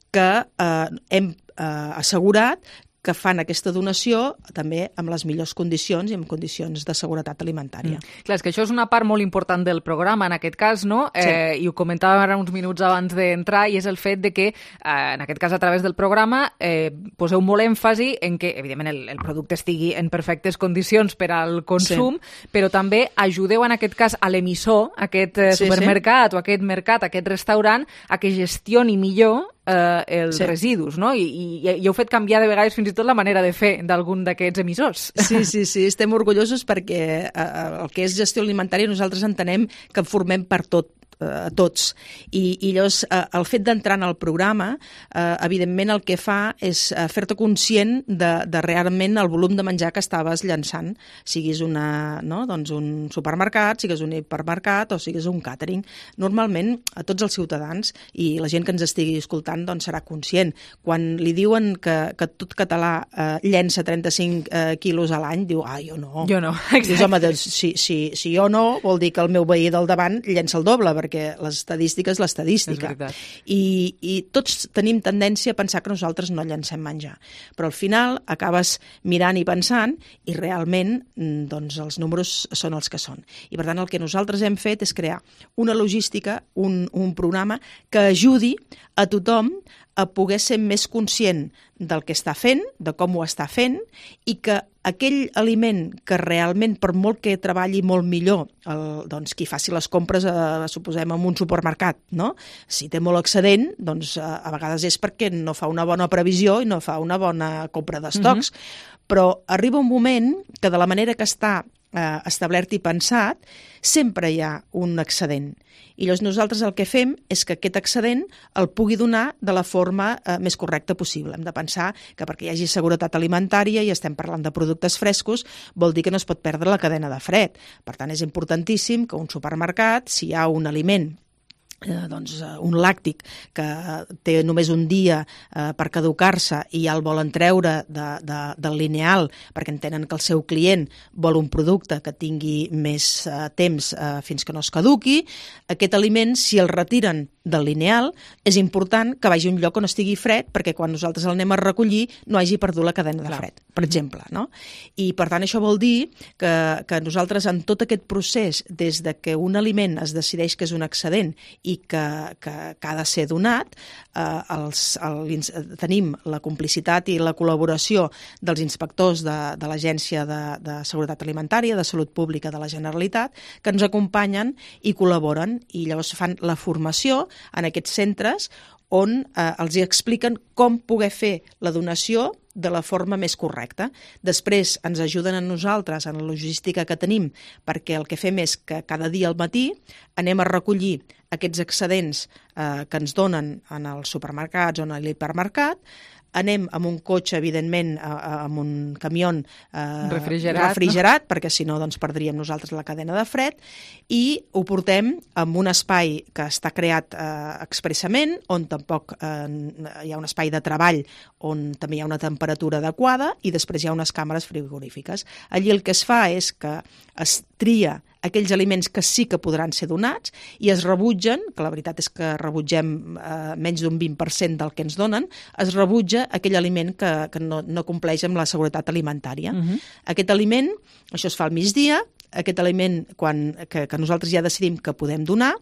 [SPEAKER 23] que eh, hem eh, assegurat que fan aquesta donació també amb les millors condicions i amb condicions de seguretat alimentària.
[SPEAKER 3] Mm. Clar, és que això és una part molt important del programa, en aquest cas, no? Sí. Eh, I ho comentàvem ara uns minuts abans d'entrar, i és el fet de que, eh, en aquest cas, a través del programa, eh, poseu molt èmfasi en que, evidentment, el, el producte estigui en perfectes condicions per al consum, sí. però també ajudeu, en aquest cas, a l'emissor, aquest eh, supermercat sí, sí. o aquest mercat, aquest restaurant, a que gestioni millor eh, els sí. residus, no? I, i, i heu fet canviar de vegades fins i tot la manera de fer d'algun d'aquests emissors.
[SPEAKER 23] Sí, sí, sí, estem orgullosos perquè eh, el que és gestió alimentària nosaltres entenem que formem per tot a tots. I, i llavors eh, el fet d'entrar en el programa eh, evidentment el que fa és eh, fer-te conscient de, de realment el volum de menjar que estaves llançant, siguis una, no? doncs un supermercat, siguis un hipermercat o siguis un càtering. Normalment a tots els ciutadans i la gent que ens estigui escoltant doncs serà conscient. Quan li diuen que, que tot català eh, llença trenta-cinc eh, quilos a l'any, diu, ah, jo no.
[SPEAKER 3] Jo no,
[SPEAKER 23] exacte. Dius, home, doncs, si, si, si jo no, vol dir que el meu veí del davant llença el doble, perquè l'estadística és l'estadística. I, I tots tenim tendència a pensar que nosaltres no llancem menjar. Però al final acabes mirant i pensant i realment doncs, els números són els que són. I per tant el que nosaltres hem fet és crear una logística, un, un programa que ajudi a tothom a poder ser més conscient del que està fent, de com ho està fent, i que aquell aliment que realment, per molt que treballi molt millor, el, doncs qui faci les compres, eh, suposem, en un supermercat, no? Si té molt excedent, doncs eh, a vegades és perquè no fa una bona previsió i no fa una bona compra d'estocs. Uh-huh. Però arriba un moment que de la manera que està eh, establert i pensat, sempre hi ha un excedent. I llavors nosaltres el que fem és que aquest excedent el pugui donar de la forma eh, més correcta possible. Hem de pensar que perquè hi hagi seguretat alimentària, i estem parlant de productes frescos, vol dir que no es pot perdre la cadena de fred. Per tant, és importantíssim que un supermercat, si hi ha un aliment, Eh, doncs, eh, un làctic que té només un dia eh, per caducar-se i ja el volen treure de, de, del lineal perquè entenen que el seu client vol un producte que tingui més eh, temps eh, fins que no es caduqui, aquest aliment, si el retiren del lineal, és important que vagi a un lloc on estigui fred perquè quan nosaltres el anem a recollir no hagi perdut la cadena de fred, per exemple, no? I per tant això vol dir que, que nosaltres en tot aquest procés, des de que un aliment es decideix que és un excedent i que, que, que ha de ser donat, eh, els, el, tenim la complicitat i la col·laboració dels inspectors de, de l'Agència de, de Seguretat Alimentària, de Salut Pública de la Generalitat, que ens acompanyen i col·laboren, i llavors fan la formació en aquests centres on eh, els hi expliquen com poder fer la donació de la forma més correcta. Després ens ajuden a nosaltres en la logística que tenim, perquè el que fem és que cada dia al matí anem a recollir aquests excedents eh, que ens donen en els supermercats o en l'hipermercat, anem amb un cotxe, evidentment, amb un camió eh,
[SPEAKER 3] refrigerat,
[SPEAKER 23] refrigerat no? Perquè si no doncs, perdríem nosaltres la cadena de fred, i ho portem en un espai que està creat eh, expressament, on tampoc eh, hi ha un espai de treball on també hi ha una temperatura adequada, i després hi ha unes càmeres frigorífiques. Allí el que es fa és que es tria aquells aliments que sí que podran ser donats i es rebutgen, que la veritat és que rebutgem eh, menys d'un vint per cent del que ens donen, es rebutja aquell aliment que, que no, no compleix amb la seguretat alimentària. Uh-huh. Aquest aliment, això es fa al migdia, aquest aliment quan, que, que nosaltres ja decidim que podem donar,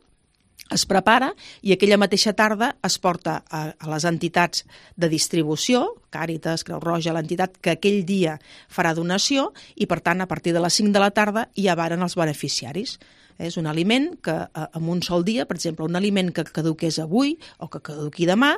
[SPEAKER 23] es prepara i aquella mateixa tarda es porta a, a les entitats de distribució, Càritas, Creu Roja, l'entitat que aquell dia farà donació, i per tant a partir de les cinc de la tarda ja varen els beneficiaris. És un aliment que en un sol dia, per exemple, un aliment que caduqués avui o que caduqui demà,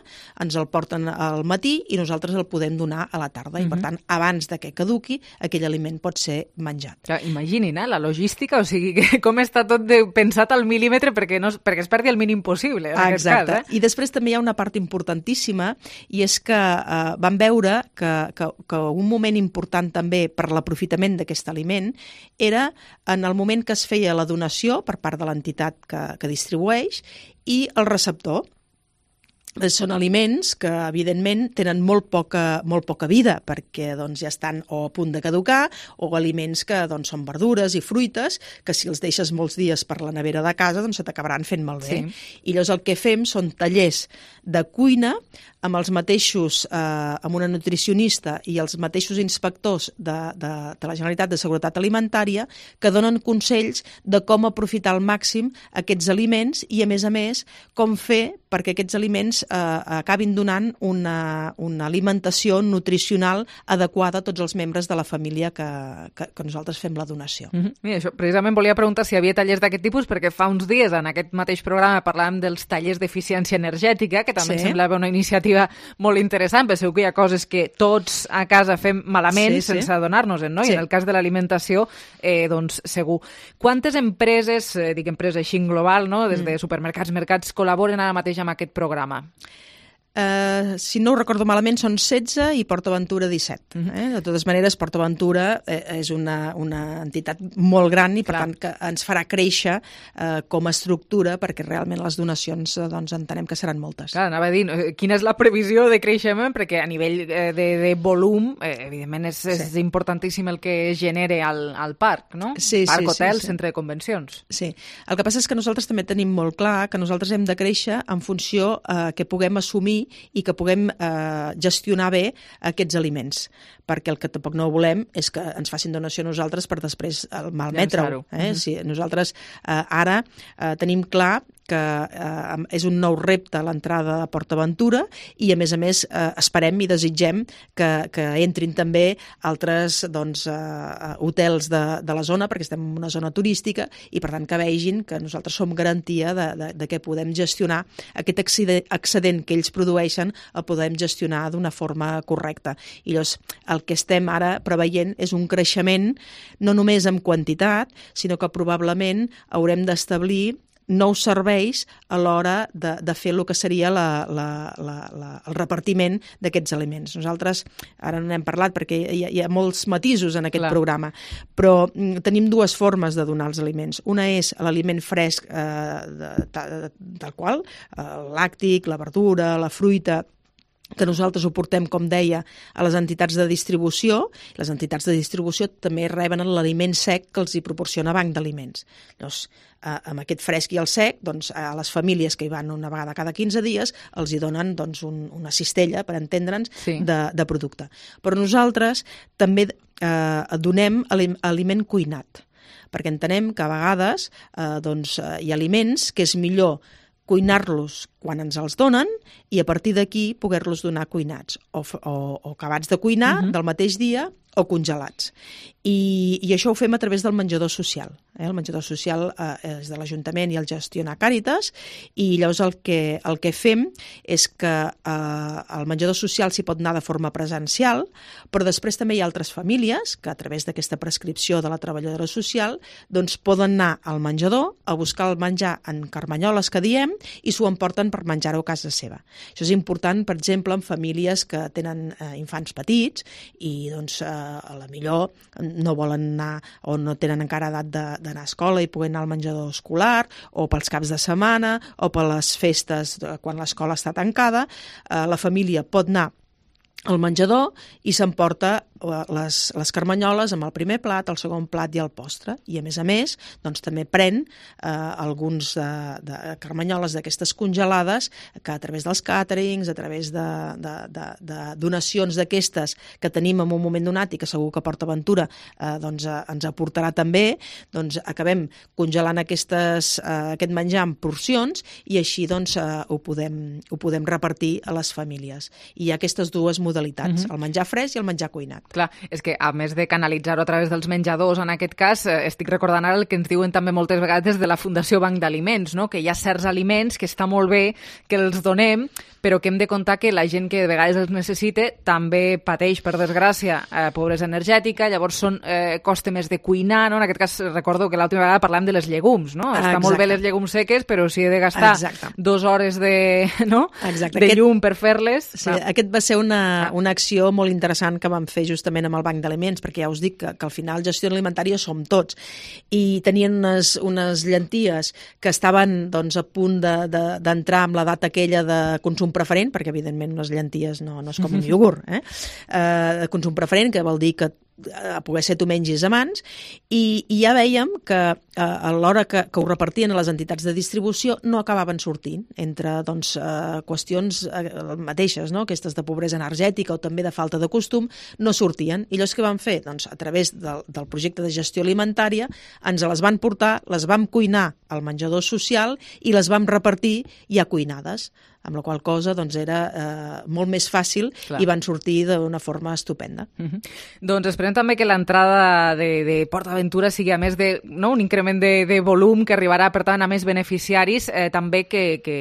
[SPEAKER 23] ens el porten al matí i nosaltres el podem donar a la tarda. Uh-huh. I per tant, abans de que caduqui, aquell aliment pot ser menjat.
[SPEAKER 3] Clar, imaginin, eh, la logística, o sigui, que com està tot de, pensat al mil·límetre perquè, no, perquè es perdi el mínim possible. En aquest
[SPEAKER 23] Exacte.
[SPEAKER 3] Cas, eh?
[SPEAKER 23] I després també hi ha una part importantíssima, i és que eh, vam veure que, que, que un moment important també per l'aprofitament d'aquest aliment era en el moment que es feia la donació per part de l'entitat que, que distribueix i el receptor. Són aliments que, evidentment, tenen molt poca, molt poca vida perquè doncs, ja estan o a punt de caducar, o aliments que doncs, són verdures i fruites que si els deixes molts dies per la nevera de casa doncs se t'acabaran fent malbé. Sí. I llavors el que fem són tallers de cuina amb els mateixos, eh, amb una nutricionista i els mateixos inspectors de, de, de la Generalitat de Seguretat Alimentària que donen consells de com aprofitar al màxim aquests aliments i, a més a més, com fer perquè aquests aliments eh, acabin donant una, una alimentació nutricional adequada a tots els membres de la família que, que, que nosaltres fem la donació.
[SPEAKER 3] Mm-hmm. Mira, això, precisament volia preguntar si hi havia tallers d'aquest tipus, perquè fa uns dies en aquest mateix programa parlàvem dels tallers d'eficiència energètica, que també sí. em semblava una iniciativa molt interessant, perquè segur que hi ha coses que tots a casa fem malament sí, sí. sense adonar-nos-en, no? Sí. I en el cas de l'alimentació, eh, doncs segur. Quantes empreses, eh, dic empreses així en global, no? Des de supermercats, mercats, col·laboren ara mateix amb aquest programa?
[SPEAKER 23] Uh, si no ho recordo malament, són setze i PortAventura disset. Uh-huh. Eh? De totes maneres, PortAventura eh, és una, una entitat molt gran i, per Clar. tant, que ens farà créixer eh, com a estructura perquè realment les donacions eh, doncs, entenem que seran moltes.
[SPEAKER 3] Clar, anava a dir, quina és la previsió de creixement? Perquè a nivell eh, de, de volum, eh, evidentment, és, sí. és importantíssim el que es genere al, al parc, no?
[SPEAKER 23] Sí,
[SPEAKER 3] parc,
[SPEAKER 23] sí,
[SPEAKER 3] hotel,
[SPEAKER 23] sí, sí.
[SPEAKER 3] centre de convencions.
[SPEAKER 23] Sí. El que passa és que nosaltres també tenim molt clar que nosaltres hem de créixer en funció eh, que puguem assumir i que puguem eh, gestionar bé aquests aliments, perquè el que tampoc no volem és que ens facin donació a nosaltres per després malmetre-ho. Eh? Si nosaltres eh, ara eh, tenim clar que eh, és un nou repte a l'entrada de PortAventura i, a més a més, eh, esperem i desitgem que, que entrin també altres doncs, eh, hotels de, de la zona, perquè estem en una zona turística i, per tant, que vegin que nosaltres som garantia de, de, de que podem gestionar aquest excedent que ells produeixen, el podem gestionar d'una forma correcta. I llavors, el que estem ara preveient és un creixement no només en quantitat, sinó que probablement haurem d'establir nous serveis a l'hora de, de fer el que seria la, la, la, la, el repartiment d'aquests aliments. Nosaltres, ara no n'hem parlat perquè hi ha, hi ha molts matisos en aquest Clar. programa, però mm, tenim dues formes de donar els aliments. Una és l'aliment fresc eh, de, de, tal qual, el làctic, la verdura, la fruita, que nosaltres ho portem, com deia, a les entitats de distribució. Les entitats de distribució també reben l'aliment sec que els hi proporciona Banc d'Aliments. Llavors, eh, amb aquest fresc i el sec, doncs, a les famílies que hi van una vegada cada quinze dies, els hi donen doncs, un, una cistella, per entendre'ns, sí. de, de producte. Però nosaltres també eh, donem aliment cuinat, perquè entenem que a vegades eh, doncs, hi ha aliments que és millor cuinar-los quan ens els donen i a partir d'aquí poder-los donar cuinats o, o, o acabats de cuinar uh-huh. del mateix dia o congelats. I, i això ho fem a través del menjador social. Eh? El menjador social eh, és de l'Ajuntament i el gestiona Càritas i llavors el que, el que fem és que eh, el menjador social s'hi pot anar de forma presencial, però després també hi ha altres famílies que a través d'aquesta prescripció de la treballadora social doncs poden anar al menjador a buscar el menjar en carmanyoles que diem i s'ho emporten per menjar-ho a casa seva. Això és important, per exemple, en famílies que tenen eh, infants petits i doncs eh, a la millor no volen anar o no tenen encara edat d'anar a escola i poder anar al menjador escolar o pels caps de setmana o per les festes quan l'escola està tancada, eh, la família pot anar al menjador i s'emporta les, les carmanyoles amb el primer plat, el segon plat i el postre. I, a més a més, doncs, també pren eh, alguns de, de carmanyoles d'aquestes congelades que a través dels càterings, a través de, de, de, de donacions d'aquestes que tenim en un moment donat i que segur que PortAventura eh, doncs, eh, ens aportarà també, doncs acabem congelant aquestes, eh, aquest menjar en porcions i així doncs, eh, ho, podem, ho podem repartir a les famílies. I hi ha aquestes dues modalitats, uh-huh. el menjar fresc i el menjar cuinat.
[SPEAKER 3] Clar, és que a més de canalitzar-ho a través dels menjadors, en aquest cas, eh, estic recordant ara el que ens diuen també moltes vegades de la Fundació Banc d'Aliments, no? Que hi ha certs aliments que està molt bé que els donem, però que hem de comptar que la gent que de vegades els necessita també pateix, per desgràcia, eh, pobresa energètica, llavors són, eh, costa més de cuinar, no? En aquest cas recordo que l'última vegada parlàvem de les llegums, no? Està Exacte. Molt bé les llegums seques, però si he de gastar Exacte. dues hores de, no? de aquest, llum per fer-les...
[SPEAKER 23] Sí, aquest va ser una, una acció molt interessant que vam fer justament amb el Banc d'Aliments, perquè ja us dic que, que al final gestió alimentària som tots, i tenien unes, unes llenties que estaven doncs, a punt d'entrar de, de, amb l'edat aquella de consum preferent, perquè evidentment unes llenties no, no és com un iogurt, eh? Eh, de consum preferent, que vol dir que a poder ser tu mengis a mans, i, i ja vèiem que eh, a l'hora que, que ho repartien a les entitats de distribució no acabaven sortint entre doncs, eh, qüestions eh, mateixes, no? Aquestes de pobresa energètica o també de falta de costum, no sortien. I llavors què van fer? Doncs a través del, del projecte de gestió alimentària ens les van portar, les vam cuinar al menjador social i les vam repartir ja cuinades, amb la qual cosa doncs, era eh, molt més fàcil Clar. I van sortir d'una forma estupenda.
[SPEAKER 3] Uh-huh. Doncs esperem també que l'entrada de, de PortAventura sigui a més de no, un increment de, de volum que arribarà per tant a més beneficiaris, eh, també que, que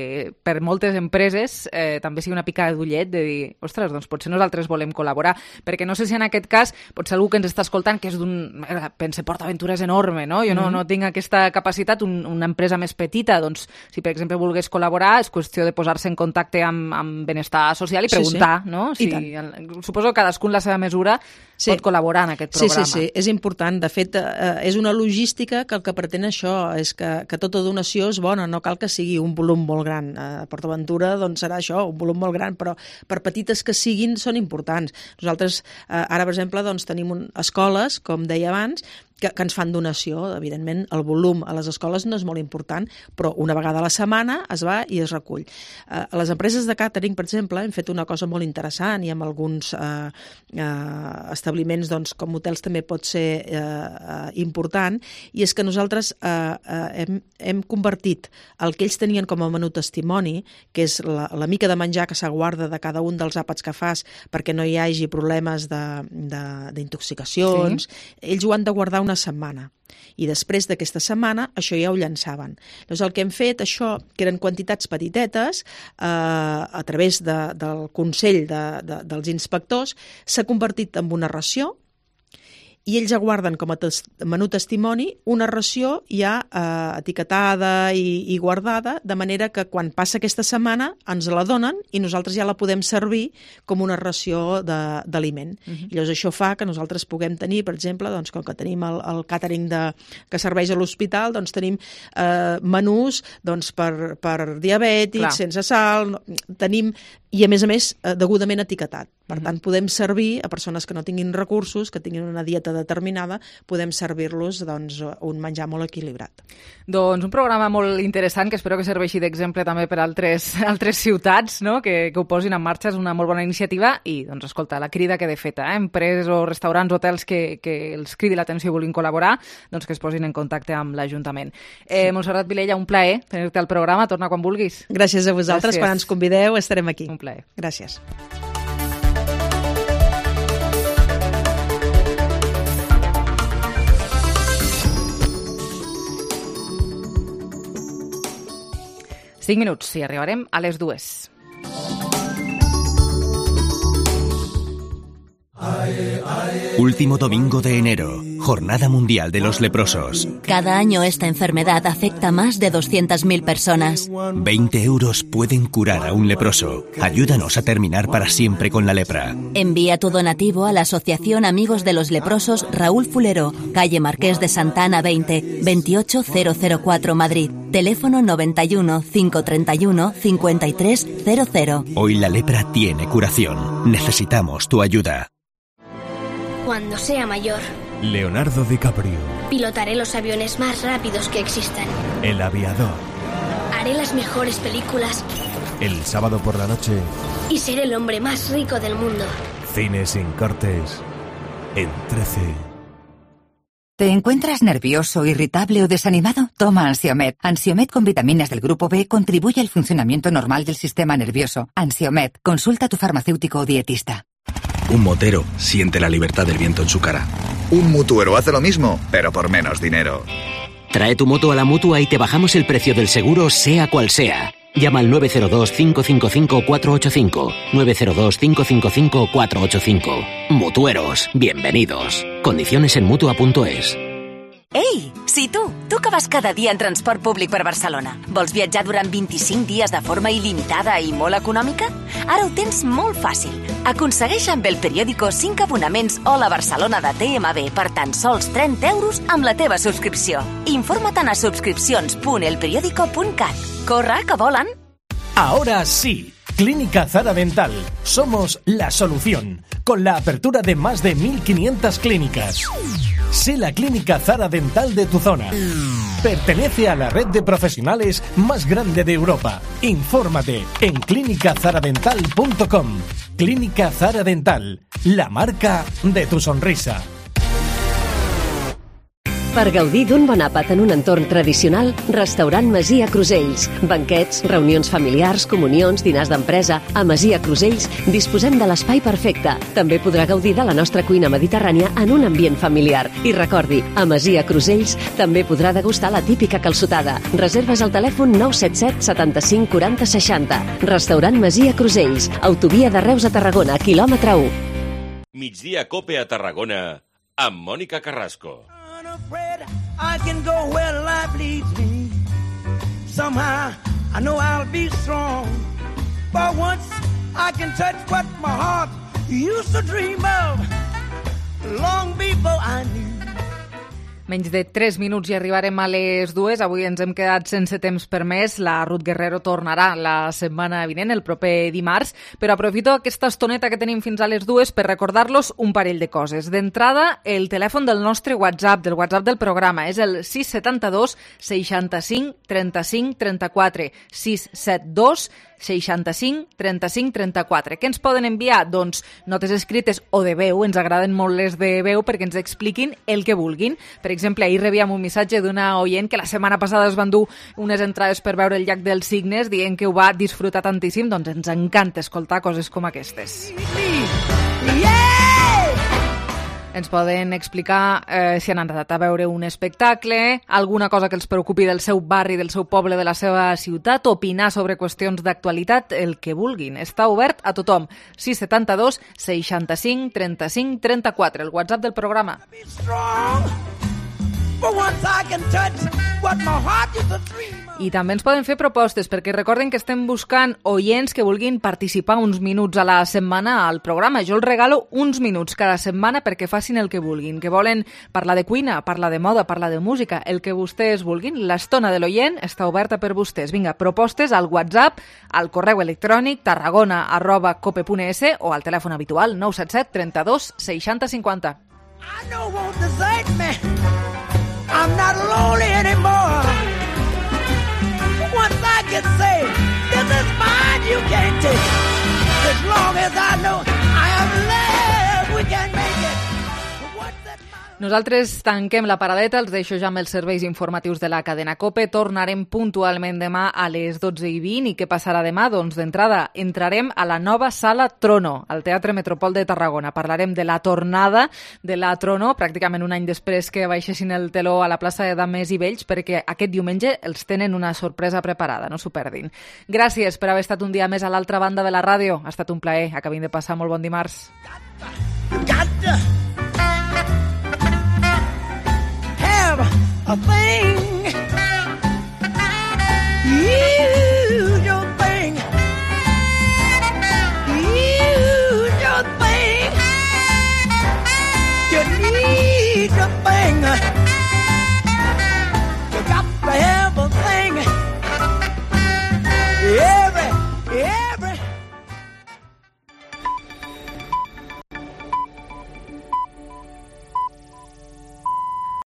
[SPEAKER 3] per moltes empreses eh, també sigui una picada d'ullet de dir, ostres, doncs potser nosaltres volem col·laborar, perquè no sé si en aquest cas potser algú que ens està escoltant que és d'un... Pensa, PortAventura és enorme, no? Jo no, uh-huh. no tinc aquesta capacitat, un, una empresa més petita, doncs si per exemple volgués col·laborar és qüestió de posar-se en contacte amb, amb benestar social i preguntar, sí, sí. no? Si, suposo que cadascú en la seva mesura sí. pot col·laborar en aquest programa.
[SPEAKER 23] Sí, sí, sí, és important. De fet, eh, és una logística que el que pretén això és que, que tota donació és bona, no cal que sigui un volum molt gran. A PortAventura doncs, serà això, un volum molt gran, però per petites que siguin són importants. Nosaltres, eh, ara, per exemple, doncs, tenim un, escoles, com deia abans, que, que ens fan donació. Evidentment, el volum a les escoles no és molt important, però una vegada a la setmana es va i es recull. Eh, a les empreses de càtering, per exemple, hem fet una cosa molt interessant i amb alguns eh, eh, establiments, doncs, com hotels també pot ser eh, eh, important, i és que nosaltres eh, eh, hem, hem convertit el que ells tenien com a menú testimoni, que és la, la mica de menjar que s'aguarda de cada un dels àpats que fas perquè no hi hagi problemes d'intoxicacions, sí. Ells ho han de guardar una setmana. I després d'aquesta setmana això ja ho llançaven. Llavors el que hem fet, això, que eren quantitats petitetes, eh, a través de, del Consell de, de, dels inspectors, s'ha convertit en una ració, i ells aguarden com a tes menú testimoni una ració ja eh, etiquetada i, i guardada, de manera que quan passa aquesta setmana ens la donen i nosaltres ja la podem servir com una ració d'aliment. Uh-huh. I llavors això fa que nosaltres puguem tenir, per exemple, doncs, com que tenim el, el càtering de, que serveix a l'hospital, doncs tenim eh, menús doncs, per, per diabètics, clar, sense sal, no, tenim, i a més a més eh, degudament etiquetat. Per tant, podem servir a persones que no tinguin recursos, que tinguin una dieta determinada, podem servir-los doncs, un menjar molt equilibrat.
[SPEAKER 3] Doncs un programa molt interessant que espero que serveixi d'exemple també per altres, altres ciutats, no? que, que ho posin en marxa. És una molt bona iniciativa i, doncs, escolta, la crida queda feta. Eh? Empreses o restaurants, hotels que, que els cridi l'atenció i vulguin col·laborar, doncs que es posin en contacte amb l'Ajuntament. Eh, Montserrat Vilella, un plaer tenir-te al programa. Torna quan vulguis.
[SPEAKER 23] Gràcies a vosaltres. Gràcies. Quan ens convideu estarem aquí.
[SPEAKER 3] Un plaer.
[SPEAKER 23] Gràcies.
[SPEAKER 3] Cinc minuts i arribarem a les dues.
[SPEAKER 1] Último domingo de enero, Jornada Mundial de los Leprosos.
[SPEAKER 15] Cada año esta enfermedad afecta a más de doscientas mil personas.
[SPEAKER 1] veinte euros pueden curar a un leproso. Ayúdanos a terminar para siempre con la lepra.
[SPEAKER 15] Envía tu donativo a la Asociación Amigos de los Leprosos Raúl Fulero, calle Marqués de Santa Ana veinte, veintiocho mil cuatro, Madrid. Teléfono noventa y uno, cinco treinta y uno, cincuenta y tres cero cero.
[SPEAKER 1] Hoy la lepra tiene curación. Necesitamos tu ayuda.
[SPEAKER 5] Cuando sea mayor,
[SPEAKER 6] Leonardo DiCaprio.
[SPEAKER 5] pilotaré los aviones más rápidos que existan.
[SPEAKER 6] El aviador.
[SPEAKER 5] Haré las mejores películas
[SPEAKER 6] El sábado por la noche,
[SPEAKER 5] y seré el hombre más rico del mundo.
[SPEAKER 6] Cine sin cortes, en trece.
[SPEAKER 19] ¿Te encuentras nervioso, irritable o desanimado? Toma Ansiomed. Ansiomed con vitaminas del grupo B contribuye al funcionamiento normal del sistema nervioso. Ansiomed. Consulta a tu farmacéutico o dietista.
[SPEAKER 24] Un motero siente la libertad del viento en su cara.
[SPEAKER 25] Un mutuero hace lo mismo, pero por menos dinero.
[SPEAKER 26] Trae tu moto a la Mutua y te bajamos el precio del seguro, sea cual sea. Llama al nueve cero dos, cinco cinco cinco, cuatro ocho cinco. nueve cero dos, cinco cinco cinco, cuatro ocho cinco. Mutueros, bienvenidos. Condiciones en Mutua punto es.
[SPEAKER 28] Ei, si tu, tu que vas cada dia en transport públic per Barcelona, vols viatjar durant vint-i-cinc dies de forma il·limitada i molt econòmica? Ara ho tens molt fàcil. Aconsegueix amb el periòdico cinc abonaments Hola Barcelona de T M B per tan sols trenta euros amb la teva subscripció. Informa't a subscripcions punt el periódico punt cat. Corre, que volen!
[SPEAKER 29] Ahora sí, Clínica Zara Dental. Somos la solución, con la apertura de más de mil quinientas clínicas. Sé la Clínica Zara Dental de tu zona. Pertenece a la red de profesionales más grande de Europa. Infórmate en clínica zara dental punto com. Clínica Zara Dental, la marca de tu sonrisa.
[SPEAKER 22] Per gaudir d'un bon àpat en un entorn tradicional, Restaurant Masia Crusells. Banquets, reunions familiars, comunions, dinars d'empresa. A Masia Crusells disposem de l'espai perfecte. També podrà gaudir de la nostra cuina mediterrània en un ambient familiar. I recordi, a Masia Crusells també podrà degustar la típica calçotada. Reserves al telèfon nou set set, setanta-cinc, quaranta, seixanta. Restaurant Masia Crusells. Autovia de Reus a Tarragona, quilòmetre u.
[SPEAKER 30] Migdia Cope a Tarragona, amb Mònica Carrasco.
[SPEAKER 4] Afraid I can go where life leads me. Somehow I know I'll be strong. For once I can touch what my heart used to dream of long before I knew.
[SPEAKER 3] Menys de tres minuts i arribarem a les dues. Avui ens hem quedat sense temps per més. La Ruth Guerrero tornarà la setmana vinent, el proper dimarts, però aprofito aquesta estoneta que tenim fins a les dues per recordar-los un parell de coses. D'entrada, el telèfon del nostre WhatsApp, del WhatsApp del programa, és el sis set dos seixanta-cinc trenta-cinc trenta-quatre, sis set dos seixanta-cinc trenta-cinc trenta-quatre. Què ens poden enviar? Doncs notes escrites o de veu, ens agraden molt les de veu perquè ens expliquin el que vulguin. Per exemple, ahir rebíem un missatge d'una oient que la setmana passada es van dur unes entrades per veure el llac dels Cignes, dient que ho va disfrutar tantíssim, doncs ens encanta escoltar coses com aquestes. Ens poden explicar eh, si han anat a veure un espectacle, alguna cosa que els preocupi del seu barri, del seu poble, de la seva ciutat, opinar sobre qüestions d'actualitat, el que vulguin. Està obert a tothom. sis set dos seixanta-cinc trenta-cinc trenta-quatre, el WhatsApp del programa. I també ens poden fer propostes, perquè recorden que estem buscant oients que vulguin participar uns minuts a la setmana al programa. Jo els regalo uns minuts cada setmana perquè facin el que vulguin, que volen parlar de cuina, parlar de moda, parlar de música, el que vostès vulguin. L'estona de l'oient està oberta per vostès. Vinga, propostes al WhatsApp, al correu electrònic tarragona arroba cope punt es o al telèfon habitual nou set set trenta-dos seixanta cinquanta.
[SPEAKER 4] I know won't desert me. I'm not lonely anymore. Once I get saved, this is mine, you can't take it. As long as I know I am left, we can make it.
[SPEAKER 3] Nosaltres tanquem la paradeta, els deixo ja amb els serveis informatius de la cadena COPE. Tornarem puntualment demà a les dotze i vint. I què passarà demà? Doncs d'entrada entrarem a la nova Sala Trono, al Teatre Metropol de Tarragona. Parlarem de la tornada de la Trono, pràcticament un any després que baixessin el teló a la plaça de Dames i Vells, perquè aquest diumenge els tenen una sorpresa preparada, no s'ho perdin. Gràcies per haver estat un dia més a l'altra banda de la ràdio. Ha estat un plaer. Acabem de passar molt bon dimarts.
[SPEAKER 4] A thing